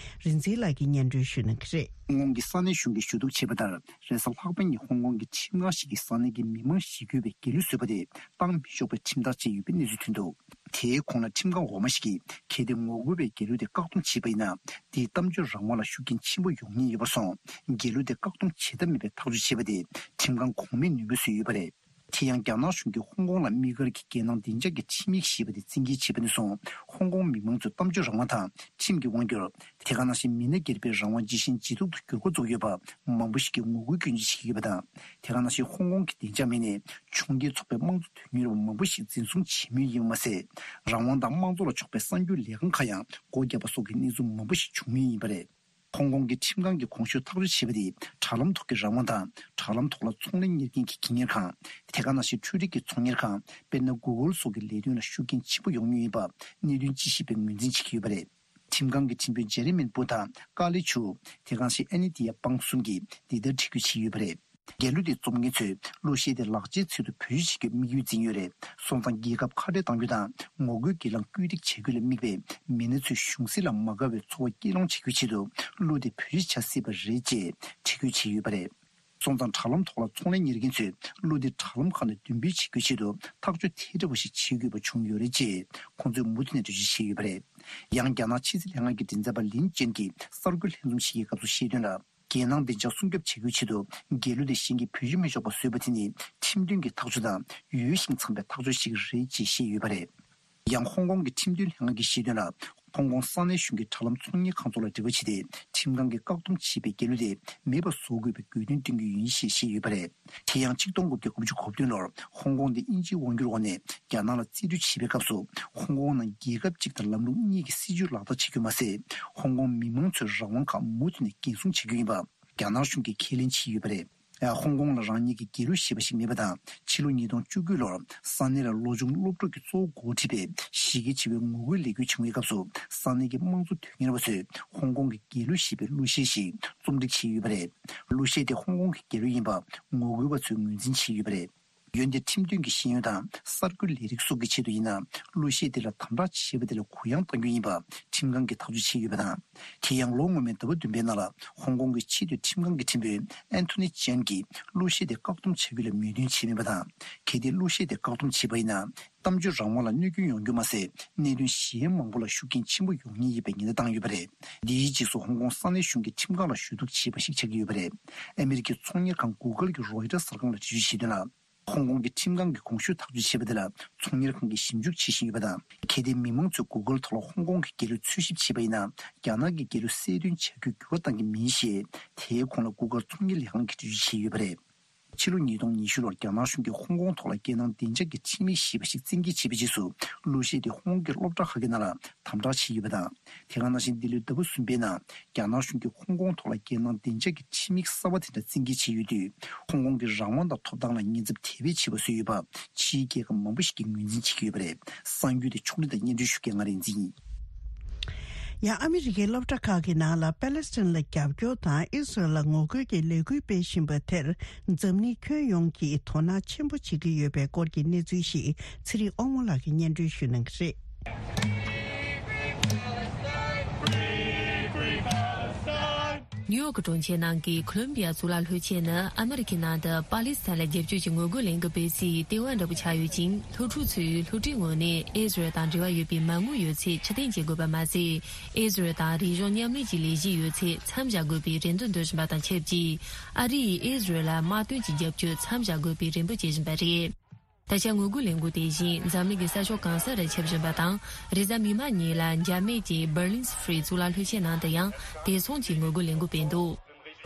རིག་འཛིན་ལགས་ཀྱིས་སྙན་སྒྲོན་ཞུ་གནང་གི་རེད། ཧོང་ཀོང་གི་ས་གནས་གཞུང་གིས་ཞུ་གཏུག་བྱས་པ་ལྟར། རེས་གཟའ་ལྷག་པའི་ཉིན་ཧོང་ཀོང་གི་ཁྲིམས་ཁང་ཞིག་གིས་ས་གནས་ཀྱི་མི་མང་ཞི་རྒོལ་བའི་རྒྱལ་གླུ་བཟོས་པ་དེ་བཏང་མི་ཆོག་པའི་ཁྲིམས་ཐག་བཅད་ཡོད་པའི་གནས་ཚུལ་ཐོན་འདུག་དེའི་གོང་ལ་ཁྲིམས་ཁང་འོག་མ་ཞིག་གིས་གལ་ཏེ་ངོ་རྒོལ་བའི་རྒྱལ་གླུ་དེ་བཀག་སྡོམ་བྱས་པ་ཡིན་ན། དེས་གཏམ་བརྗོད་རང་དབང་ལ་ཤུགས་རྐྱེན་ཆེན་པོ་ཡོང་ཉེན་ཡོད་པར་སོང་། རྒྱལ་གླུ་དེ་བཀག་སྡོམ་བྱེད་ཐབས་མེད་པའི་ཐག་གཅོད་བྱས་པ་དེ་ཁྲིམས་ཁང་གོང་མས་ནུས་མེད་བཟོས་ཡོད་པ་རེད། དེ་ཡང་རྒྱ་ནག་གཞུང་གིས་ཧོང་ཀོང་ལ་དམིགས་བཀར་གྱིས་རྒྱལ་ནང་བདེ་འཇགས་ཀྱི་ཁྲིམས་ཡིག་ཞེས་པ་དེ་བཙན་འགེལ་བྱས་པ་ནས་བཟུང་། ཧོང་ཀོང་མི་མང་ཚོས་གཏམ་བརྗོད་རང་དབང་དང་ཁྲིམས་ཀྱི་དབང་སྒྱུར། དེ་ག་ནང་བཞིན་མི་སྣ་སྒེར་པའི་རང་དབང་ཇི་བཞིན་ཇེ་སྡུག་ཏུ་འགྱུར་འགོ་བཙུགས་ཡོད་པ་མང་པོ་ཞིག་གིས་ངོ་རྒོལ་སྐྱོན་བརྗོད་བྱེད་ཀྱི་ཡོད་པ་དང་། དེ་ག་ནང་བཞིན་ཧོང་ཀོང་གི་བདེ་འཇགས་མིན་ནས་ཆུང་རྒྱལ་ཚོགས་པའི་དམངས་གཙོ་དོན་གཉེར་བ་མང་པོ་ཞིག་འཛིན་བཟུང་བྱེད་མུས་ཡིན་པ་མ་ཟད། རང་དབང་དང་དམངས་གཙོ་ལ་ཕྱོགས་པའི་གསར་འགྱུར་ལས་ཁང་ཁག་ཡང་སྒོ་བརྒྱབ་པ་སོགས་ཀྱི་གནས་ཚུལ་མང་པོ་ཞིག་བྱུང་མུས་ཡིན་པ་རེད། ཧོང་ཀོང་གི་ཁྲིམས་ཁང་གིས་གོང་ཞུས་ཐག་གཅོད་བྱས་པ་དེས་དྲ་ལམ་ཐོག་གི་རང་དབང་དང་། དྲ་ལམ་ཐོག་ལ་ཚོང་ལས་གཉེར་མཁན་གྱི་སྒེར་གཉེར་ཁང་། དེ་ག་ནང་བཞིན་འཕྲུལ་རིག་གི་ཚོང་གཉེར་ཁང་། དཔེར་ན། གུ་གུལ་སོགས་ཀྱི་ལས་དོན་ལ་ཤུགས་རྐྱེན་ཆེན་པོ་ཡོང་མུས་ཡིན་པ་གནད་དོན་དཔྱད་ཞིབ་པས་ངོས་འཛིན་བྱེད་ཀྱི་ཡོད་པ་རེད། ཁྲིམས་ཁང་གི་ཁྲིམས་དཔོན་ཇེ་རི་མིན་པུ་དང་ཀ་ལི་ཆུ། དེ་ག་ནང་བཞིན་ཨན་ནི་ཏི་ཡ་པང་གསུམ་གྱིས་འདི་ལྟར་འགྲེལ་བརྗོད་བྱས་ཡོད་པ་རེད། རྒྱལ་གླུ་དེ་རྩོམ་མཁན་ཚོས་གླུ་གཞས་དེ་ལག་ཆའི་ཚད་དུ་བེད་སྤྱོད་བྱེད་རྒྱུར་དམིགས་ཡུལ་འཛིན་ཡོད་རེད། སོང་ཙང་རྒྱལ་ཁབ་ཁ་བྲལ་གཏང་རྒྱུ་དང་ངོ་རྒོལ་གྱི་ལམ་བཀོད་སྒྲིག་བྱེད་རྒྱུ་ལ་དམིགས་པའི་མི་སྣ་ཚོས་གཞུང་སྲིད་ལ་མ་དགའ་བའི་ཚོར་བ་སྐྱེད་སློང་བྱེད་རྒྱུའི་ཆེད་དུ་གླུ་དེ་བེད་སྤྱོད་བྱ་སྲིད་པ་རེད་ཅེས་འགྲེལ་བརྗོད་བྱས་ཡོད་པ་རེད། སོང་ཙང་དྲ་ལམ་ཐོག་ལ་ཚོང་ལས་གཉེར་མཁན་ཚོས་གླུ་དེ་དྲ་ལམ་ཁག་ནས་འདོན་སྤེལ་བྱེད་རྒྱུའི་ཆེད་དུ་ཐག་གཅོད་དེ་འདྲ་བ་ཞིག་བྱེད་དགོས་པ་བྱུང་ཡོད་རེད་ཅེས་ཁོང་ཚོས་མུ་མཐུད་ནས་འགྲེལ་བརྗོད་བྱས་ཡོད་པ་རེད། ཡང་རྒྱ་ནག་ཕྱི་སྲིད་ལྷན་ཁང་གི་མགྲིན་ཚབ་པ་ལིན་ཅན་གྱིས་གསར་འགོད་ལྷན་འཛོམས་ཤིག་གི་སྐབས་སུ་བཤད་དོན་ལ། རྒྱལ་ནང་བདེ་འཇགས་སྲུང་སྐྱོབ་བྱེད་རྒྱུའི་ཆེད་དུ་རྒྱལ་གླུ་དེ་གཞན་གྱིས་བེད་སྤྱོད་མི་ཆོག་པ་བཟོས་པ་དེ་ནི་ཁྲིམས་མཐུན་གྱི་ཐག་གཅོད་དང་ཡོད་བཞིན་འཚམ་པའི་ཐག་གཅོད་ཞིག་རེད་ཅེས་བཤད་ཡོད་པ་རེད། ཡང་ཧོང་ཀོང་གི་ཁྲིམས་མཐུན་ལྷན་ཁང་གིས་བཤད་དོན་ལ། ཧོང་ཀོང་ས་གནས་གཞུང་གིས་དྲ་ལམ་ཚོང་གཉེར་ཁང་ཚོ་ལ་འབྲེལ་བ་བྱས་ཏེ་ཁྲིམས་ཁང་གིས་བཀག་སྡོམ་བྱས་པའི་རྒྱལ་གླུ་དེ་མེད་པ་བཟོ་དགོས་པའི་དགོས་འདུན་བཏོན་གྱི་ཡིན་ཞེས་བཤད་ཡོད་པ་རེད། དེ་ཡང་ཆིག་སྟོང་དགུ་བརྒྱ་དགུ་བཅུ་གོ་བདུན་ལོར་ཧོང་ཀོང་དེ་དབྱིན་ཇིའི་དབང་སྒྱུར་འོག་ནས་རྒྱ་ནག་ལ་རྩིས་སྤྲོད་བྱེད་པའི་སྐབས་སུ། ཧོང་ཀོང་ནང་རྒྱལ་ཁབ་གཅིག་དང་ལམ་ལུགས་གཉིས་ཀྱི་སྲིད་བྱུས་ལག་བསྟར་བྱེད་རྒྱུ་མ་ཟད། ཧོང་ཀོང་མི་མང་ཚོའི་རང་དབང་ཁག་མུ་མཐུད་ནས་འགན་སྲུང་བྱེད་རྒྱུ་ཡིན་པ་རྒྱ་ནག་གཞུང་གིས་ཁས་ལེན་བྱས་ཡོད་པ་རེད། ཧོང་ཀོང་ལ་རང་ཉིད་ཀྱི་རྒྱལ་གླུ་ཞེས་པ་ཞིག་མེད་པ་དང་། ཕྱི་ལོ་ཉིས་སྟོང་བཅུ་དགུ་ལོར་ས་གནས་ལ་ལོ་ཆུང་སློབ་ཕྲུག་གིས་གཙོ་བོ་འགོ་ཁྲིད་པའི་གཞི་རྒྱ་ཆེ་བའི་ངོ་རྒོལ་ལས་འགུལ་བྱུང་བའི་སྐབས་སུ། ས་གནས་ཀྱི་དམངས་གཙོ་དོན་གཉེར་བ་ཚོས་ཧོང་ཀོང་གི་རྒྱལ་གླུ་ཞེས་པའི་གླུ་གཞས་ཤིག་རྩོམ་སྒྲིག་བྱས་ཡོད་པ་རེད། གླུ་གཞས་དེ་ཧོང་ཀོང་གི་རྒྱལ་གླུ་ཡིན་པ་ངོ་རྒོལ་བ་ཚོས་ངོས་འཛིན་བྱས་ཡོད་པ་རེད། འོན་ཏེ་ཁྲིམས་དོན་གྱི་ཤེས་ཡོན་དང་གསར་འགོད་ལས་རིགས་སོགས་ཀྱི་ཆེད་དུ་ཡིན་ན། གླུ་གཞས་དེ་ལ་དམ་དྲག་བྱས་པ་དེ་ལ་གུ་ཡངས་གཏང་རྒྱུ་ཡིན་པ་ཁྲིམས་ཁང་གིས་ཐག་གཅོད་བྱས་ཡོད་པ་དང་། དེ་ཡང་ལོ་སྔོན་མའི་ཟླ་བ་བདུན་པའི་ནང་ལ་ཧོང་ཀོང་གི་ཆེས་མཐོའི་ཁྲིམས་ཁང་གི་ཁྲིམས་དཔོན་ཨན་ཐོ་ནི་ཅན་གྱིས་གླུ་གཞས་དེ་བཀག་སྡོམ་བྱ་རྒྱུ་ལ་མོས་མཐུན་བྱས་མེད་པ་དང་། གལ་ཏེ་གླུ་གཞས་དེ་བཀག་སྡོམ་བྱས་པ་ཡིན་ན། གཏམ་བརྗོད་རང་དབང་ལ་གནོད་སྐྱོན་ཡོང་རྒྱུ་མ་ཟད། གནད་དོན་གཞན་མང་པོ་ལ་ཤུགས་རྐྱེན་ཆེན་པོ་ཡོང་ཉེན་ཡོད་པའི་ཉེན་བརྡ་བཏང་ཡོད་པ་རེད། འདིའི་རྗེས་སུ་ཧོང་ཀོང་ས་གནས་གཞུང་གིས་ཁྲིམས་ཁང་ལ་ཞུ་གཏུག་བྱས་པ་ཞིག་ཆགས་ཀྱི་ཡོད་པ་རེད། ཨ་མི་རི་ཀའི་ཚོང་གཉེར་ཁང་གུ་གལ་གྱིས་རོའི་ཊར་གསར་ཁང་ལ་འགྲེལ་བརྗོད་བྱས་དོན་ལ། ཧོང་ཀོང་གི་ཁྲིམས་ཁང་གིས་གོང་ཞུས་ཐག་གཅོད་བྱས་པ་དེ་ལ་ཚོང་གཉེར་ཁང་གིས་ཞིབ་འཇུག་བྱེད་བཞིན་ཡོད་པ་དང་། གལ་ཏེ་མི་མང་ཚོས་གུ་གལ་ཐོག་ལ་ཧོང་ཀོང་གི་རྒྱལ་གླུ་འཚོལ་ཞིབ་བྱས་པ་ཡིན་ན། རྒྱ་ནག་གི་རྒྱལ་གླུ་གསལ་སྟོན་བྱ་རྒྱུར་འགྱུར་བ་གཏང་གི་མིན་ཞེས། དེའི་གོང་ལ་གུ་གལ་ཚོང་གཉེར་ལས་ཁང་གིས་འགྲེལ་བརྗོད་བྱས་ཡོད་པ་རེད། ཕྱི་ལོ་ཉིས་སྟོང་ཉི་ཤུ་ལོར་རྒྱ་ནག་གཞུང་གིས་ཧོང་ཀོང་ཐོག་ལ་རྒྱལ་ནང་བདེ་འཇགས་ཀྱི་ཁྲིམས་ཡིག་ཞེས་པ་ཞིག་བཙན་འགེལ་བྱས་པའི་རྗེས་སུ། གླུ་གཞས་དེ་ཧོང་ཀོང་གི་སློབ་གྲྭ་ཁག་གི་ནང་ལ་དམ་དྲག་བྱས་ཡོད་པ་དང་། དེ་ག་ནང་བཞིན་འདི་ལོའི་ཟླ་བ་གསུམ་པའི་ནང་རྒྱ་ནག་གཞུང་གིས་ཧོང་ཀོང་ཐོག་ལ་རྒྱལ་ནང་བདེ་འཇགས་ཀྱི་ཁྲིམས་ཡིག་གསར་བ་དེ་འདྲ་བཙན་འགེལ་བྱས་ཡོད་དུས། ཧོང་ཀོང་གི་རང་དབང་དང་ཐོབ་ཐང་ལ་ཉེན་ཚབས་དེ་བས་ཆེ་བ་བཟོས་ཡོད་པ་ཕྱིའི་རྒྱལ་ཁབ་མང་པོ་ཞིག་གིས་ངོས་འཛིན་བྱེད་ཀྱི་ཡོད་པ་རེད། གསར་འགྱུར་དེ་ཕྱོགས་སྒྲིག་དང་སྙན་སྒྲོན་ཞུ་མཁན་ང་རིག་འཛིན་ཡིན། ཡང་ཨ་མི་རི་ཀའི་སློབ་གྲྭ་ཁག་གི་ནང་ལ་པེ་ལེ་སི་ཐན་ལ་རྒྱབ་སྐྱོར་དང་ཨི་སི་རལ་ལ་ངོ་རྒོལ་གྱི་ལས་འགུལ་སྤེལ་བཞིན་པ་དེར། འཛམ་གླིང་ཁྱོན་ཡོངས་ཀྱིས་དོ་སྣང་ཆེན་པོ་བྱེད་ཀྱི་ཡོད་པའི་སྐོར་གྱི་གནས་ཚུལ་ཞིག་ཚེ་རིང་དབང་མོ་ལགས་ཀྱིས་སྙན་སྒྲོན་ཞུ་གནང་གི་རེད། ནིའུ་ཡོག་གྲོང་ཁྱེར་ནང་གི་ཁོ་ལོམ་བི་ཡ་གཙུག་ལག་སློབ་ཆེན་ནི་ཨ་མི་རི་ཁའི་ནང་དུ་པ་ལི་སི་ཐན་ལ་རྒྱབ་སྐྱོར་གྱི་ངོ་རྒོལ་ལས་འགུལ་སྤེལ་སའི་ལྟེ་བ་འདྲ་པོ་ཆགས་ཡོད་ཅིང་། སློབ་ཕྲུག་ཚོས་སློབ་གྲྭའི་ངོས་ནས་ཨི་སི་རལ་དང་འབྲེལ་བ་ཡོད་པའི་མ་དངུལ་ཡོད་ཚད་ཕྱིར་འཐེན་བྱེད་དགོས་པ་མ་ཟད། ཨི་སི་རལ་དང་རིག་གཞུང་མཉམ་ལས་ཀྱི་ལས་གཞི་ཡོད་ཚད་མཚམས་བཞག་དགོས་པའི་རེ་འདུན་འདོན་བཞིན་པ་དང་ཆབས་ཅིག། ཨ་རི་ཡིས་ཨི་སི་རལ་ལ་དམག་དོན་གྱི་རྒྱབ་སྐྱོར་མཚམས་བཞག་དགོས་པའི་རེ་འབོད་བྱེད་བཞིན་པ་རེད། ད་ཆ་ངོ་རྒོལ་ལས་འགུལ་དེ་བཞིན་འཛམ་གླིང་གི་ས་ཕྱོགས་གང་སར་ཁྱབ་བཞིན་པ་དང་། རེས་གཟའ་མིག་དམར་ཉིན་ལ་འཇར་མན་གྱི་Berlin Free གཙུག་ལག་སློབ་ཆེན་ནང་དུ་ཡང་དེ་མཚུངས་ཀྱི་ངོ་རྒོལ་ལས་འགུལ་སྤེལ་འདུག།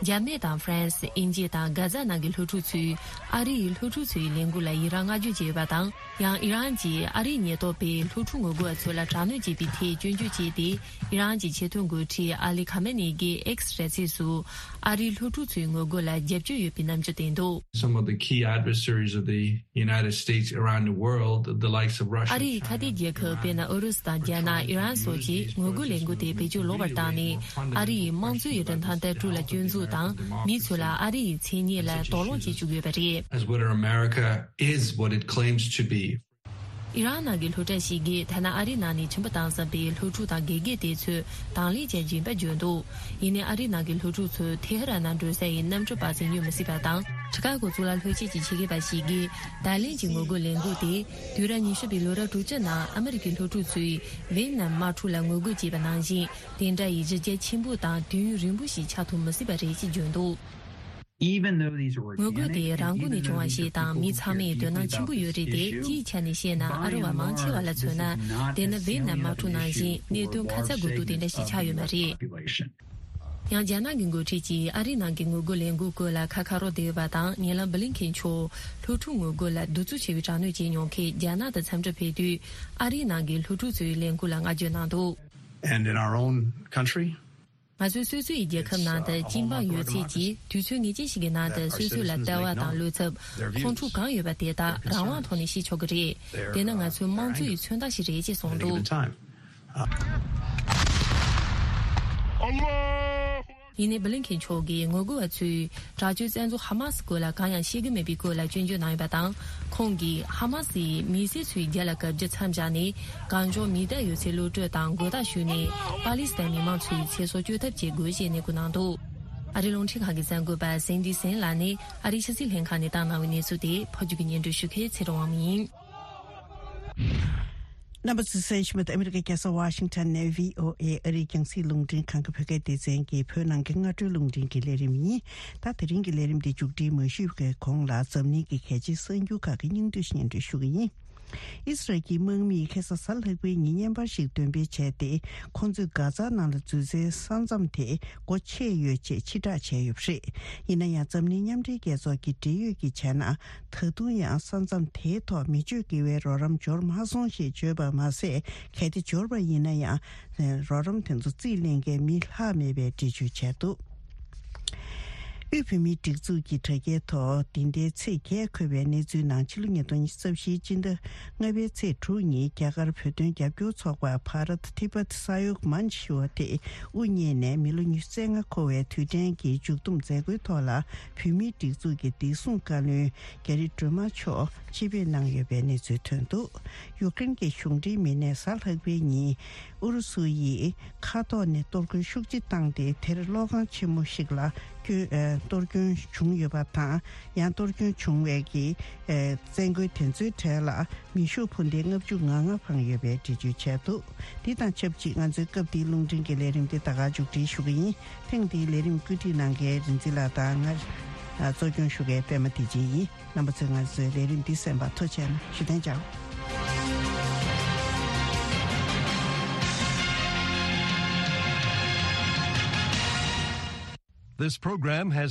འཇར་མན་དང་ཧྥ་རན་སི། དབྱིན་ཇི་དང་གྷ་ཛ་ནང་གི་སློབ་ཕྲུག་ཚོས་ཨ་རི་ཡི་སློབ་ཕྲུག་ཚོའི་ལས་འགུལ་ལ་ཡི་རངས་བསྔགས་བརྗོད་བྱས་ཡོད་པ་དང་། ཡང་ཨི་རན་གྱིས་ཨ་རིའི་ཉེན་རྟོག་པས་སློབ་ཕྲུག་ངོ་རྒོལ་བ་ཚོ་ལ་དྲག་གནོན་བྱས་པའི་ཐད་སྐྱོན་བརྗོད་བྱས་ཏེ། ཨི་རན་གྱི་ཆེས་མཐོའི་འགོ་ཁྲིད་ཨ་ལི་ཁ་མེ་ནེ་གིས་X་ར་ཚིགས་སུ་ཨ་རིའི་སློབ་ཕྲུག་ཚོའི་ངོ་རྒོལ་ལ་རྒྱབ་སྐྱོར་ཡོད་པའི་རྣམ་འགྱུར་བསྟན་འདུག། Some of the key adversaries of the United States around the world, the likes of Russia, ཨ་རིའི་ཁ་གཏད་རྒྱལ་ཁབ་དཔེར་ན་ཨུ་རུ་སུ་དང་རྒྱ་ནག། ཨི་རན་སོགས་ཀྱིས་ངོ་རྒོལ་ལས་འགུལ་དེ་བེད་སྤྱོད་ལོག་པར་བཏང་ནས། ཨ་རི་ཡི་དམངས་གཙོ་ཡི་རིན་ཐང་ལྟ་གྲུབ་ལ་སྐྱོན་འཛུགས་དང་། མི་ཚོ་ལ་ཨ་རི་ཡི་མཚན་སྙན་ལ་དོགས་སློང་བྱེད་བཅུག་ཡོད་པ་རེད། As what America is, what it claims to be. ཨི་རན་ནང་གི་སློབ་གྲྭ་ཞིག་གིས་ཐ་ན་ཨ་རིའི་ནང་ནས་ཁྱིམ་པ་བཏང་བསམ་པའི་སློབ་ཕྲུག་དང་དགེ་རྒན་དེ་ཚོས་དང་ལེན་བྱེད་བཞིན་པ་བརྗོད་འདུག། ཡིན་ནའི་ཨ་རིའི་ནང་གི་སློབ་ཕྲུག་ཚོས་ཐེ་ཧ་རན་ནང་འགྲོ་ས་ཡི་གནམ་གྲུ་པར་ཙམ་སྙུང་མི་སྲིད་པ་དང་། ཆི་ཀ་གོ་གཙུག་ལག་སློབ་ཆེན་གྱི་ཆེད་མཁས་པ་ཞིག་གིས། ད་ལན་གྱི་ངོ་རྒོལ་ལས་འགུལ་དེ་དུས་རབས་ཉི་ཤུ་པའི་ལོ་རབས་དྲུག་ཅུ་ནང་ཨ་མི་རི་ཀའི་སློབ་ཕྲུག་ཚོས་ཝེ་ནམ་དམག་འཁྲུག་ལ་ངོ་རྒོལ་བྱས་པ་ནང་བཞིན། དེ་འདྲ་ཡི་གཞི་རྒྱ་ཆེན་པོ་དང་དུས་ཡུན་རིང་པོ་ཞིག་ཆགས་ཐུབ་མི་སྲིད་པ་རེད་ཅེས་བརྗོད་འདུག། Even though these were ངོ་རྒོལ་དེ་organic and རང་ཁོངས་ནས་even བྱུང་བ་ཞིག་དང་། མི་ཚང་མས་དོ་སྣང་ཆེན་པོ་ཡོད་རེད་དེ། སྤྱིའི་ཆ་ནས་བཤད་ན་ཨ་རི་བ་མང་ཆེ་བ་ལ་མཚོན་ན། དེ་ནི་ཝེ་ནམ་དམག་འཁྲུག་ནང་བཞིན་གནད་དོན་ཁ་ཚ་དགོས་གཏུགས་དེ་འདྲ་ཞིག་ཆགས་ཡོད་མ་རེད། ཡང་རྒྱ་ནག་གི་འགོ་ཁྲིད་ཀྱིས་ཨ་རིའི་ནང་གི་ངོ་རྒོལ་ལས་འགུལ་སྐོར་ལ་ཁ་ཁ་རོག་བསྡད་ཡོད་པ་དང་། ཉེ་ལམ་བྷི་ལིན་ཁེན་མཆོག་སློབ་ཕྲུག་ངོ་རྒོལ་ལ་གདུག་རྩུབ་ཆེ་བའི་དྲག་གནོན་བྱས་མྱོང་མཁན་རྒྱ་ནག་ཏུ་འཚམས་འདྲིར་ཕེབས་དུས། ཨ་རིའི་ནང་གི་སློབ་ཕྲུག་ཚོའི་ལས་འགུལ་ལ་བསྔགས་བརྗོད་གནང་འདུག། And in our own country, ང་ཚོའི་སོ་སོའི་རྒྱལ་ཁབ་ནང་དུ་སྐྱིད་འབངས་ཡོད་ཚད་ཀྱིས་དུས་ཚོད་ངེས་ཅན་ཞིག་གི་ནང་དུ་སོ་སོ་ལ་ལྟ་བ་དང་བློ་འཚབ། ཁོང་ཁྲོ་གང་ཡོད་པ་དེ་དག་རང་དབང་ཐོག་ནས་བཤད་ཆོག་གི་རེད། དེ་ནི་ང་ཚོའི་དམངས་གཙོ་ཡི་མཚོན་རྟགས་ཤིག་རེད་ཅེས་གསུངས་འདུག། ཡིན་ནའི་བྷི་ལིན་ཁེན་མཆོག་གིས་ངོ་རྒོལ་བ་ཚོས་དྲག་སྤྱོད་བཙན་འཛུལ་ཧ་མ་སི་སྐོར་ལ་གང་ཡང་བཤད་ཀྱི་མེད་པའི་སྐོར་ལ་སྐྱོན་བརྗོད་གནང་ཡོད་པ་དང་། ཁོང་གིས་ཧ་མ་སི་ཡིས་མི་སེར་ཚོའི་རྒྱབ་ལ་བཀབ་རྒྱུ་མཚམས་བཞག་ནས། གང་བྱུང་མི་བདག་ཡོད་ཚད་གློད་གྲོལ་དང་མགོ་བཏགས་ཞུས་ནས། པ་ལི་སི་ཐན་མི་མང་ཚོའི་ཚེ་སྲོག་སྐྱོབ་ཐབས་བྱེད་དགོས་ཞེས་ནན་སྐུལ་གནང་འདུག། ཨ་རིའི་རླུང་འཕྲིན་ཁང་གི་གསར་འགོད་པ་སེན་ཌི་སེན་ལགས་ནས་ཨ་རིའི་ཕྱི་སྲིད་ལྷན་ཁང་ནས་བཏང་གནང་བའི་གནས་ཚུལ་དེ་ཕབ་སྒྱུར་གྱིས་སྙན་སྒྲོན་ཞུ་མཁན་ཚེ་རིང་དབང་མོ་ཡིན། རྣམ་པ་ཚོས་གསན་བཞིན་པ་ཨ་མི་རི་ཀའི་རྒྱལ་ས་ཝ་ཤིང་ཊོན་ནས་ཝི་ཨོ་ཨེ་ཨ་རིའི་རྒྱང་སྲིང་རླུང་འཕྲིན་ཁང་གི་བོད་སྐད་སྡེ་ཚན་གྱི་བོད་ནང་གི་སྔ་དྲོའི་རླུང་འཕྲིན་གྱི་ལས་རིམ་ཡིན། ད་དེ་རིང་གི་ལས་རིམ་འདི་མཇུག་སྒྲིལ་མ་ཞུས་པའི་གོང་ལ་འཛམ་གླིང་གི་གལ་ཆེའི་གསར་འགྱུར་ཁག་གི་སྙིང་བསྡུས་སྙན་སྒྲོན་ཞུ་གི་ཡིན། ཨི་སི་རལ་གྱི་དམག་མིས་ཁ་སང་གཟའ་ལྷག་པའི་ཉིན་བརྙན་པར་ཞིག་འདོན་སྤེལ་བྱས་ཏེ། ཁོང་ཚོས་གྷ་ཛ་ནང་ལ་འཛུལ་སའི་ས་མཚམས་དེ་སྒོ་ཕྱེ་ཡོད་ཅེས་ཕྱིར་བསྒྲགས་བྱས་ཡོད་པ་རེད། ཡིན་ན་ཡང་འཛམ་གླིང་མཉམ་འབྲེལ་རྒྱལ་ཚོགས་ཀྱི་འབྲེལ་ཡོད་ཀྱིས་བྱས་ན། ད་དུང་ཡང་ས་མཚམས་དེའི་ཐོག་མི་སྤྱོད་དགེ་བའི་རོགས་རམ་འབྱོར་མ་སོང་ཞེས་བརྗོད་པ་མ་ཟད། གལ་ཏེ་འབྱོར་བ་ཡིན་ན་ཡང་། རོགས་རམ་དེ་ཚོ་རྩིས་ལེན་མཁན་མི་ལྷག་མེད་པའི་འགྲེལ་བརྗོད་བྱས་འདུག། དབུས་བོད་མིའི་སྒྲིག་འཛུགས་ཀྱི་དྲ་རྒྱའི་ཐོག་འདི་ཟླའི་ཚེས་བརྒྱད་འཁོད་པའི་གནས་ཚུལ་ནང་ཕྱི་ལོ་ཉིས་སྟོང་ཉི་ཤུ་རྩ་བཞིའི་སྤྱི་ཟླ་ལྔ་པའི་ཚེས་དྲུག་ཉིན་རྒྱ་གར་བོད་དོན་རྒྱབ་སྐྱོར་ཚོགས་པ་བྷ་རཏ་ཐི་བྷ་ཏི་ས་ཡོག་མན་ཆི་ཞུ་བ་དེ་དབུ་བརྙེས་ནས་མི་ལོ་ཉི་ཤུ་རྩ་ལྔ་འཁོར་བའི་དུས་དྲན་གྱི་མཇུག་བསྡོམས་མཛད་སྒོའི་ཐོག་ལ་བོད་མིའི་སྒྲིག་འཛུགས་ཀྱི་བདེ་སྲུང་བཀའ་བློན་རྒྱ་རི་སྒྲོལ་མ་མཆོག་ཆེད་ཕེབས་གནང་ཡོད་པའི་གནས་ཚུལ་ཐོན་འདུག་ཡུཀ་རེན་གྱི་གཞུང་འབྲེལ་མི་སྣས་གཟའ་ལྷག་པའི་ཉིན་ཨུ་རུ་སུ་ཡིས་མཁའ་ཐོག་ནས་གཏོར་རྒོལ་ཤུགས་ཆེ་བཏང་སྟེ། དེར་གློག་ཁང་ཆེན་མོ་ཞིག་ལ་སྐྱོན་ཨ་གཏོར་སྐྱོན་བྱུང་ཡོད་པ་དང་། ཡང་གཏོར་སྐྱོན་བྱུང་བའི་གི་ཨ་བཙན་རྒོལ་དེ་ཚོའི་གྲས་ལ་མེ་ཤུགས་འཕུར་མདེལ་ལྔ་བཅུ་ང་ལྔ་འཕངས་ཡོད་པའི་འགྲེལ་བརྗོད་བྱས་འདུག་འདི་དང་ཆབས་ཅིག་ང་ཚོའི་སྐབས་འདིའི་རླུང་འཕྲིན་གྱི་ལས་རིམ་འདི་ད་ག་མཇུག་སྒྲིལ་ཞུ་གི་ཡིན། ཐེངས་འདིའི་ལས་རིམ་བཀོད་སྒྲིག་གནང་མཁན་རིན་འཛིན་ལགས་དང་། ང་ཨ་གཙོ་སྐྱོང་ཞུ་མཁན་པད་མ་བདེ་ཆེན་ཡིན། རྣམ་པ་ཚོས་ང་ཚོའི་ལས་རིམ་འདི་གསན་པར་ཐུགས་རྗེ་གནང་། ཞུ་དོན་ཅང་། This program has